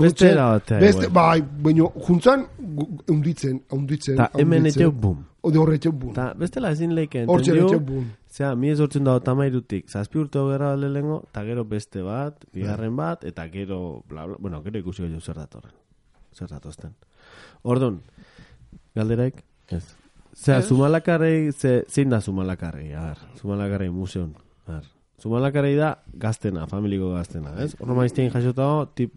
beste era batea. Beste, bai, baina juntzan, unditzen, unditzen. Ta hemen etxeu bum. Ode horre etxeu bum. Ta bestela ezin leiken. Hortxe etxeu bum. Zea, mi ezortzen da otamairutik, zazpi urte hogera lehengo, eta gero beste bat, bigarren bat, eta gero, bla, bla, bueno, gero ikusi gero zer datorren. Zer datozten. Ordun, galderaik, ez. Zea, Zumalakarrei, ze, zein da Zumalakarrei, a ver, Zumalakarrei museon, a ver. Zumalakarrei da gaztena, familiko gaztena, ez? Horro maiztein jasotao, tip...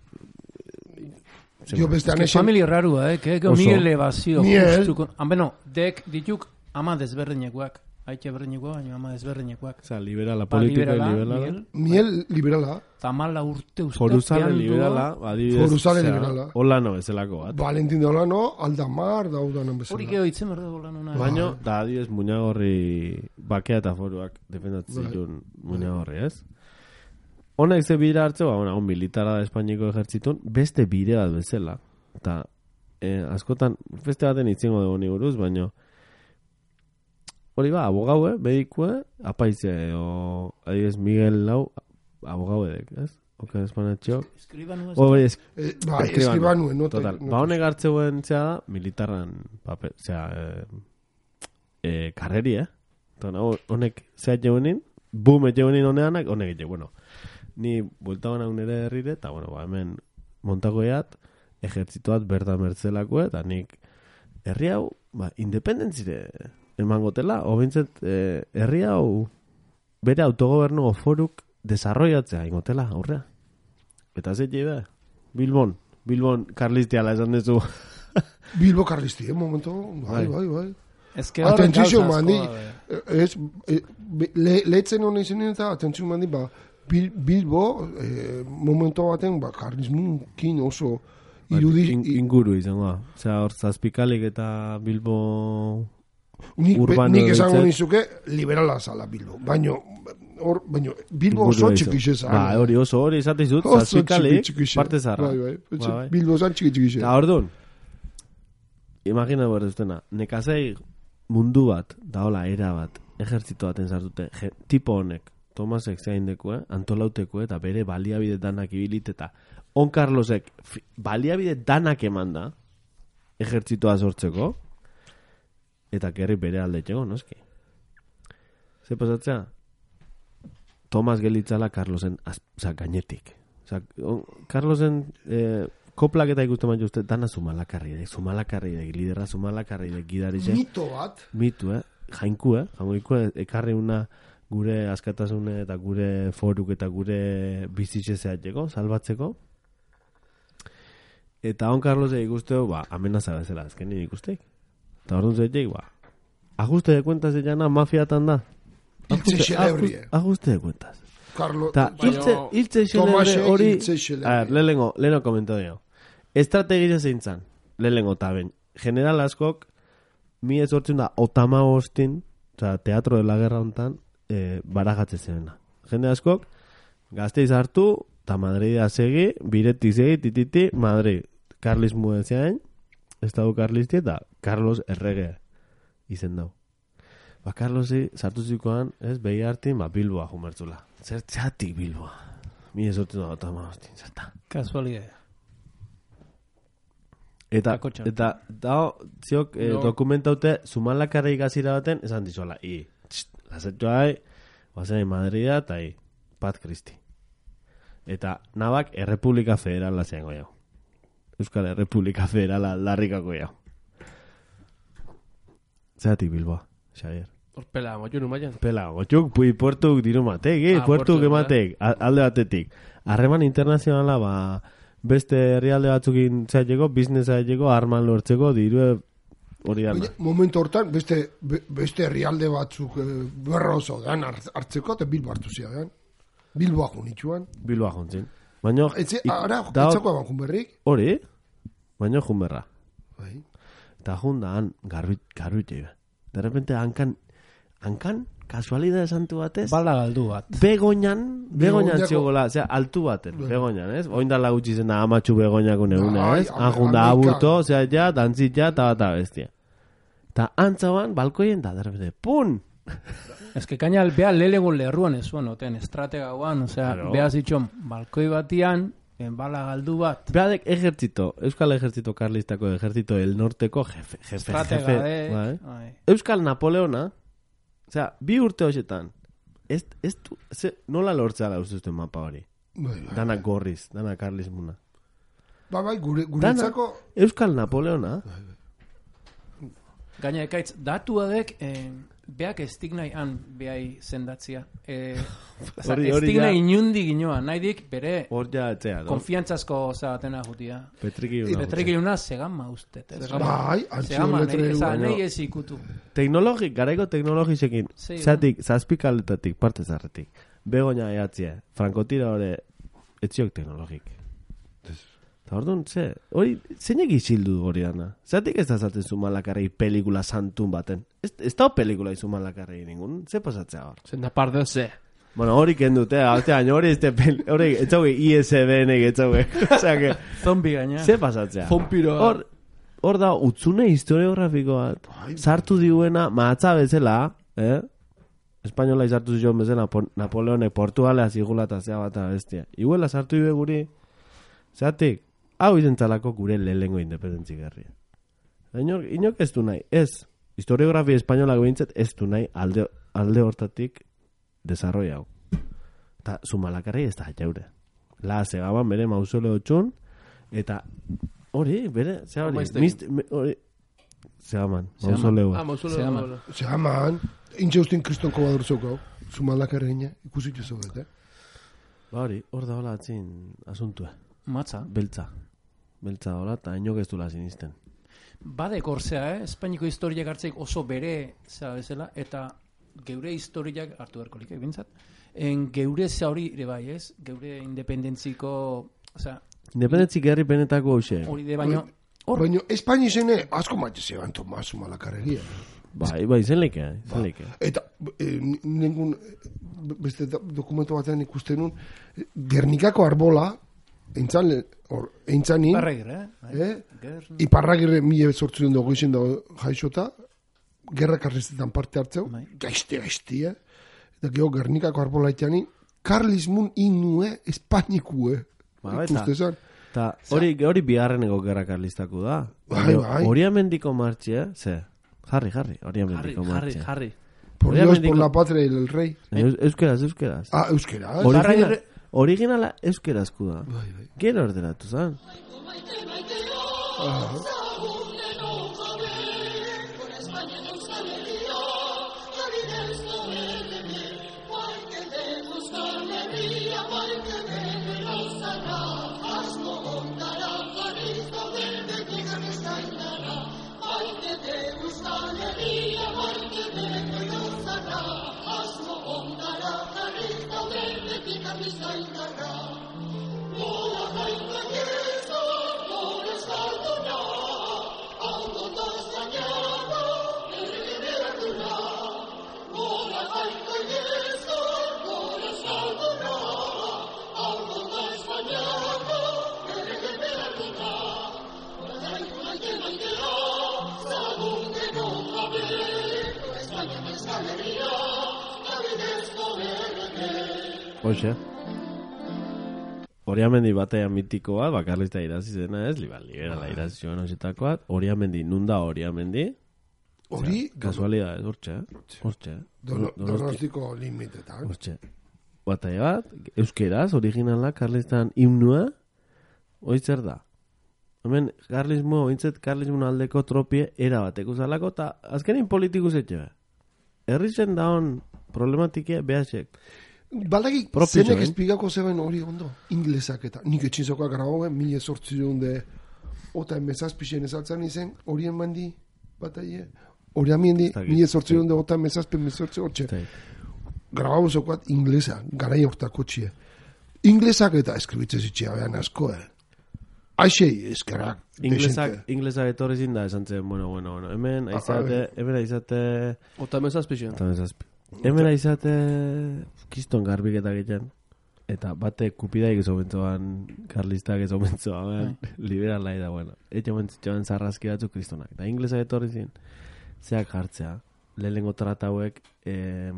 Jo beste anexen... Familia rarua, eh? Que mi elevazio. Miel. Ah, bueno, dek dituk ama desberdinekoak. Haitxe berdinekoak, baina ama desberdinekoak. Osa, liberala, politika liberala. Miel. Miel liberala. Tamala urte uste. Foruzale liberala. Foruzale liberala. Olano bezalako bat. Valentin de Olano, Aldamar, daudanan bezala. Hori geho itzen berda Olano. Baina, da adibidez, muñagorri bakea eta foruak defendatzen zituen muñagorri, ez? Honek ze bidea hartze, ba, on militara da Espainiko ejertzitun, beste bide bat bezala. Eta, eh, askotan, beste baten itzengo dugu ni buruz, baina hori ba, abogaue, medikue, apaize, o, adibidez, Miguel Lau, abogaue dek, ez? Oka espanatxo. Eskribanu ez? Bai, es, bai, eskribanu, no? Total, ba, honek hartzeuen zea da, militarran, papel, zea, eh, eh, karreri, eh? Eta, honek zea jeunin, boom, jeunin honeanak, honek ete, bueno, ni buelta hona unere herrire, eta, bueno, ba, hemen montagoeat, ejertzituat berda mertzelako, eta nik herri hau, ba, independentzire emangotela, o bintzet, eh, herri hau bere autogobernu foruk desarrollatzea ingotela, aurrea. Eta zei be, Bilbon, Bilbon karlistiala esan dezu. Bilbo karlisti, eh, momento, bai, bai, bai. Ez que hor atentzio mandi, ez, lehetzen hona izan eta atentzio mandi, ba, Bil, Bilbo, eh, momento baten, ba, karlismunkin oso irudi... In, inguru izango da. Osea, hor zazpikalik eta Bilbo... Nik, urbano... Nik esango nizuke liberala zala Bilbo. Baino, hor, baino, Bilbo oso txikixe zala. Ba, hori oso hori izate izut, zazpikalik, parte zarra. Bai, bai, ba, bai. Bilbo zan txikixe. Eta hor duen, imagina behar duztena, nekazei mundu bat, da hola, era bat, ejertzito baten zartute, tipo honek, Tomasek zaindeko, antolauteko, eta bere baliabide danak ibilit, eta on Carlosek baliabide danak eman da, ejertzitoa sortzeko, eta gerri bere aldetxeko, noski. Ze pasatzea? Tomas gelitzala Carlosen oza, gainetik. Oza, Carlosen eh, koplak eta ikusten baina uste, dana zumalakarridek, zumalakarridek, lidera zumalakarridek, gidarize. Mito bat. Mitu, eh? Jainku, eh? Jainku, ekarri una gure askatasune eta gure foruk eta gure bizitze zehateko, salbatzeko. Eta on Carlosek ikusteo, ba, amenaza bezala, azkenin ikusteik. Eta orduan zeitek, ba, ajuste de cuentas de jana mafiatan da. Iltze xelebrie. Ajuste de cuentas. Carlos, Ta, iltze xelebre hori, a ver, lehenengo, lehenengo komento dio. Estrategia zeintzan, lehenengo taben. General askok, mi ezortzen da, otama hostin, oza, teatro de la guerra hontan, eh, baragatze zena. Jende askok, Gasteiz hartu, eta Madridea segi, biretik segi, tititi, Madrid. Karlismu ezeain, Estado Karlisti eta Carlos Errege izen dau. Ba, Carlosi sartu zikoan, ez, behi hartin, ba, Bilboa jumertzula. Zer txatik Bilboa. Mi esortzen da, eta ma, hostin, zerta. Kasualidea. Eta, eta, da, ziok, eh, no. Dokumentaute, Zumalakarra ikasira baten, esan dizuela, i, txt, lasetxo hai, guazen Madrida, eta i, Pat Christi. Eta, nabak, Errepublika Federala zeango jau. Euskal Errepublika Federala aldarrikako jau. Zeratik Bilboa, Xavier. Hor pela, motxun umaian. Pela, motxuk, pui puertuk diru matek, eh? Ah, puertuk ematek, alde batetik. Harreman internazionala, ba, beste herrialde batzukin zaiteko, biznesa zaiteko, arman lortzeko, diru hori dana. Momentu hortan, beste, be, beste herrialde batzuk e, berra oso dan hartzeko, eta Bilbo hartu zidan. Bilboa junitxuan. Bilboa juntzin. Baina... Etze, ara, etzako eban junberrik? Hori, baina junberra. Bai. Eta junda, han, garbitxe. De repente, hankan, hankan, kasualidade santu batez. Bala galdu bat. Begoñan, begoñan txiogola, osea, altu baten, begoñan, ez? Oindala gutxi zen da amatxu begoñako negune, ez? Han junda aburto, osea, ja, dantzit ja, eta bat abestia. Eta antzauan, balkoien da, de repente, pun! Ez que kaina, beha lelegun lerruan ez zuen, oten, estratega guan, osea, claro. Beha zitxon, balkoi batian, en bala galdu bat. Beadek ejertzito, Euskal Ejertzito Karlistako Ejertzito el Norteko jefe, jefe, estratega, jefe. Eh, Bai. Euskal Napoleona, osea, bi urte hoxetan, ez, ez du, ze, nola lortzea da ustuzten mapa hori? Bai, bai, dana bai. gorriz, dana karlismuna. Ba, bai, gure, guretzako... Euskal Napoleona. Gaina ekaitz, datuadek... Eh, beak estik nahi han behai zendatzia. Eh, estik nahi inundi ginoa, nahi dik bere konfiantzazko zatena jutia. Petrikiluna. Petrikiluna segama ustet. Bai, antxiometrelu. Nahi ez ikutu. Teknologik, garaiko teknologisekin, zatik, zazpikaletatik, parte zarretik, begoña eatzia, frankotira hori, etziok teknologik. Eta orduan, ze, hori, zeinek izildu hori dana? Zatik ez da zaten Zumalakarrei pelikula santun baten? Ez, ez da pelikula Zumalakarrei ningun? Ze pasatzea hor? Zen da par de ze. Bueno, hori kendute, hori ez de peli, hori, ez zauge I S B N-ek, ez zauge. Osea, que... Zombi gaina. Ze pasatzea? Zompiroa. Hor, hor da, utzune historiografiko bat. Sartu diuena, maatza bezala, eh? Espainola izartu zion bezala, Napoleonek Portugalea zigula eta zea bat bestia. Iguela sartu dibe guri, zeatik, hau izentzalako gure lehengo independentzi garria. Inok, inok ez du nahi, ez, historiografia espainolak behintzat ez du nahi alde, alde hortatik desarroi hau. Eta Zumalakarrei ez da jaure. La segaban bere mausoleo txun, eta hori, bere, zea hori, mist, me, hori, segaman, mausoleo. Ah, mausoleo. Segaman, intxe ustin kristonko badurzoko, Zumalakarreina, ikusitu zoget, eh? Ba hori, hor da hola atzin asuntua. Matza. Beltza. Beltza hola, eta inok ez dula sinisten. Bade korzea, eh? Espainiko historiak hartzeik oso bere, zera bezala, eta geure historiak hartu berkolik, eh, bintzat. En geure za hori ere bai, ez? Geure independentziko, osea... Independentzik herri penetako hoxe. Hori de baino... Baino, Espaini zene, asko maite zeban Tomas Zumalakarregia. Bai, bai, zen leike, zen leike. Eta, eh, nengun, beste dokumento batean ikusten nun, Gernikako arbola, eintzan, or, eintzanin, Iparragirre, eh? eh? Iparragirre mila bezortzen dugu izin dago jaixota, gerra karrestetan parte hartzeu, gaizte gaiztia, da gero Gernikako arbolaiteani, karlismun inue Espainikue. Ikuste zan. Ta hori hori bigarreneko gerra karlistako da. Bai, bai. Oriamendiko martxea, ze? Jarri, jarri, Oriamendiko martxea. Jarri, jarri. Por Dios, por la patria y el rey. Euskeraz, euskeraz. Ah, euskeraz. Originala, originala euskerazku da. Bai, bai. Gero ordenatu zan. Ah. Hoxe. Oriamendi batea mitikoa, bakarlista irazi zena ez, liba, liberala irazi zuen osetakoa. Oriamendi, nunda Oriamendi? Hori? Kasualidad ez, hortxe, hortxe. Donostiko limitetan. Hortxe. Batea bat, euskeraz, originala, karlistan himnua, oitzer da. Hemen, karlismo, ointzet, karlismo aldeko tropie erabateko zalako, eta azkenin politikus etxe. Herritzen daun problematike behasek. Baldaki, zenek espigako zeben hori ondo, inglesak eta nik etxinzokoak grabauen, mila sortzion de ota emezazpixen ezaltzan izen, horien bandi bat aie, hori amiendi, mila sortzion de ota emezazpen mezortzi hortxe. Grabau zokoat inglesa, garai hortako txie. Inglesak eta eskribitze zitxea behan asko, eh? Aixei, eskerak. Inglesak, inglesak etorri zinda esan zen, bueno, bueno, bueno, hemen aizate, hemen aizate... Ota emezazpixen. Ota emezazpixen. Hemen aizate kiston garbiketa egiten. Eta bate kupidaik ez omentzoan, karlistak ez omentzoan, liberala da, bueno. Etxe omentzitxoan zarrazki batzuk kristonak. Eta inglesak etorri zin, zeak jartzea, lehenengo tratauek, eh,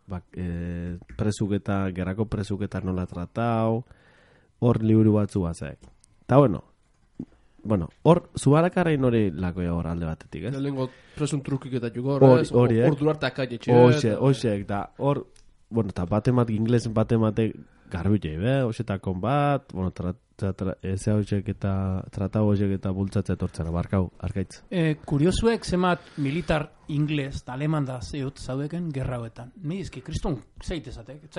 bak, eh, presuketa, gerrako presuketa nola tratau, hor liburu batzu batzak. Eta bueno, bueno, hor, zubarakarrein hori lakoia hor alde batetik, ez? Lehenengo presun trukik eta jugor, ez? Hor durarte akaietxe. Hoxe, hoxe, eta hor, bueno, eta batemat, inglesen batemate garbitei, be, hoxetakon bat, bueno, eze hoxek eta tratau hoxek eta bultzatzea etortzen, abarkau, arkaitz. Eh, kuriosuek zemat militar ingles, aleman da zeut zaudeken gerrauetan. Ni izki, kriston zeitezatek.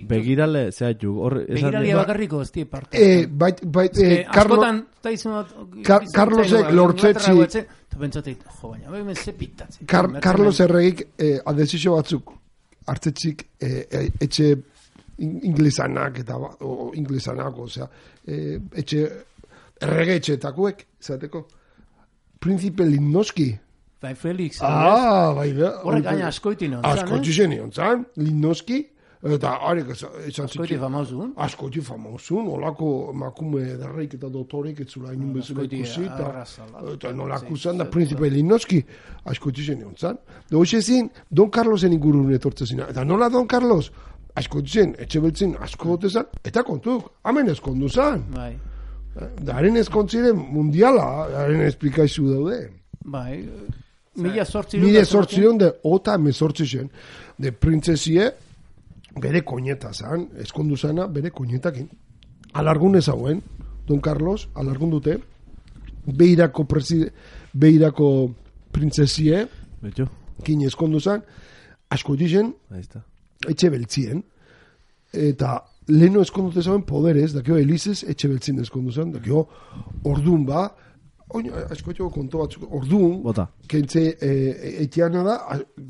Begirale, zehatxuk. Begiralia bakarriko ez die parte. Eh, bait, bait, eh, askotan, eta izan bat... Carlosek lortzetzi... Eta pentsatzeit, jo, baina, behemen ze pitatzen. Carlos erregik adesizio batzuk hartzetzik etxe inglesanak eta o, inglesanak, osea, eh, etxe errege etxetakuek, zateko, Príncipe Limnoski. Bai, Felix. Ah, bai, da. Horrek gaina askoiti non zan, eh? Askoiti zen non zan, Limnoski, eta harek esan zitzen. Askoiti famausun. Askoiti famausun, olako makume derreik eta dotorek etzula inin bezala ikusi, eta nolako zan da Príncipe Limnoski, askoiti zen non zan. Da hoxe zin, Don Carlosen ingurun etortze zina. Eta nola Don Carlos? Asko zen, etxe beltzen asko gotezan, eta kontuk, hamen ezkondu zan. Bai. Da, haren ezkontziren mundiala, haren esplikaizu daude. Bai, mila sortzi... Mila sortzi de ota emezortzi zen, de printzesie, bere koñeta zan, ezkondu zana, bere koñetakin. Alargun ez hauen, Don Carlos, alargun dute, beirako, preside, beirako printzesie, Betxo. kin ezkondu zan, asko dizen, Aizta. etxe beltzien, eta leheno eskondute zauen poderez, dakio Elizez etxe beltzien eskondu zen, dakio ordun ba, oin, asko etxeko konto batzuk, ordun, Bota. kentze e, etiana da,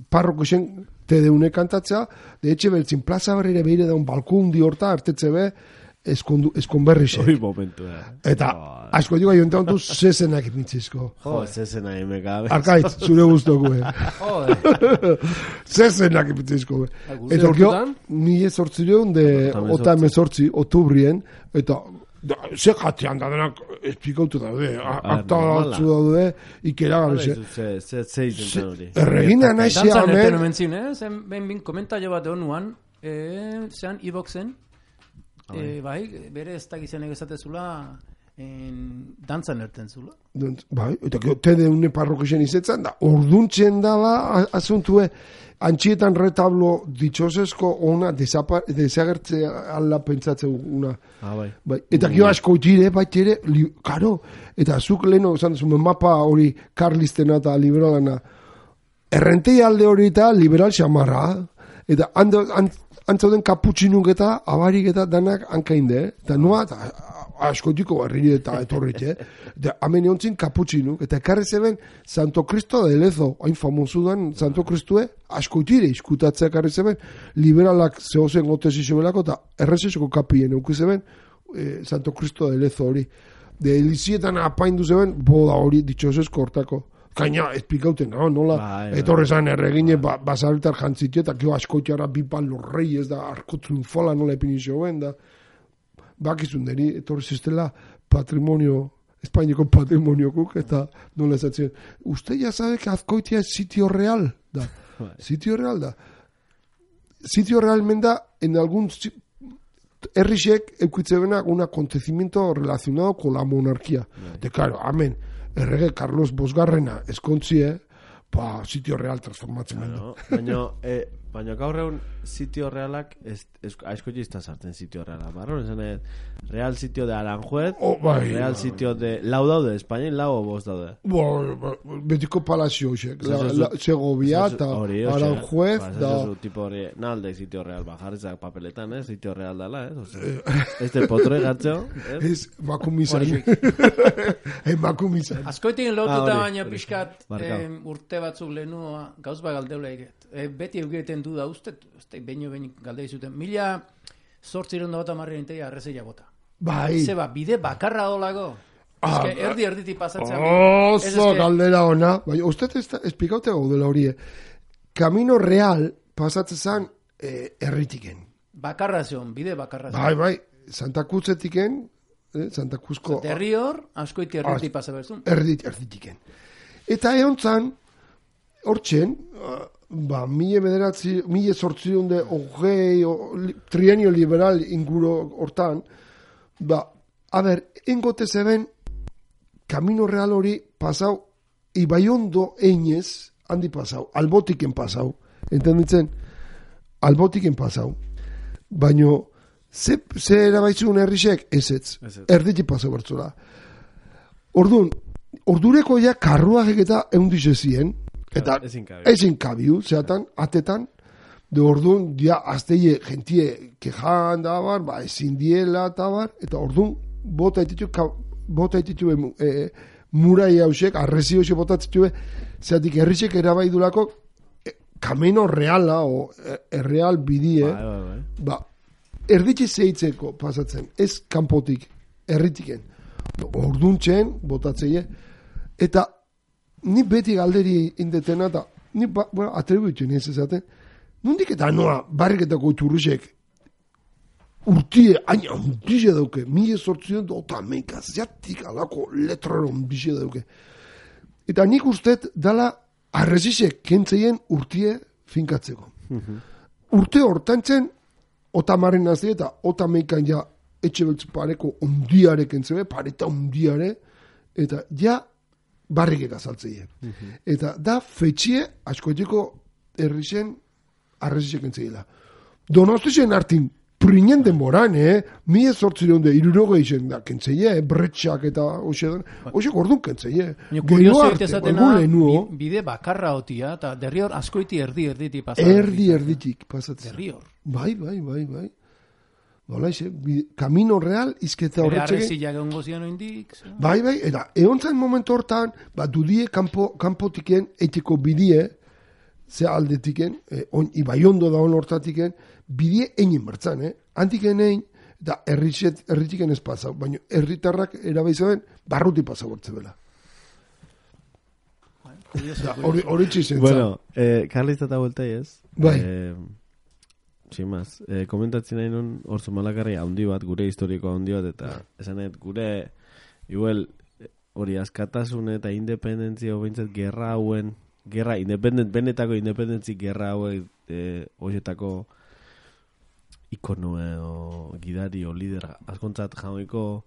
parroko zen tedeune kantatzea, de etxe beltzien plaza berrire behire da un balkon di horta, artetze be, eskondu, eskonberri zen. Hoi momentu, eh. Eta, oh, asko etxeko aionta ontu zezenak ipintzizko. Jo, zezenak imekabe. Arkaitz, zure guztoko, eh. Zezenak ipintzizko, eh. Eta orkio, nire sortzileun de ota emezortzi, otubrien, eta Ze jatean da denak esplikautu daude, akta batzu daude, ikera gabe. Ze izen hori. Erregina nahi zean, Dantzan erten omentzin, eh? Zen, ben bin komentario bat honuan, zean iboxen, bai, bere ez dakizenek esatezula, dantzan erten zula. Bai, eta tede une parrokisen izetzen da, orduntzen dala asuntue, antxietan retablo ditxosesko ona desagertze ala pentsatzen una. Ah, bai. Bai. Eta gio asko tire, bai tire, karo, eta zuk leheno, zan zumen mapa hori karlistena eta liberalana, errentei alde hori eta liberal xamarra, eta antzauden kaputxinuk eta abarik eta danak hankainde, eta noa, eta askotiko barriri eta etorrit, eh? Eta hamen eontzin kaputxinuk, eta ekarri zeben Santo Cristo de Lezo, hain famosu dan Santo Cristue, askotire iskutatzea ekarri zeben, liberalak zehozen gotezi zebelako, eta errezesoko kapien euki zeben eh, Santo Cristo de Lezo hori. De elizietan apaindu zeben, boda hori ditxosesko hortako. Kaina, espikauten, no? Nola, ba, etorrezan erregine, ba, basarritar jantzitu, eta kio askotiara bipan lorrei, ez da, arko triunfala nola epinizio ben, da, bakizun deri, etorri ziztela patrimonio, Espainiko patrimoniokuk, eta nola esatzen, uste ya sabe que Azkoitia es sitio real, da, sitio real, da. Sitio real menda, en algún herrixek eukitzebena un acontecimiento relacionado con la monarquía. De claro, amén, errege Carlos Bosgarrena eskontzie, pa, sitio real transformatzen claro, baina, eh, baina gaur egun sitio realak aizko jizta sartzen sitio realak, barro? Esan, real sitio de Aranjuez, oh, bai, real bai. Sitio de lau daude, Espainian lau o bost daude? Bo, betiko palazio xek, Segovia eta Aranjuez, da... tipo hori, nalde sitio real, bajarizak papeletan, eh? Sitio real dala, eh? Este potro egatxo, eh? Ez, makumizan. Emakumizan. Azkoitin lotuta baina pixkat urte batzuk lehenua gauz ba galdeula eget. E, beti eugeten du da uste, uste beino behin galdei zuten. Mila zortziron da bota marrien teia arrezeia bota. Bai. Zeba, bide bakarra dolago. Ah, ez que erdi erditi pasatzen. Oso galdera ona. Bai, uste espikaute gaudela horie. Camino real pasatzen zan eh, erritiken. Bakarra zion, bide bakarra zion. Bai, bai. Santa Cruzetiken, eh, Santa Cruzko... Derri hor, askoiti erditi pasa berzun. Erdit, erditiken. Eta egon zan, hortzen, ba, mille bederatzi, mille sortzion de hogei, trienio liberal inguro hortan, ba, a ber, engote zeben, Camino Real hori pasau, Ibaiondo einez, handi pasau, albotiken pasau, entenditzen, albotiken pasau, baino, ze, ze erabaizun herrixek, ezetz, erditi pasau bertzula. Orduan, ordureko ja karruagek eta eundize zien, eta ezin kabiu, zeatan, atetan, de orduan, ja, azteie, gentie, kejan da bar, ba, ezin diela eta bar, eta orduan, bota etitu, bota etitu, e, murai hausek, arrezi hausek bota etitu, zeatik herrixek erabaidulako, e, Camino Reala, o e, erreal bidie, ba, ba, ba. ba erditxe zeitzeko pasatzen, ez kanpotik, erritiken. Orduntzen, botatzeie, eta ni beti galderi indetena, eta ni ba, bueno, atribuitzen ez ezaten, nondik eta noa, barriketako iturrusek, urtie, aina, ondize dauke, mila sortzion dota meika, ziatik alako letrero ondize dauke. Eta nik ustet dala arrezizek kentzeien urtie finkatzeko. Urte hortantzen, otamaren nazi eta otameikan ja etxe beltz pareko ondiarek entzebe, pareta ondiare, eta ja barrikek azaltzeie. Uh-huh. Eta da fetxie askoetiko herrixen arrezizek entzeiela. Donostixen hartin prinen denboran, eh? Mie sortzireun de iruroge izen da kentzeie, eh? Bretxak eta hoxe hoxe gordun kentzeie. Kurioso irtezatena bide bakarra otia, eta derri hor askoiti erdi erditi pasatzen. Erdi erditik pasatzen. Derri hor. Bai, bai, bai, bai. Nola ize, Camino Real izketa horretxeke. Ere arrezilak egon gozian oindik. Bai, bai, eta egon zain momentu hortan, ba, dudie kampo, kampotiken, etiko bidie, ze aldetiken, eh, on, Ibaiondo da on hortatiken, bidie egin bertzan, eh? Antiken egin, eta erritiken ez pasau, baina erritarrak erabaizaben, barruti pasau bertze bela. Hori txizen. Bueno, eh, Carlista eta vuelta ez. Bai. Eh, tximaz. E, komentatzen nahi nun, hor Zumalakarri handi bat, gure historikoa handi bat, eta esanet, gure, igual, hori askatasun eta independentzia hobeintzat gerra hauen, gerra, independent, benetako independentzi gerra hauen, e, horietako ikonoe o gidari o lider askontzat jauniko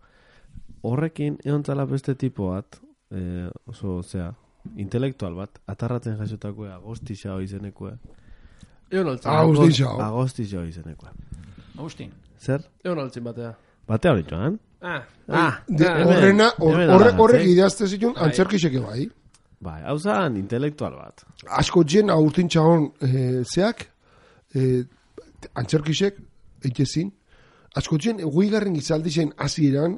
horrekin egontzala beste tipo bat, e, oso, osea, intelektual bat, atarratzen jasotakoa, agostisa izenekoa. Egon altzin. Agostisa. Agostisa izenekoa. Agustin. Zer? Egon altzin batea. Batea hori joan? Ah. Ah. Horrena, horrek ideazte zitun, antzerkiseke bai. Bai, hau zan, intelektual bat. Asko jen, aurtin txagon e, zeak, e, antzerkisek, eitezin, asko jen, guigarren gizaldi zen hasieran,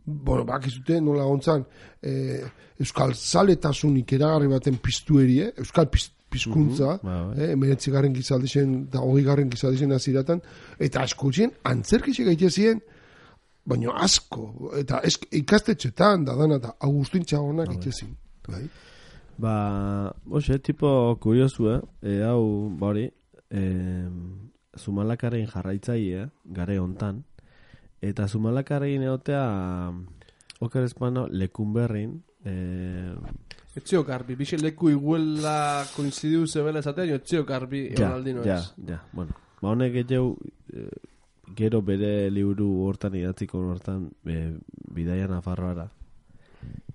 bueno, bakizute nola gontzan, e, euskal zaletasun ikeragarri baten piztuerie, euskal piz, pizkuntza, mm-hmm, eh, emeretzigarren gizaldi zen, da hogeigarren gizaldi zen hasieratan, eta asko jen, antzerkisek eitezien, baina asko, eta ez, ikastetxetan, da dana, eta Agustin Txagonak itezin. Bai? Ba, oxe, tipo kuriosu, eh? E, hau, bori, e, Zumalakaren jarraitzaile, gare hontan, eta Zumalakaren egotea, oker espano, lekunberrin, e, etxio garbi, bixe leku iguela koinzidiu zebela esatea, jo etxio garbi egon aldino ez. Ja, ja, bueno, ba honek etxeu, e, gero bere liburu hortan idatziko hortan e, bidaia Nafarroara.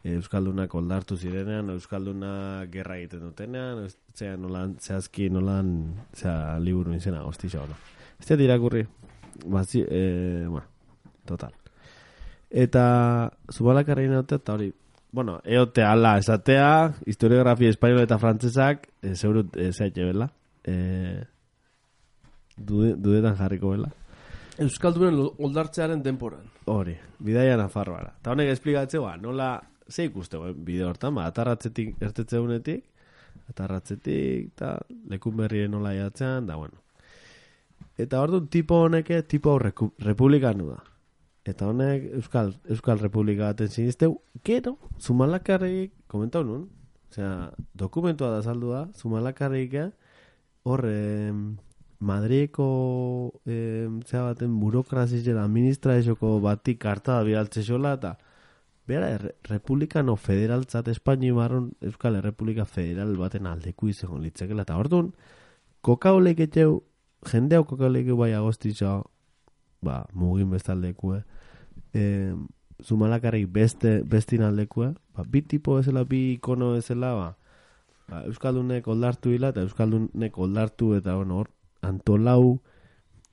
E, Euskaldunak oldartu zirenean, Euskalduna gerra egiten dutenean, zea nolan, zehazki nolan, zea liburu izena, hostisa hona. Ez da irakurri, bazi, e, bueno, total. Eta Zumalakarrein egotea, eta hori, bueno, eote ala esatea, historiografia espainola eta frantzesak, e, zeurut, e, zehatxe bela, e, dude, dudetan jarriko bela. Euskaldunen oldartzearen denporan. Hori, bidaia Nafarroara. Eta honek esplikatzea, ba, nola, ze ikuste, ba, bide hortan, ba, atarratzetik ertetzeunetik, atarratzetik, eta lekun berrien nola jatzean, da, bueno. Eta hor du, tipo honeke, tipo reku, republikanu da. Eta honek, Euskal, Euskal Republika baten sinisteu, gero, Zumalakarrik, komentau nun, osea, dokumentua da saldu da, Zumalakarrik, hor, eh, Madriko eh, zera baten burokrazizera administrazioko batik karta da bidaltze xola, eta bera, re, republikano federaltzat Espaini marron Euskal Errepublika Federal baten aldeku izango litzekela, eta orduan, kokaolek etxeu, jendeau kokaolek bai agostitza, ba, mugin bestaldekue, eh, Zumalakarrik beste, bestin aldekue, ba, bi tipo ezela, bi ikono ezela, ba, ba, Euskaldunek oldartu hila, eta Euskaldunek oldartu, eta bueno, hor, antolau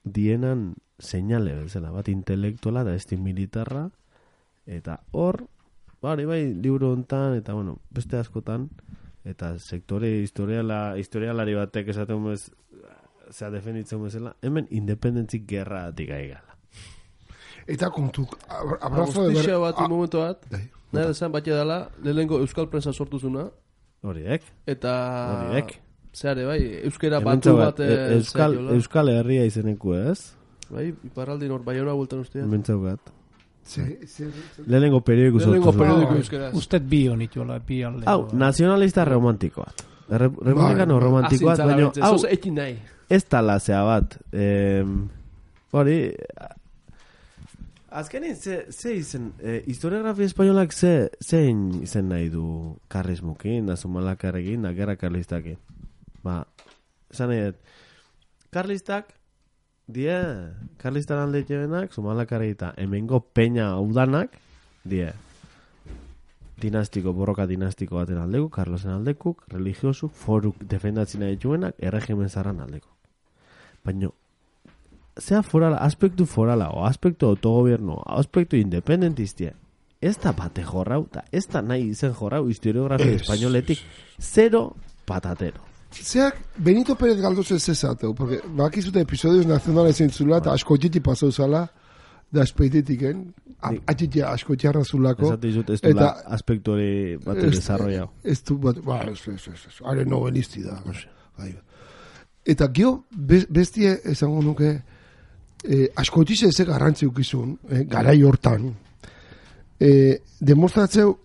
dienan seinale bezala, bat intelektuala eta esti militarra, eta hor, bari bai, libro hontan, eta bueno, beste askotan, eta sektore historiala, historialari batek esaten bez, zea defenditzen bezala, hemen independentzik gerra atik aigala. Eta kontu, abrazo de ber... bat, un momento bat, nahi desan bat dela, lehenengo Euskal Prensa sortuzuna, horiek, eta... horiek, zeare, bai, euskera batu bat... E, Euskal, Euskal Herria izeneku ez? Bai, iparraldin hor, bai hona bultan ustea. Mentzaukat. Lehenengo periodiko sortu. Lehenengo periodiko euskera. Usted bi honitxola, bi alde. Hau, nazionalista romantikoat. Republikano romantikoat, baina... Hau, ekin nahi. Ez talazea bat. Hori... Azkenin, ze, ze izen... E, historiografia espainolak ze, zein izen nahi du karlismukin, da Zumalakarrekin, da gerra karlistakin. Ba, esan nahi, karlistak, die, karlistan alde jebenak, Zumalakarri eta hemengo peña udanak, die, dinastiko, borroka dinastiko baten aldeko, Carlosen aldekuk, religiosu, foruk defendatzina dituenak, erregimen zarran aldeko. Baina, zea forala, aspektu forala, o aspektu autogobierno, aspektu independentistia, ez da bate jorrau, eta ez da nahi izen jorrau historiografia espainoletik, zero patatero. Zeak, Benito Pérez Galdós ez ezateu, porque bakizute episodios nazionales entzula, eta askotiti pasau zala, da espeitetiken, atxiti askotiarra zulako. Ez dizut, ez du aspektu hori bat desarrollau. Ez du bat, ba, ez, ez, ez, ez, are novelisti da. Eta gio, bestie esango nuke, eh, askotize ez garrantzi ukizun, eh, garai hortan, eh, demostratzeu,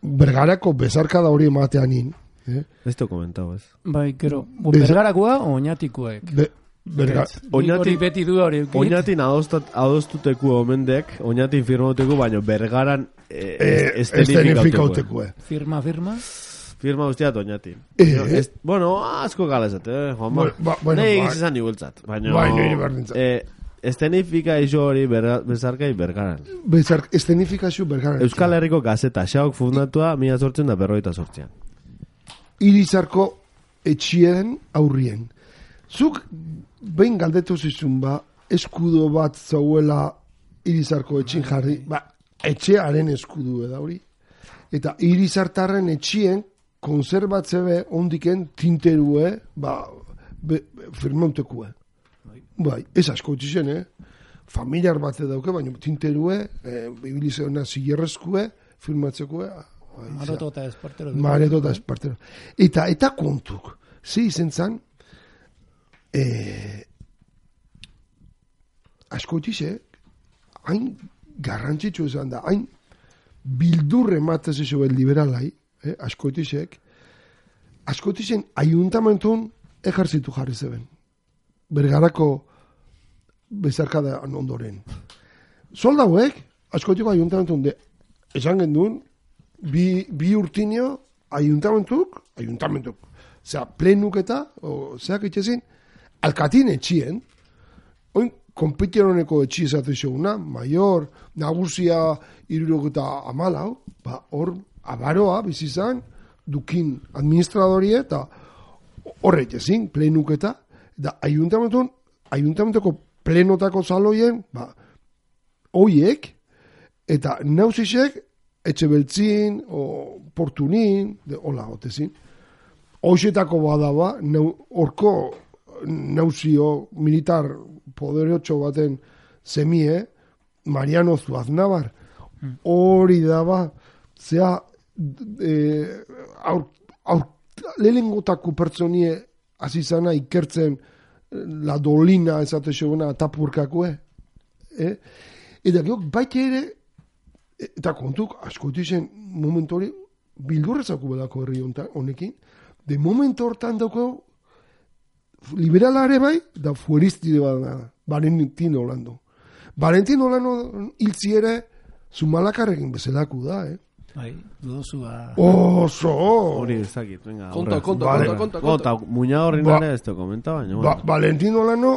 bergarako bezarkada hori emateanin, Eh? Ez te komentau ez. Bai, gero, bergarakoa o oinatikoek? Be, Hori beti du hori. Oinatin adostuteku omendek, oinatin firmauteku, baina bergaran estenifikauteku. Firma, firma? Firma guztiat oinatin. Bueno, asko galezat, eh, Juanma. Nei egizizan nibultzat. Baina, estenifika iso hori bezarkai bergaran. Estenifikazio bergaran. Euskal Herriko gazeta, xauk fundatua, mila sortzen da berroita sortzean. Irizarko etxien aurrien. Zuk behin galdetu zizun ba, eskudo bat zauela Irizarko etxin jarri, ba, etxearen eskudu da hori. Eta Irizartarren etxien konserbatze be ondiken tinterue, ba, firmautekue. Bai, ez asko etxien, eh? Familiar bat dauke, baina tinterue, eh, bibilizeona zilerrezkue, firmatzekue, Mareto eta espartero. Mareto eta espartero. Eta, eta kontuk. Zi izen zan, eh, askoitizek, hain garrantzitsu esan da, hain bildurre matez iso bel liberalai, eh, askoitizek, askoitizen ayuntamentun ejerzitu jarri zeben. Bergarako bezarkada ondoren. Soldauek, askoitiko ayuntamentun de, esan gendun, Bi, bi urtinio ayuntamentuk, ayuntamentuk, zera, plenuketa, o, zeak itxezin, alkatin etxien, oin, konpiteroneko etxi esatu izoguna, mayor, nagusia, irurogeta amalau, ba, hor, abaroa, bizizan, dukin administradorie, eta horre itxezin, plenuketa, da, ayuntamentun, ayuntamentoko plenotako zaloien, ba, oiek, eta nauzisek, etxe beltzin, o portunin, de, hola, otezin. Hoxetako badaba, horko nauzio militar poderotxo baten zemie, Mariano Zuaznabar, hori daba, zea, e, aur, aur, lehengotako pertsonie azizana ikertzen la dolina ezate seguna tapurkakue. Eh? Eta geok, baita ere, eta kontuk, askotu zen momentu hori, bildurrezako bedako herri honekin, de momentu hortan dauko, liberalare bai, da fueristide bat da, Valentino Olando. Valentino Olando hiltzi ere, Zumalakarrekin bezalaku da, eh? Bai, dudozu ba... Oso! Hori ez dakit, venga. Konta, konta, konta, konta. Konta, muina horri nare ez te komenta, baina... Ba, Valentino Olando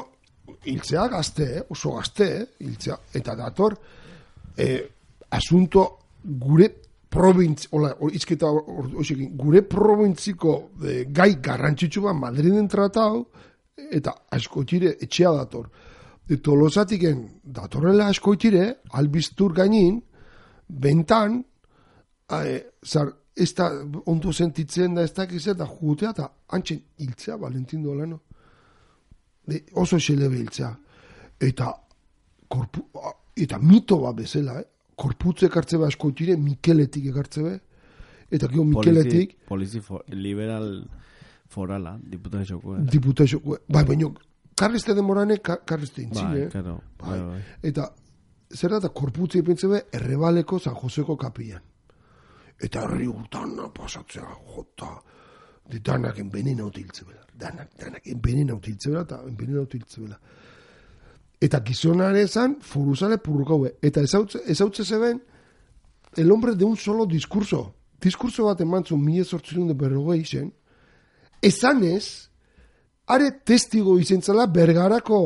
hiltzea gazte, eh? Oso gazte, eh? Hiltzea. Eta dator, eh, asunto gure provintz, hola, izketa osekin, gure provintziko eh, gai garrantzitsu bat Madriden tratau, eta askoitire etxea dator. De Tolosatiken datorrela askoitire, albiztur gainin, bentan, eh, zar, ez da ondo sentitzen da ez dakiz eta jugutea, eta antxen hiltzea, Valentin Dolano. De, oso xelebe hiltzea. Eta, korpu, eta mito bat bezala, eh? Korputze ekartze be askoitire, Mikeletik ekartze be, eta gero Mikeletik... Polizi, polizi for, liberal forala, diputaziokoa. Eh? Diputaziokoa. Bai, baina, karreste demorane, karreste intzine. Bai, karo. Bai. Bai. Eta, zer da, korputze ipentze be, Errebaleko San Joseko kapian. Eta herri urtana pasatzea, jota, de danak envenena utiltze bela. Danak, danak envenena utiltze bela, eta envenena utiltze bela. Eta gizonare zan, foruzale purrukaue. Eta ezautze zeben, el hombre de un solo diskurso. Diskurso bat emantzun, mila sortzirun de berrogei zen, esan ez, are testigo izentzala bergarako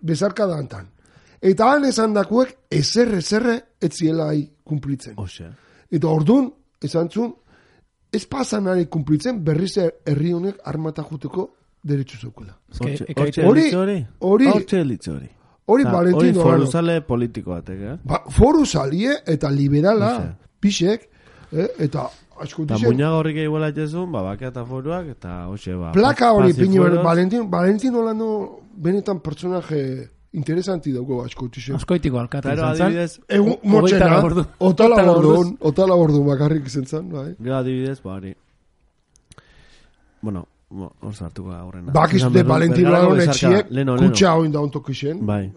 bezarka dantan. Eta han esan dakuek, ezerre, ezerre, etziela hai kumplitzen. Osea. Eta orduan, esan zun, ez pasan ari kumplitzen, berriz herri honek armata juteko derechu zeukela. Hori, hori, hori. Hori Valentino Olano. Hori foruzale politiko batek, eh? Ba, foruzalie eta liberala, pixek, eh? Eta asko dizen... Eta muñaga horrik eguela etxezun, ba, bakea eta foruak, eta hoxe, ba... Plaka hori piño, Valentino, Valentino Olano benetan personaje interesanti dago asko dizen. Askoitiko alkata izan zan. Adibidez... Egu, motxena, otala bordun, otala bordun bakarrik izan zan, bai. Gero adibidez, ba, hori... Bueno... Hor zartuko aurrena. Bakiz de Valentino Olano etxiek, kutsa hoin da ontok isen. Bai.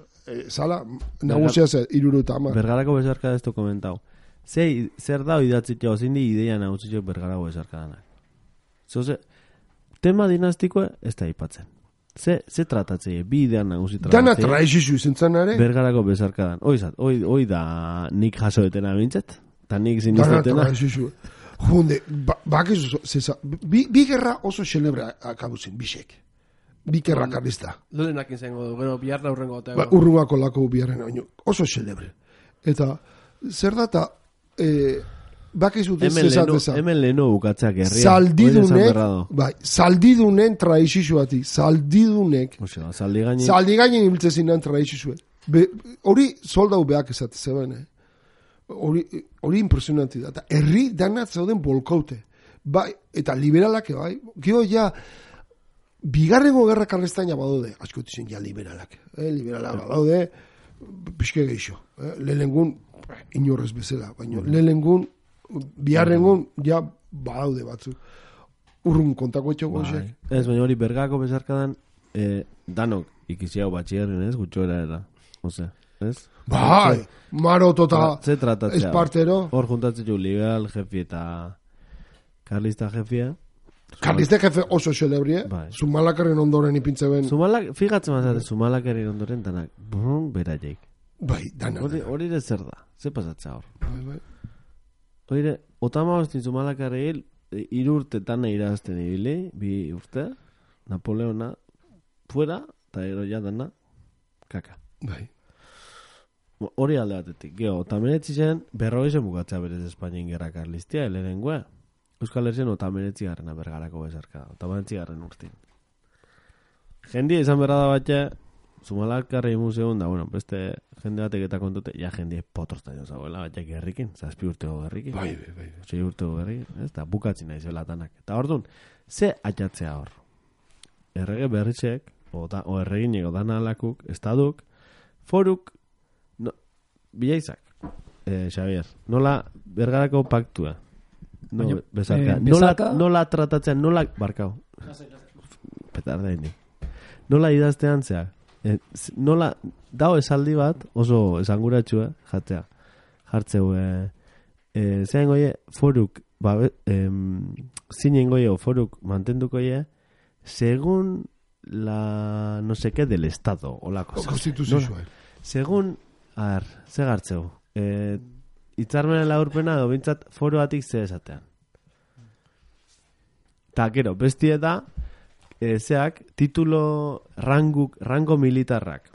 Zala, nagusia zer, iruru eta ama. Bergarako bezarka ez du komentau. Zer da idatzitea, zindi ideia nagusitzeko bergarako bezarka danak. Zoze, tema dinastikoa ez da ipatzen. Ze, ze tratatzei, bi idean nagusi tratatzei. Dana traizizio izen zanare. Bergarako bezarkadan. Oizat, oi, oi da nik jaso detena bintzat. Ta nik ziniztetena. Dana traizizio. Junde, ba, bakizu, zesa, bi, bi gerra oso xelebre akabuzin, bisek. Bi gerra karlista. Lehenak izango du, gero biharra urrengo. Ba, urrungako lako biharren, oso xelebre. Eta, zer data, eh, bakizu zezateza. Hemen leheno bukatzeak herria. Zaldidunek, bai, zaldidunen traizisuati, zaldidunek. Osea, zaldigainen. Zaldigainen ibiltzezin nan traizisue. Hori soldau behak esate zeben, eh? Hori, hori impresionanti da. Eta herri danat zauden bolkaute. Bai, eta liberalak, bai, gio ja, bigarrengo gerra karlestaina badaude, askotizen ja liberalak. Eh? Liberalak badaude, pixke geixo. Eh? Lehenengun, inorrez bezala, baina lehenengun, biharrengun, ja, badaude batzu. Urrun kontako etxoko bai. Ez, baina hori bergako bezarkadan, eh, danok ikiziau batxierren, ez, gutxoera era. Ose, ez? Bai, maroto eta espartero. Hor juntatzen jo liberal jefi eta karlista jefia. Karlista jefe oso xelebrie, bai. Zumalakarren ondoren ipintze ben. Zumalak, fijatzen mazate, Zumalakarren ondoren danak, brun, beraieik. Bai, dana. Hori ere zer da, ze pasatzea hor. Bai, bai. Oire, otama hostin Zumalakarreil, irurte tana irazten ibili, bi urte, Napoleona, fuera, eta ero ja dana, kaka. Bai. Hori alde batetik, geho, otamenetzi zen, berrogezen bukatzea berez Espainien gerra karlistia, elerengoa. Euskal Herrian otamenetzi garrena bergarako bezarka, otamenetzi garren urtin. Jendia izan berra da batxe, Zumalakarrei museun da, bueno, beste jende batek eta kontute, ja jendie potroztaino zagoela, batxe gerrikin, zazpi urtego gerrikin. Bai, bai, bai. Zei urtego gerrikin, ez da, bukatzen nahi zelatanak. Eta hor dun, ze atxatzea hor? Errege berritxek, o, da, o erreginek, o dana alakuk, estaduk, foruk, no, bilaizak, eh, Xavier, nola bergarako paktua, no, Baina, bezarka, eh, nola, nola tratatzen, nola, barkau, petarda indi, nola idaztean zeak, eh, nola, dao esaldi bat, oso esanguratxua, jatzea, jartzeu, eh, eh, zean goie, foruk, ba, eh, zinen goie, foruk mantenduko ie, según la no sé qué del Estado o la cosa. Constitución. No, según, a ver, ze gartzeu. Eh, itzarmenen laurpena edo bintzat foroatik ze esatean. Ta, gero, bestie da, eh, zeak, titulo ranguk, rango militarrak.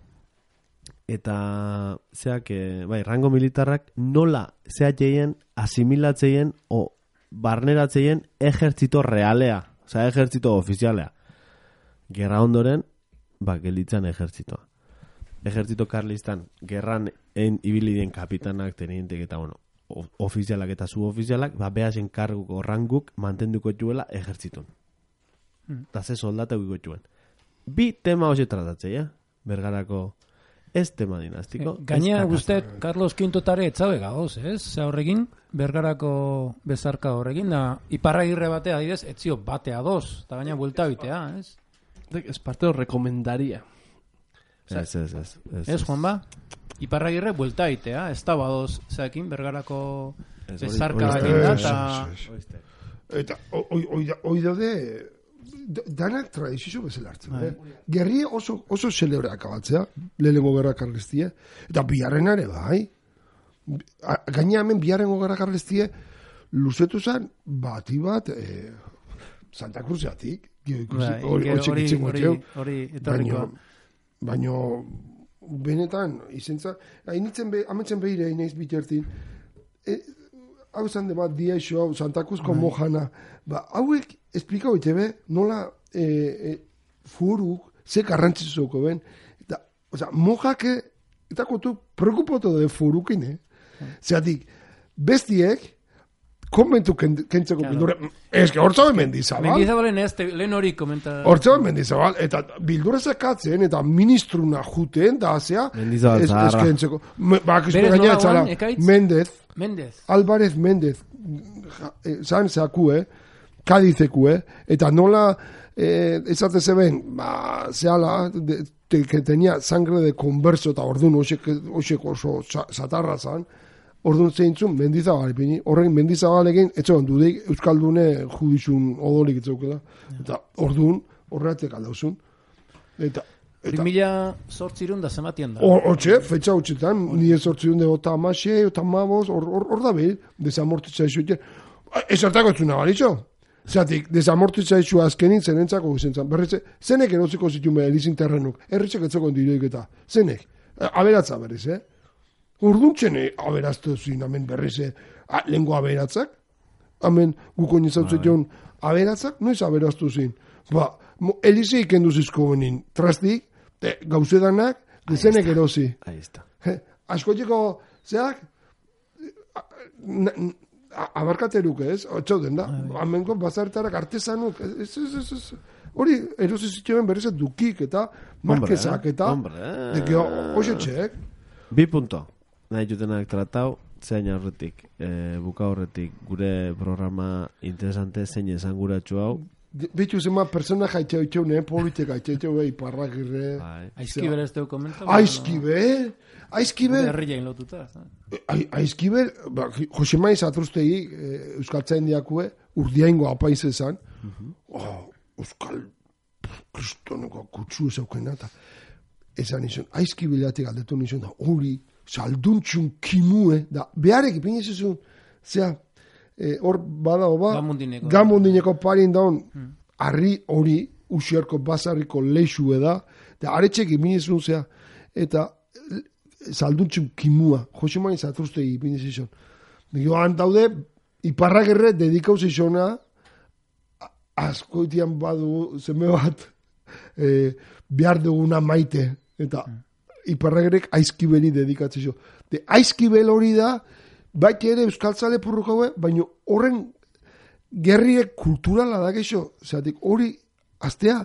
Eta, zeak, eh, bai, rango militarrak nola zeateien asimilatzeien o barneratzeien ejertzito realea. Osa, ejertzito ofizialea. Gerra ondoren, ba, gelitzan ejertzitoa. Ejertzito karlistan, gerran en ibilidien kapitanak, tenientek eta, bueno, ofizialak eta subofizialak, ba, behasen karguko ranguk mantenduko juela ejertzitun. Eta ze soldateu ikotxuen. Bi tema hoxe tratatzea, bergarako ez tema dinastiko. Eh, Gainea guztet, Carlos Quintotare etzabe gagoz, ez? Ze horrekin, bergarako bezarka horrekin, da, iparragirre batea adidez, etzio batea doz, eta gaina buelta bitea, ez? Ez parteo rekomendaria. Ez, ez, ez. Ez, Juan ba? Iparragirre buelta bitea, ez da badoz, zeakin, bergarako bezarka baina, eta... Eta, oi daude... Danak tradizio bezala hartzen. Eh? Gerri oso, oso celebre akabatzea, lehenengo gerra karlistie, eta biharrenare bai. Gaina hemen biharrengo gerra karlistie, luzetu zen bati bat eh, Santa Cruzatik, hori etorrikoa. Baina, benetan, izentza, hainitzen be, ametzen behire, inaiz bitertin, e, hau zan debat, diaixo, hau, Santa Cruzko mojana, ba, hauek, esplikau itebe, nola e, e, furuk, ze garrantzizoko ben, eta, oza, mojake, eta kotu, preocupoto de furukin, eh? Zeatik, bestiek, konbentu kentzeko claro. Bildura, ez que hortzaben Mendizabal. Mendizabalen ez, lehen hori komenta. Hortzaben Mendizabal, eta bildura zekatzen, eta ministruna juten, da azea, Mendizabal ez, ez kentzeko. Ba, kizpe gaina etzala, Mendez, Mendez. Álvarez Mendez, zan zeaku, eh? Kadizeku, eh? Eta nola, eh, ezate zeben, ba, zehala, de, te, que tenía sangre de converso, eta orduan, oxeko oso satarra zan, orduan zeintzun, Mendizabal ipini, horrein Mendizabalekin, etxean dudik, Euskaldune judizun odolik etzaukela, eta orduan, horreatek aldauzun. Eta... Eta... Mila sortzirun da zematien da. Hortxe, fetxa hotxetan, nire sortzirun de ota amaxe, ota amabos, hor da behir, desamortitza iso. Esartako etzuna balitxo. Zatik, desamortitza iso azkenin zenentzako guzentzan. Berretze, zenek eroziko zituen behar elizin terrenuk. Erritxek etzeko diroik eta. Zenek. Aberatza berriz, eh? Urduntxene aberaztu zin, amen berriz, eh? Lengo aberatzak. Amen, guko nizautzet joan aberatzak, noiz aberaztu zin. Ba, elize ikendu zizko benin. Trastik, gauzedanak, dezenek erozi. Ahí está. Askoetiko, zeak, abarkateruk ez, otxauden da, amenko bazartarak artesanuk, ez, ez, ez, ez, hori erosi zituen berrizet dukik eta markezak eta, dekio, hoxetxek. Bi punto, nahi jutenak tratau, zein horretik, e, buka horretik, gure programa interesante zein esanguratxu hau. Bitu zema persona jaitxeu itxeune, politika itxeu behi, parrakirre. Aizkibel ez teu komenta? Aizkibel? Aizkibel? Herri jain lotuta. Aizkibel, Josemai Zatrustegi, Euskaltzain diakue, urdiaingo apaiz ezan, Euskal kristoneko kutsu ezaukena, eta ezan izan, Aizkibelatik aldetu nizun, da hori, salduntxun kimue, da beharek ipin izuzun, zea, hor badao ba, gamundineko parin daun, harri hori, usiarko bazarriko leixue da, eta aretxek ipinizun zea, eta salduntxun kimua, Josemai Zatrustegi ipinizizun. Joan daude, iparragerre dedikauz izona, askoitian badu zeme bat, e, behar duguna maite, eta iparragerrek aizkibeli dedikatzizun. De aizkibel hori da, baita ere euskaltzale purruko haue, baina horren gerriek kulturala da geixo. Zatik hori, aztea,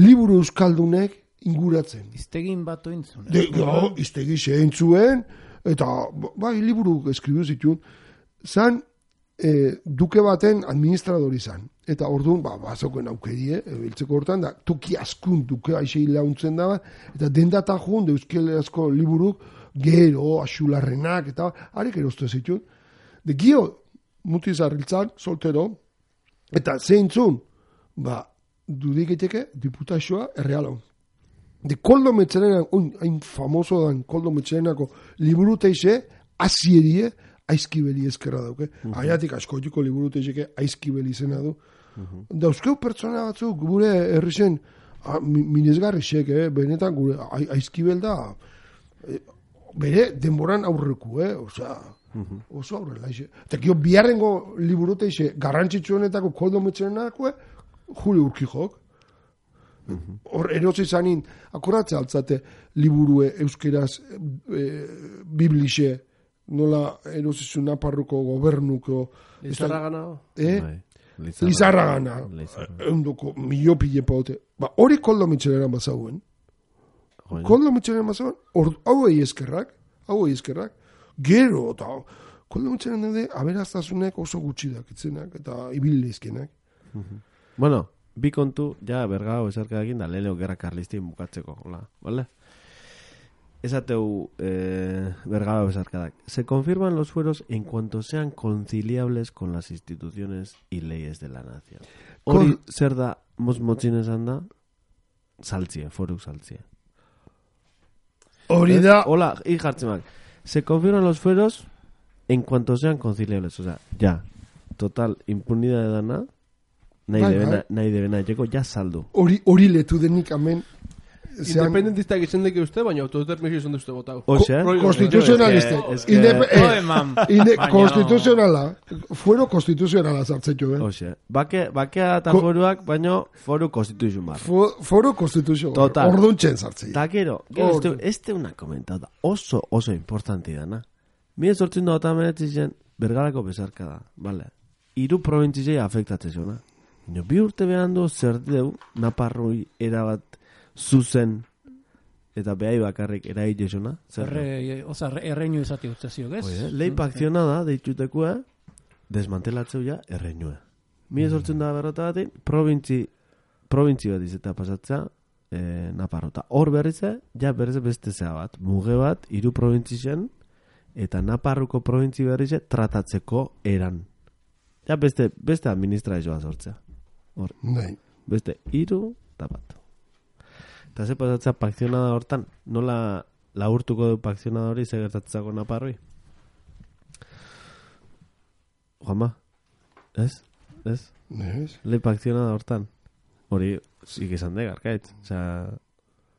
liburu euskaldunek inguratzen. Iztegin bat ointzun. De, jo, iztegi zehen zuen, eta bai, liburu eskribu zituen, zan e, duke baten administradori zan. Eta orduan, ba, bazoken aukerie, biltzeko hortan, da, toki askun duke aixei launtzen da, eta dendata joan, de euskeleazko liburuk, gero, asularrenak, eta harik eroztu zituen. De gio, muti zarriltzan, soltero, eta zeintzun, ba, dudiketeke, diputazioa errealon. De Koldo Metxerenak, hain famoso dan Koldo Metxerenako liburu teixe, azierie, aizkibeli ezkerra dauke. Uh -huh. Aiatik askoitiko liburu teixeke aizkibeli izena du. Uh -huh. Dauzkeu pertsona batzuk, gure herrixen, minezgarri xek, eh? Benetan gure aizkibel da, eh, bere denboran aurreku, eh? Osea, uh -huh. oso aurrela ixe. Eta kio biharrengo liburu teixe, garrantzitsuenetako Koldo Metxerenako, Juli Urkijok. Hor, erosi zanin, akoratze altzate liburue euskeraz e, biblixe, nola erosizun Naparruko gobernuko... Lizarra gana? Eh? Lizarra gana. Eundoko miopile paute. Ba, hori Koldo Mitxeleran bazauen. Koldo Mitxeleran bazauen, hau egi eskerrak, hau egi eskerrak, gero, eta Koldo Mitxeleran dide, aberaztasunek oso gutxi dakitzenak, eta ibilizkenak. Bueno, bi kontu, ja, bergao esarkadekin da, leheneo gerra karlistin bukatzeko, hola, ¿vale? Esateu eh, bergao esarkadak. Se confirman los fueros en cuanto sean conciliables con las instituciones y leyes de la nación. Hori Con... zer da, mos motzin esan da, saltzie, foruk saltzie. Hori da... Hola, hi jartzemak. Se confirman los fueros en cuanto sean conciliables. O sea, ya, total, impunidad de dana, nahi bai, debena, bai. nahi debena, llego, ya saldo. Hori, hori letu denik, amen. Independentista egiten deke uste, baina autodeterminazio izan duzte gotau. Osea, konstituzionaliste. Konstituzionala. Fuero konstituzionala zartzetu, eh? Osea, bake, bakea eta foruak, baina foru konstituzio mar. Foru konstituzio. Total. Orduntzen zartzei. Ta gero, gero, este una comentada oso, oso importante dana. Mire sortzen da eta meretzen bergarako bezarka da, vale? Hiru probintzizei afektatzen zona. Bi urte behandu zer deu, Naparroi erabat zuzen eta behai bakarrik eraile zona. Oza, erreinu izati urtezio, ez? Leipa akzionada, deitzutekua, desmantelatzeu ja erreinua. Mire sortzen da berrota batin, provintzi, provintzi bat izeta pasatza, e, Naparrota. Hor berrize, ja berrize beste zea bat, muge bat, hiru provintzien, eta Naparruko provintzi berrize tratatzeko eran. Ja beste, beste administrazioa sortzea. Hor, Nei. beste hiru eta bat. Eta ze pasatzea pakzionada hortan, nola laurtuko du pakzionada hori ze gertatzeko naparroi? Juanma, ez? Ez? Ez? Le pakzionada hortan. Hori, zik izan de, garkaitz. Osea,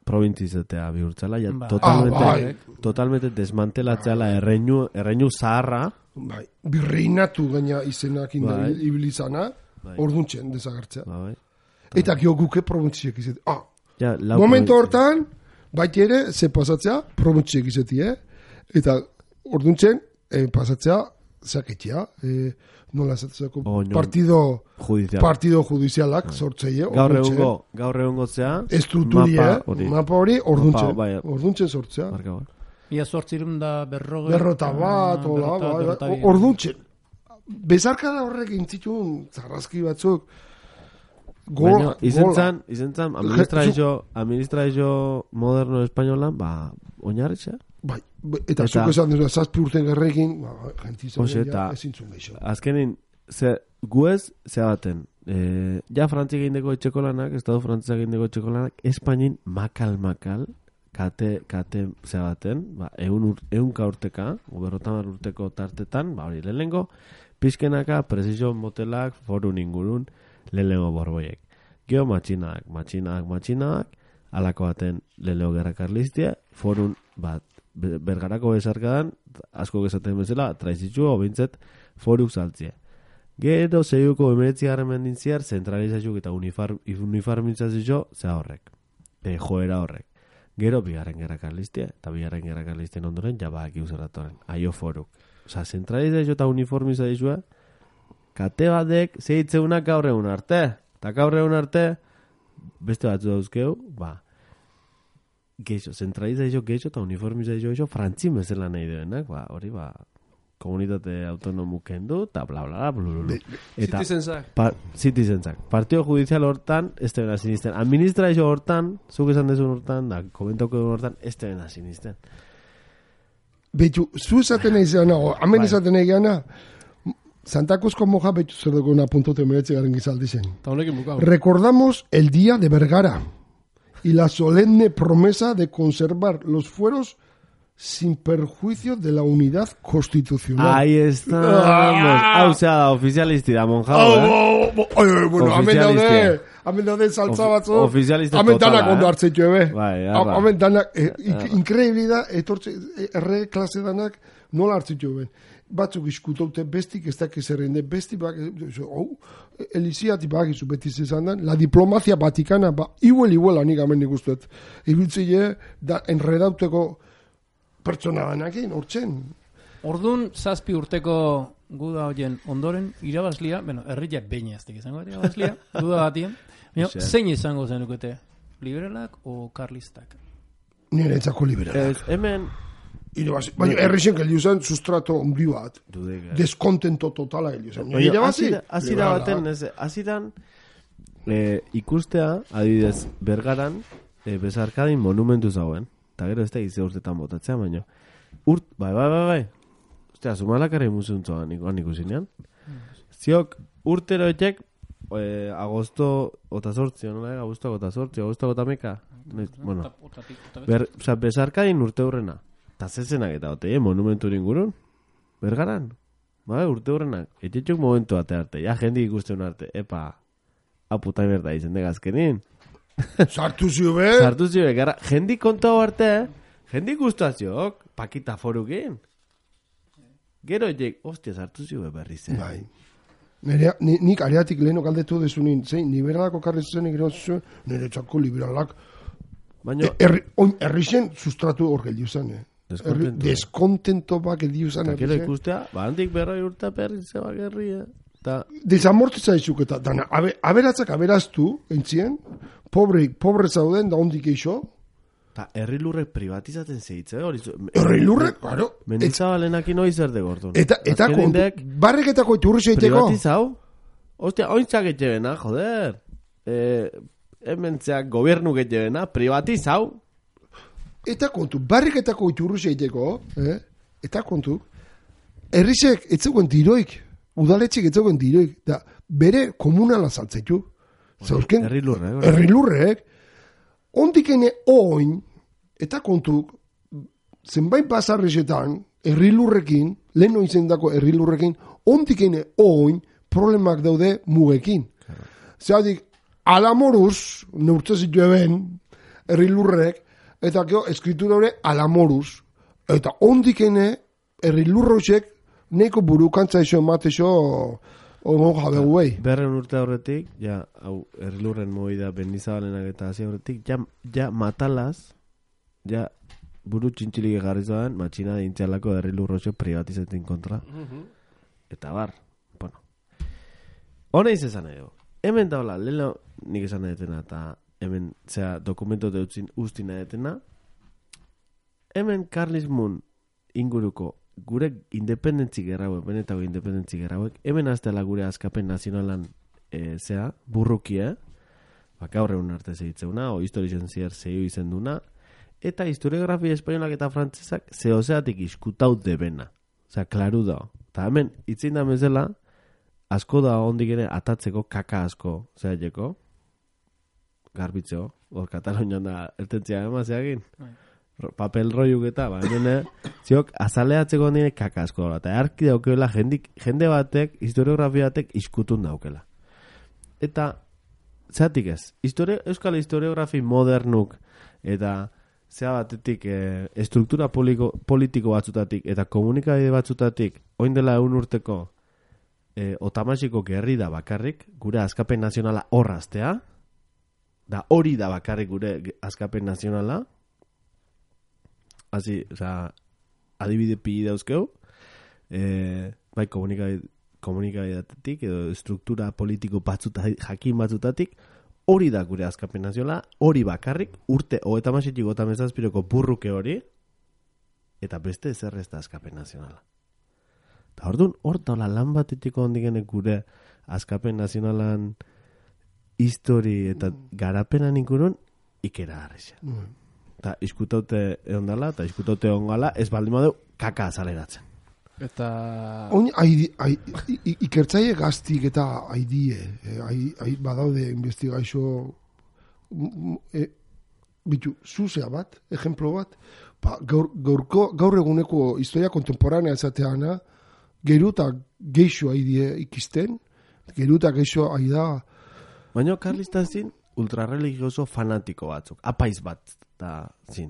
probintzizetea bihurtzala, ja, Ba. totalmente, Ah, bai. totalmente desmantelatzeala erreinu, erreinu zaharra. Bai, birreinatu gaina izenak indar Bai. ibilizana, Bai. orduntzen desagertzea. Ba, bai. Eta gio guke probintziek izate. Ah, Ja, lau momento probintzi. hortan, baita ere, ze pasatzea, probintziek izate, eh? Eta orduntzen, eh, pasatzea, zaketia, eh, nola esatzeko, Oño. partido, Judizial. partido judizialak sortzeie, Gaur orduntzen. egungo, gaur egungo zea, Estrukturi, mapa eh? hori. Mapa hori, orduntzen. Mapa, bai. Orduntzen sortzea. Marka bat. Ia zortzirun da berrogei. Berrota bat, hola, berrota, bai, berrota bai, bi. orduntzen. Bezarkada horrek intzitun, zarrazki batzuk, gol, Baina, izen zan, izen zan, administrazio, administrazio moderno espainolan, ba, oinarritza. Bai, bai, eta Eta- zuk esan duzu, zazpi urten gerrekin, ba, jentizan Hoxe, ja, eta- ezin zuen geixo. Azkenin, ze, guez, ze baten, e, ja frantzik egindeko etxeko lanak, estado frantzak egindeko etxeko lanak, Espainin makal-makal, kate, kate ze baten, ba, eun, ur, eunka urteka, berrotamar urteko tartetan, ba, hori, lehenengo, pizkenaka, presizio motelak, forun ingurun, lehenengo borboiek. Geo matxinak, matxinak, matxinak, alako baten lehenengo gerra karlistia, forun, bat, be- bergarako bezarkadan, asko gezaten bezala, traizitzu, obintzet, foruk saltzia. Gero zeiuko emeretzi garren mendintziar, zentralizazio eta unifar, uniformizazio zea horrek. E, joera horrek. Gero bigarren gerra karlistia, eta bigarren gerra karlistien ondoren, jabak iuzeratoren. Aio foruk. Osa, zentralizazio eta uniformizazioa, kate batek zeitzeunak gaur egun arte. Eta gaur egun arte, beste batzu dauzkeu, ba, geixo, zentralizazio geixo eta uniformizazio geixo frantzin bezala nahi duenak, ba, hori ba, komunitate autonomu kendu, eta bla bla bla, bla bla bla. Eta, Citizenzak. pa, citizenzak. Partido judizial hortan, ez te bena sinisten. Administrazio hortan, zuk esan dezun hortan, da, komentauko duen hortan, ez te bena sinisten. Betu, zu esaten nahi zeana, o, hemen Bai. esaten nahi geana, Santa Cruz moja betu zer dugu una puntote meretzi garen gizaldi zen. Eta honekin bukau. Recordamos el día de Vergara y la solemne promesa de conservar los fueros sin perjuicio de la unidad constitucional. Ahí estamos. Hau zea da, ofizialisti da, monjao, eh? Oh, oh, oh, oh, bueno, hemen daude, Ofizialistia. hemen daude saltza Ofi- batzu. ofizialista Hemen totala, danak ondo eh? hartzetxo, ebe. Bai, arra. Hemen danak, eh, ink- increíble da, etortze, eh, erre klase danak nola hartzetxo, ben. Batzuk iskutoute bestik, ez dakiz errende besti, bak, eh, oh, eliziati bakizu beti zezan dan, la diplomazia vaticana, ba, iguel, iguel, anik amen nik usteet. Ibiltzile, da, enredauteko pertsona danakin, hortzen. Ordun zazpi urteko guda hoien ondoren irabazlia, bueno, herria beina ez izango da irabazlia, guda batien. Baina, Osea. zein izango zenukete? Liberalak o karlistak? Nire etzako liberala. Ez, hemen, Irabazi. Baina, herrixen geldiu zen sustrato ondi bat. dudek, eh? Deskontento totala geldiu zen. Baina, Irabazi, hasi da- hasi da liberala. baten, ez, hasi dan, eh, ikustea, adibidez, Bergaran, eh, bezarkadin monumentu zauen. Eta gero ez da izte urtetan botatzea, baina. Urt, bai, bai, bai, bai. Ostia, Zumalakara imuzuntzoa nik ikusinean. Ziok, urteroetek, eh, agosto, ota sortzi, nola, eh? Agosto, ota sortzi, agosto, ota meka. Bueno, Ota- otatik, otatik. ber, oza, bezarkadin urte hurrena. Eta zezenak eta ote, eh, monumentu ingurun. Bergaran. Bai, urte hurrenak. Etxetxuk momentu ate arte. Ja, jendik ikusten arte. Epa, aputai berda izen de gazkenin. Sartu zio be. Sartu zibe, gara, jendik kontau arte, jendik guztaziok, pakita forukin. Gero ejek, ostia, sartu zibe berri zen. Bai. Nerea, ni, nik areatik leheno galdetu dezunin, zein, liberalako karri zuzenik gero zuen, nire txako liberalak. Baina, E, erri, oin, errixen sustratu hor geldiu zen, eh? Erri, Deskontento. deskontento bak geldiu zen, eta gero errixen. ikustea, ba, handik berroi urta perri zeba gerria. Eta, Desamortitza izuk eta, dana, abe, aberatzak aberaztu, entzien, pobre, pobre zauden, da hondik eixo, eta herri lurrek privatizatzen zeitze, hori zu... herri lurrek, claro, et, Mendizabalenakin hoi zer de gortun. eta, eta Azken kontu, indek barreketako iturri zeiteko, privatizau? Ostia, ointzak etxebena, joder. Eh, hementzeak gobernu getxebena, privatizau? eta kontu, barreketako iturri zeiteko, eh? eta kontu, herrizek etzegoen diroik, udaletxik etzegoen diroik, da bere komunala saltzaitu. Zauzken, herri lurrek, hori. herri lurrek, ondikene oin, eta kontuk, zenbait bazarrezetan, herrilurrekin, lehen oizendako herrilurrekin, ondikene oin, problemak daude mugekin. Zeratik, alamoruz, neurtze zitu eben, herrilurrek, eta gero, eskritura hori alamoruz. Eta ondikene, herrilurroxek, neko burukantza iso ematexo, ono jabe guei. Berren urte horretik, ja, hau, herrilurren moida bendizabalenak eta hasi horretik, ja, ja matalaz, ja, buru txintxilik egarri zoan, matxina dintzialako herrilurroxek privatizatzen kontra. Uh-huh. Eta bar, bueno. Hone izan edo. Hemen daula, leheno nik esan edetena, eta hemen, zera, dokumentu deutzin ustin edetena, hemen Karlismun inguruko gure independentzi gerrauek, benetako independentzi gerrauek, hemen aztela gure askapen nazionalan e, zea, burrukia, baka horreun arte zeitzeuna, o historizen zier zeio izen duna, eta historiografia espainolak eta frantzesak zehozeatik iskutaut debena. Osea, klaru da. Eta hemen, itzin da mezela, asko da ondik ere atatzeko kaka asko, zehaieko, garbitzeo, hor Katalonian da ertentzia emazeagin, papel roiuk eta, ba, hemen, ziok, azaleatzeko ondik kaka asko da, eta arki daukela jendik, jende batek, historiografia batek iskutun daukela. Eta, zeatik ez, histori, euskal historiografi modernuk, eta zea batetik e, estruktura politiko, politiko batzutatik, eta komunikabide batzutatik, oin dela egun urteko, E, otamasiko gerri da bakarrik gure askapen nazionala horraztea, da hori da bakarrik gure askapen nazionala, hazi, oza, adibide pili dauzkeu, e, bai komunikabidatetik edo estruktura politiko batzutatik, jakin batzutatik, hori da gure askapen nazionala, hori bakarrik, urte otamasitik otamezazpiroko burruke hori, eta beste zer ez da askapen nazionala. Eta orduan, hortola lan batetiko ondigenek gure askapen nazionalan histori eta garapenan inkurun ikera harrexia. Mm. Eta iskutaute egon dala, eta iskutaute egon gala, ez baldin badeu kaka azaleratzen. Eta... Oin, ikertzaile gaztik eta haidie, eh, badaude investigaixo e, bitu, zuzea bat, ejemplo bat, pa, gaur, gaurko, gaur eguneko historia kontemporanea ezateana, geruta geixo haidie ikisten, geruta geixo haida... Baina Karlista zin ultrarreligioso fanatiko batzuk, apaiz bat, da zin.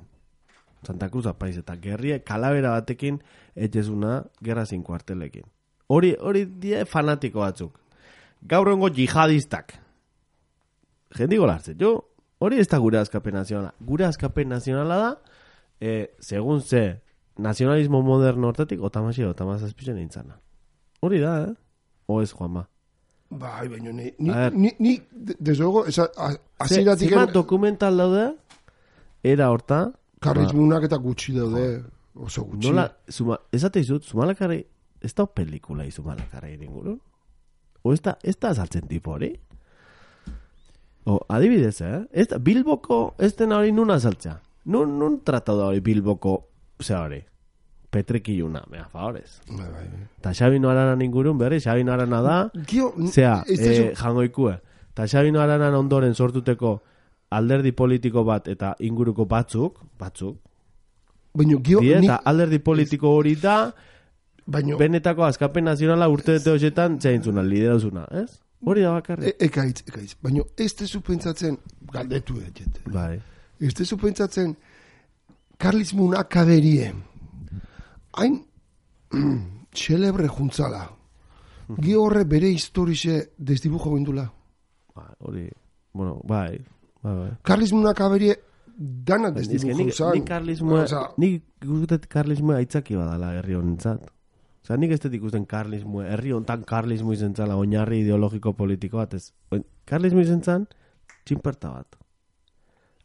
Santa Cruz apaiz eta gerrie kalabera batekin etxezuna gerra zin kuartelekin. Hori, hori die fanatiko batzuk. Gaur egongo jihadistak. Jendiko lartzen, jo, hori ez da gure askapen nazionala. Gure askapen nazionala da, eh, segun ze, nazionalismo moderno hortatik, otamasi edo otamazazpizen nintzana. Hori da, eh? O ez, Juanma? Bai, baina ni, ni, ni, ni desde luego, aziratik... Zima dokumental daude, era horta... Karrizmunak eta gutxi daude, oso gutxi. Nola, zuma, ezate izut, Zumalakarri, ez da pelikula Zumalakarri inguru? O ez da, ez da azaltzen tipo hori? O, adibidez, eh? Ez da, Bilboko ez dena hori nun azaltzea. Nun, nun tratau da hori Bilboko, zera hori? Petrekiluna, mea, favorez. Ta Xabino Aranan ingurun, berri, Xabino Arana da, zea, eh, jangoikue. Ta Xabino Aranan ondoren sortuteko alderdi politiko bat eta inguruko batzuk, batzuk, baina, gio, die, ni... eta alderdi politiko hori da, baino... benetako askapen nazionala urte dute horietan zeintzuna, liderazuna, ez? Hori da bakarri. E, ekaitz, ekaitz, baina ez tezu pentsatzen, galdetu eget, bai. Ez tezu pentsatzen, Karlismun akaderie, hain xelebre juntzala, gi horre bere historize desdibujo bindula. Ba, hori, bueno, bai, bai, bai. Karlismun akaderie dana desdibujo zan. Nik karlismoa, nik guztet karlismoa aitzaki badala herri honintzat. Osa, nik ez tetik usten karlismoa, herri hontan karlismo izen zala, oinarri ideologiko politiko bat, ez. Karlismo izen zan, txinperta bat.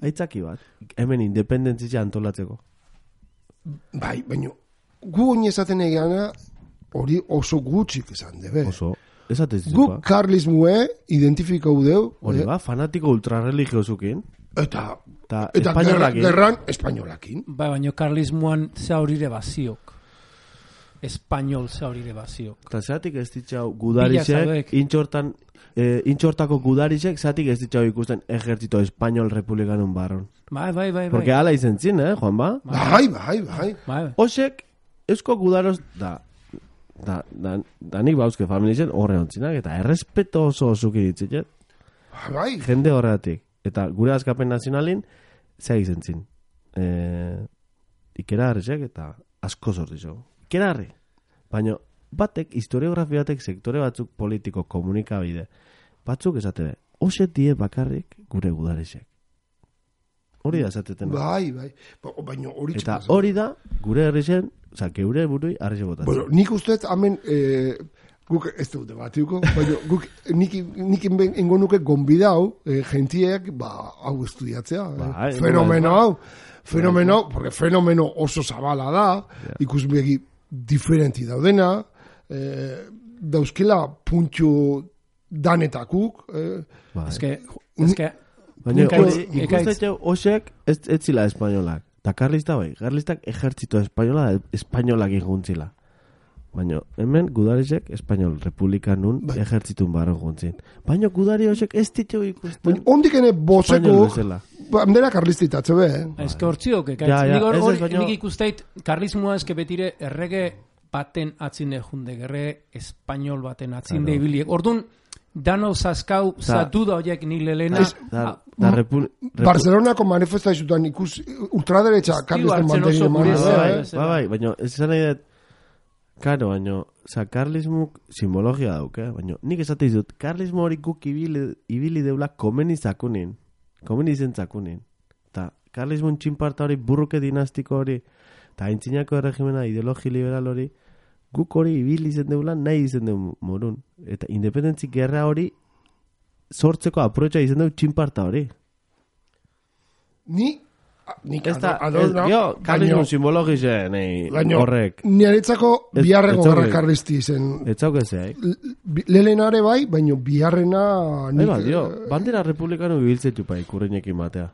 Aitzaki bat, hemen independentzia antolatzeko. Bai, baina, gu honi esaten egeana, hori oso gutxik esan debe. Oso, esatez gu karlismue identifikau deu. Hori ba, fanatiko ultrarreligiosukin. Eta, eta, eta gerran, gerran espainolakin. Bai, baina karlismuan za horire baziok. espainol zaurire bazio. Eta zatik ez ditxau gudarizek, intxortan, eh, intxortako gudarizek, zatik ez ditxau ikusten ejertzito espainol republikanun barron. Bai, bai, bai. Porque ala izen zin, eh, Juan ba? Bai, bai, bai. bai. Osek, eusko gudaroz, da, da, da, da nik bauzke familizen horre ontzinak, eta errespeto oso osuki ditziket. Bai. Jende horretik. Eta gure askapen nazionalin, zea izen zin. Eh, ikera harrizek, eta asko sortizo. Ikera harri. Baina, batek, historiografia batek, sektore batzuk politiko, komunikabide, batzuk esate, ose die bakarrik gure gudarizek. Hori da esateten. Bai, bai. Baina hori eta hori da, gure herrizen, oza, geure burui harrize botatzen. Bueno, nik usteet, hamen, eh, guk ez dute batiuko, baina guk nik, nik ingo nuke gonbidau, eh, gentiek, ba, hau estudiatzea. Ba, eh, fenomeno hau. Fenomeno, porque fenomeno oso zabala da, yeah. Ikusbegi diferenti daudena, eh, dauzkela puntxu danetakuk. Eh, ba, eske, eske, baina, ikustetzen osek ez, ez zila espainolak. Ta karlista bai, karlistak ejertzito espainola, espainolak injuntzila. Baina, hemen gudarizek espainol republikanun bai. Ejertzitun barro juntzin. Baina, gudari osek ez ditu ikusten. Ondik ene bozeko, bandera karlistitatze be, eh? Ez que hortziok, ekaitz. Ja, ja, nik, or, baino... nik ikusteit, karlismoa eske betire errege baten atzinde junde, errege espainol baten atzinde claro. Ibiliek. Ordun dano zaskau, zatu da horiek ni lelena. Da, da repul... Barcelonako manifestazioetan ikus ultraderecha karlisten mantenien manera. Bai, bai, bai, baina ez zan nahi dut, karo, baina, oza, karlismuk simbologia dauk, eh? Baina, nik esate izut, karlismo hori guk ibili, ibili deula komeni zakunin. Komeni zen zakunin. Ta, karlismun txinparta hori, burruke dinastiko hori, eta aintzinako erregimena, ideologi liberal hori, guk hori ibili izen deula, nahi izen deu morun. Eta independentzi gerra hori, sortzeko aproetxa izen deu txinparta hori. Ni... Nik esta yo karlismo simbologize nei horrek niretzako biharreko gerra karlisti zen etzauke zei lelenare bai baino biharrena nik ba dio bandera republicano ibiltzetu pai kurreinekin batea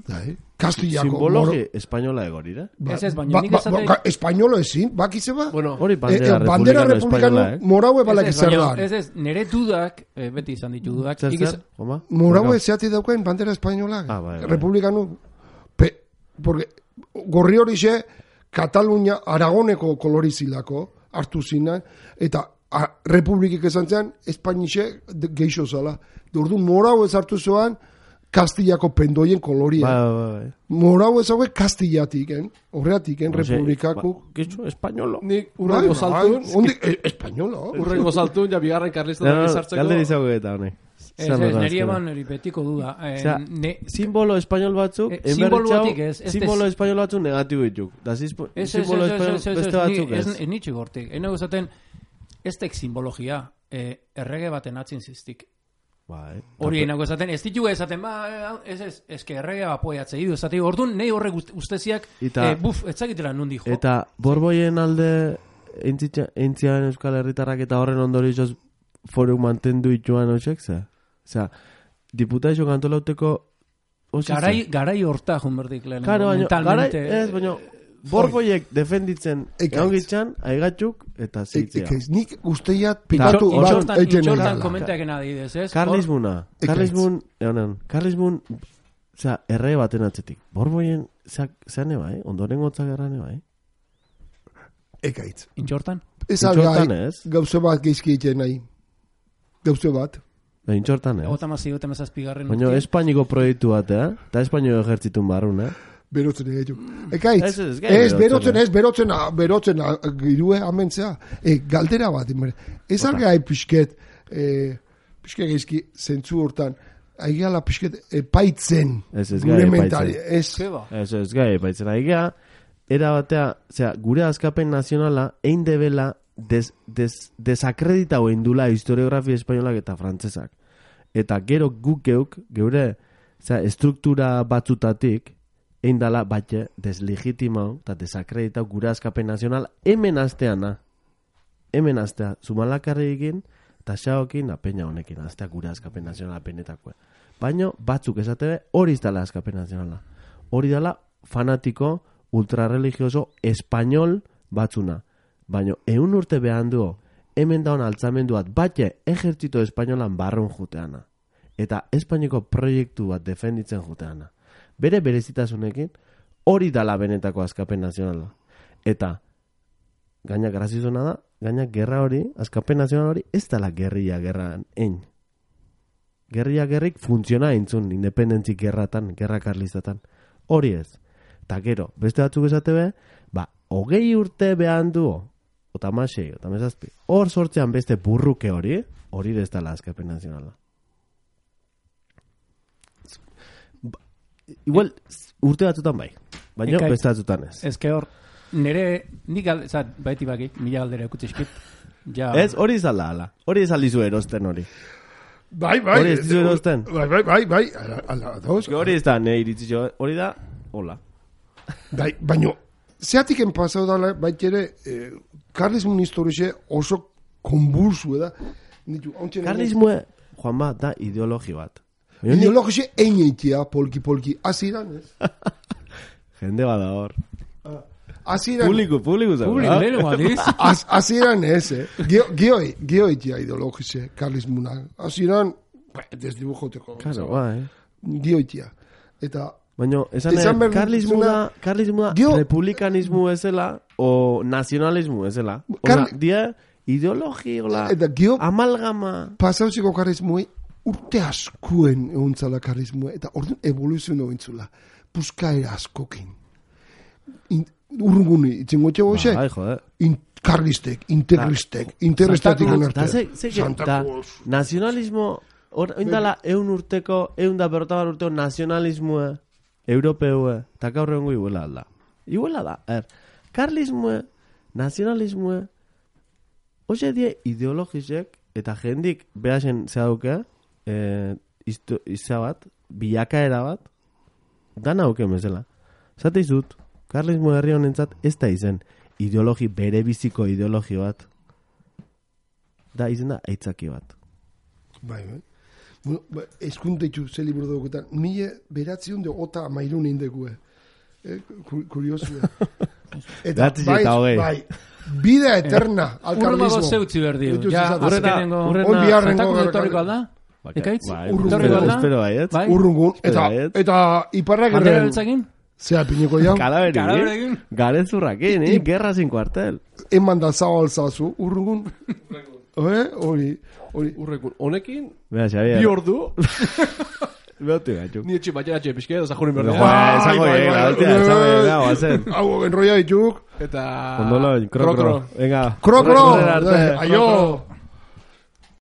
bai Castillako simbologi espainola egorira ez ez baino nik esate espainolo ezin bakize ba bueno hori bandera republicano moraue balak zer da ez ez nere dudak beti izan ditu dudak moraue zeati daukain bandera espainola republicano porque gorri hori xe Katalunia Aragoneko kolorizilako hartu zinan eta a, republikik esan zean Espainixe geixo zala ordu morau ez hartu zoan Kastillako pendoien koloria ba, ba, ba. Morau ez haue Kastillatik horreatik republikako geixo espainolo nik urrengo saltun espainolo urrengo saltun ja bigarren karlista sartzeko galde dizago eta hone Ez, ez, neri eban eripetiko duda. Eh, o sea, ne... Simbolo espainol batzuk, eh, simbolo ez, simbolo espainol batzuk negatibo dituk. Da simbolo espainol beste batzuk ez. Ez nitxik hortik. Eno guzaten, ez tek simbologia, eh, errege baten atzin ziztik. Bai. Hori enago esaten, ez ditugu esaten, ba, ez ez, ez que errege apoiatze idu. Esaten, orduan, nahi horrek usteziak, eh, buf, etzakitela nundi jo. Eta borboien alde, entzian Euskal Herritarrak eta horren ondorioz foru mantendu ituan hoxek, ze? Osea, diputaixo kantolauteko... Garai, garai horta junberdik lehen. Claro, garai, ez, baina... Borboiek defenditzen egongitzan, aigatxuk eta zeitzea. Nik usteiat pikatu bat eiten egin. Intxortan komentaken adidez, ez? Karlismuna. Karlismun, egonen, karlismun, osea, erre baten atzetik. Borboien, zean eba, eh? Ondoren gotzak erran eba, eh? Ekaitz. Intxortan? Ez algai, gauze bat geizki egiten nahi. Gauze bat. Intxortan, eh? Egota mazi, egota mazazpigarren. Baina Espainiko proiektu bat, eh? Eta Espainiko ejertzitun barrun, eh? Berotzen egin. Ekaitz, ez, berotzen, ez, berotzen, berotzen, girue amentzea. E, galdera bat, ez algai pixket, e, pixket geizki, zentzu hortan, aigeala pixket epaitzen. Ez, ez gai epaitzen. Ez, ez, ez gai epaitzen. Aigea, era batea, zera, gure askapen nazionala, egin debela, des, des, desakreditau indula historiografia espainolak eta frantzesak. Eta gero guk geuk, geure zera, estruktura batzutatik, egin dala batxe deslegitimau eta desakreditau gure askapen nazional hemen asteana. Hemen astea, zumalakarri egin, eta xaokin apeina honekin, astea gure askapen nazionala apenetakoa. Baina batzuk esate hori ez dala askapen nazionala. Hori dala fanatiko, ultrarreligioso, espainol batzuna. baina eun urte behan du, hemen daun altzamenduat batxe ejertzito espainolan barrun juteana. Eta Espainiko proiektu bat defenditzen juteana. Bere berezitasunekin, hori dala benetako askapen nazionala. Eta, gaina grazizona da, gaina gerra hori, askapen nazional hori, ez dala gerria gerran ein. Gerria gerrik funtziona eintzun, independentzik gerratan, gerra karlistatan. Hori ez. Ta gero, beste batzuk esate be, ba, hogei urte behan du, ota masei, ota mesazpi, hor sortzean beste burruke hori, hori ez dala askapen nazionala. Igual, urte batzutan bai, baina beste batzutan ez. Ez que hor, nire, nik alde, baiti bakit, mila galdera ekutizkit. Ja. Ez, hori izalda, ala. Hori izaldizu erosten hori. Bai, bai. Hori ez dizu erosten. Bai, bai, bai, bai. Ala, ala, dauz. Hori ez da, ne iritzitxo, hori da, hola. Bai, baina, zeatik enpazau dala, baitere, eh, karlismun historixe oso konbursu, eda. Karlismue, Juan ba, da ideologi bat. Ideologixe eineitia, polki-polki, aziran, ez? Jende bada hor. Aziran... Publiko, publiko zago. Publiko, lehenu badiz. Aziran ez, eh? Geoi, geoitia ideologixe, karlismuna. Aziran, desdibujoteko. Claro, bai. Geoitia. Eta... Baina, esan er, karlismu da, karlismu da, republikanismu ezela, o nazionalismu ezela. Oza, dia, ideologi, hola, amalgama. Pasauziko karlismui, urte askuen eguntzala karlismue, eta orduan evoluzio nointzula. Puskaera askokin. Urrunguni, itxengotxe goxe? Bai, joder. Karlistek, interlistek, interlistatik onarte. Santa Cruz. Nazionalismo, oindala eun urteko, eun da berrotabar urteko nazionalismoa, europeue, eta gaur egongo iguela alda. Iguela da, er, karlismoa, nazionalismoa, hoxe die ideologizek, eta jendik behasen zehauke, eh, izia bat, bilakaera bat, dana auke mesela. Zate izut, karlismo herri honentzat ez da izen ideologi, bere biziko ideologi bat. Da izen da aitzaki bat. Bai, bai. Bueno, ba, eskunteitzu ze liburu dauketan. Mile beratzion de ota amairun indekue. Eh, kuriosua. Eta bai, bai, vida eterna al karlismo. Urremago zeutzi berdi. Ja, azkenengo. Urrena, jantaku etorriko alda? Ekaitz? Urrungun. Espero bai, ez? Urrungun. Eta, eta iparrak erren. Bandera beltzakin? Zea pineko jau. Kalaberin. Garezurrakin, eh? Guerra sin cuartel. Eman da zao alzazu, urrungun. Eh? Hori, hori. Urrungun. Honekin, bi ordu. Beotu gatxuk. Ni etxe batxera etxe pixke, da zajurin berdi. Esango egin, altea, esango egin, hau, azen. Hau, enroia dituk. Eta... Ondolo, krokro. Venga. Krokro. Aio.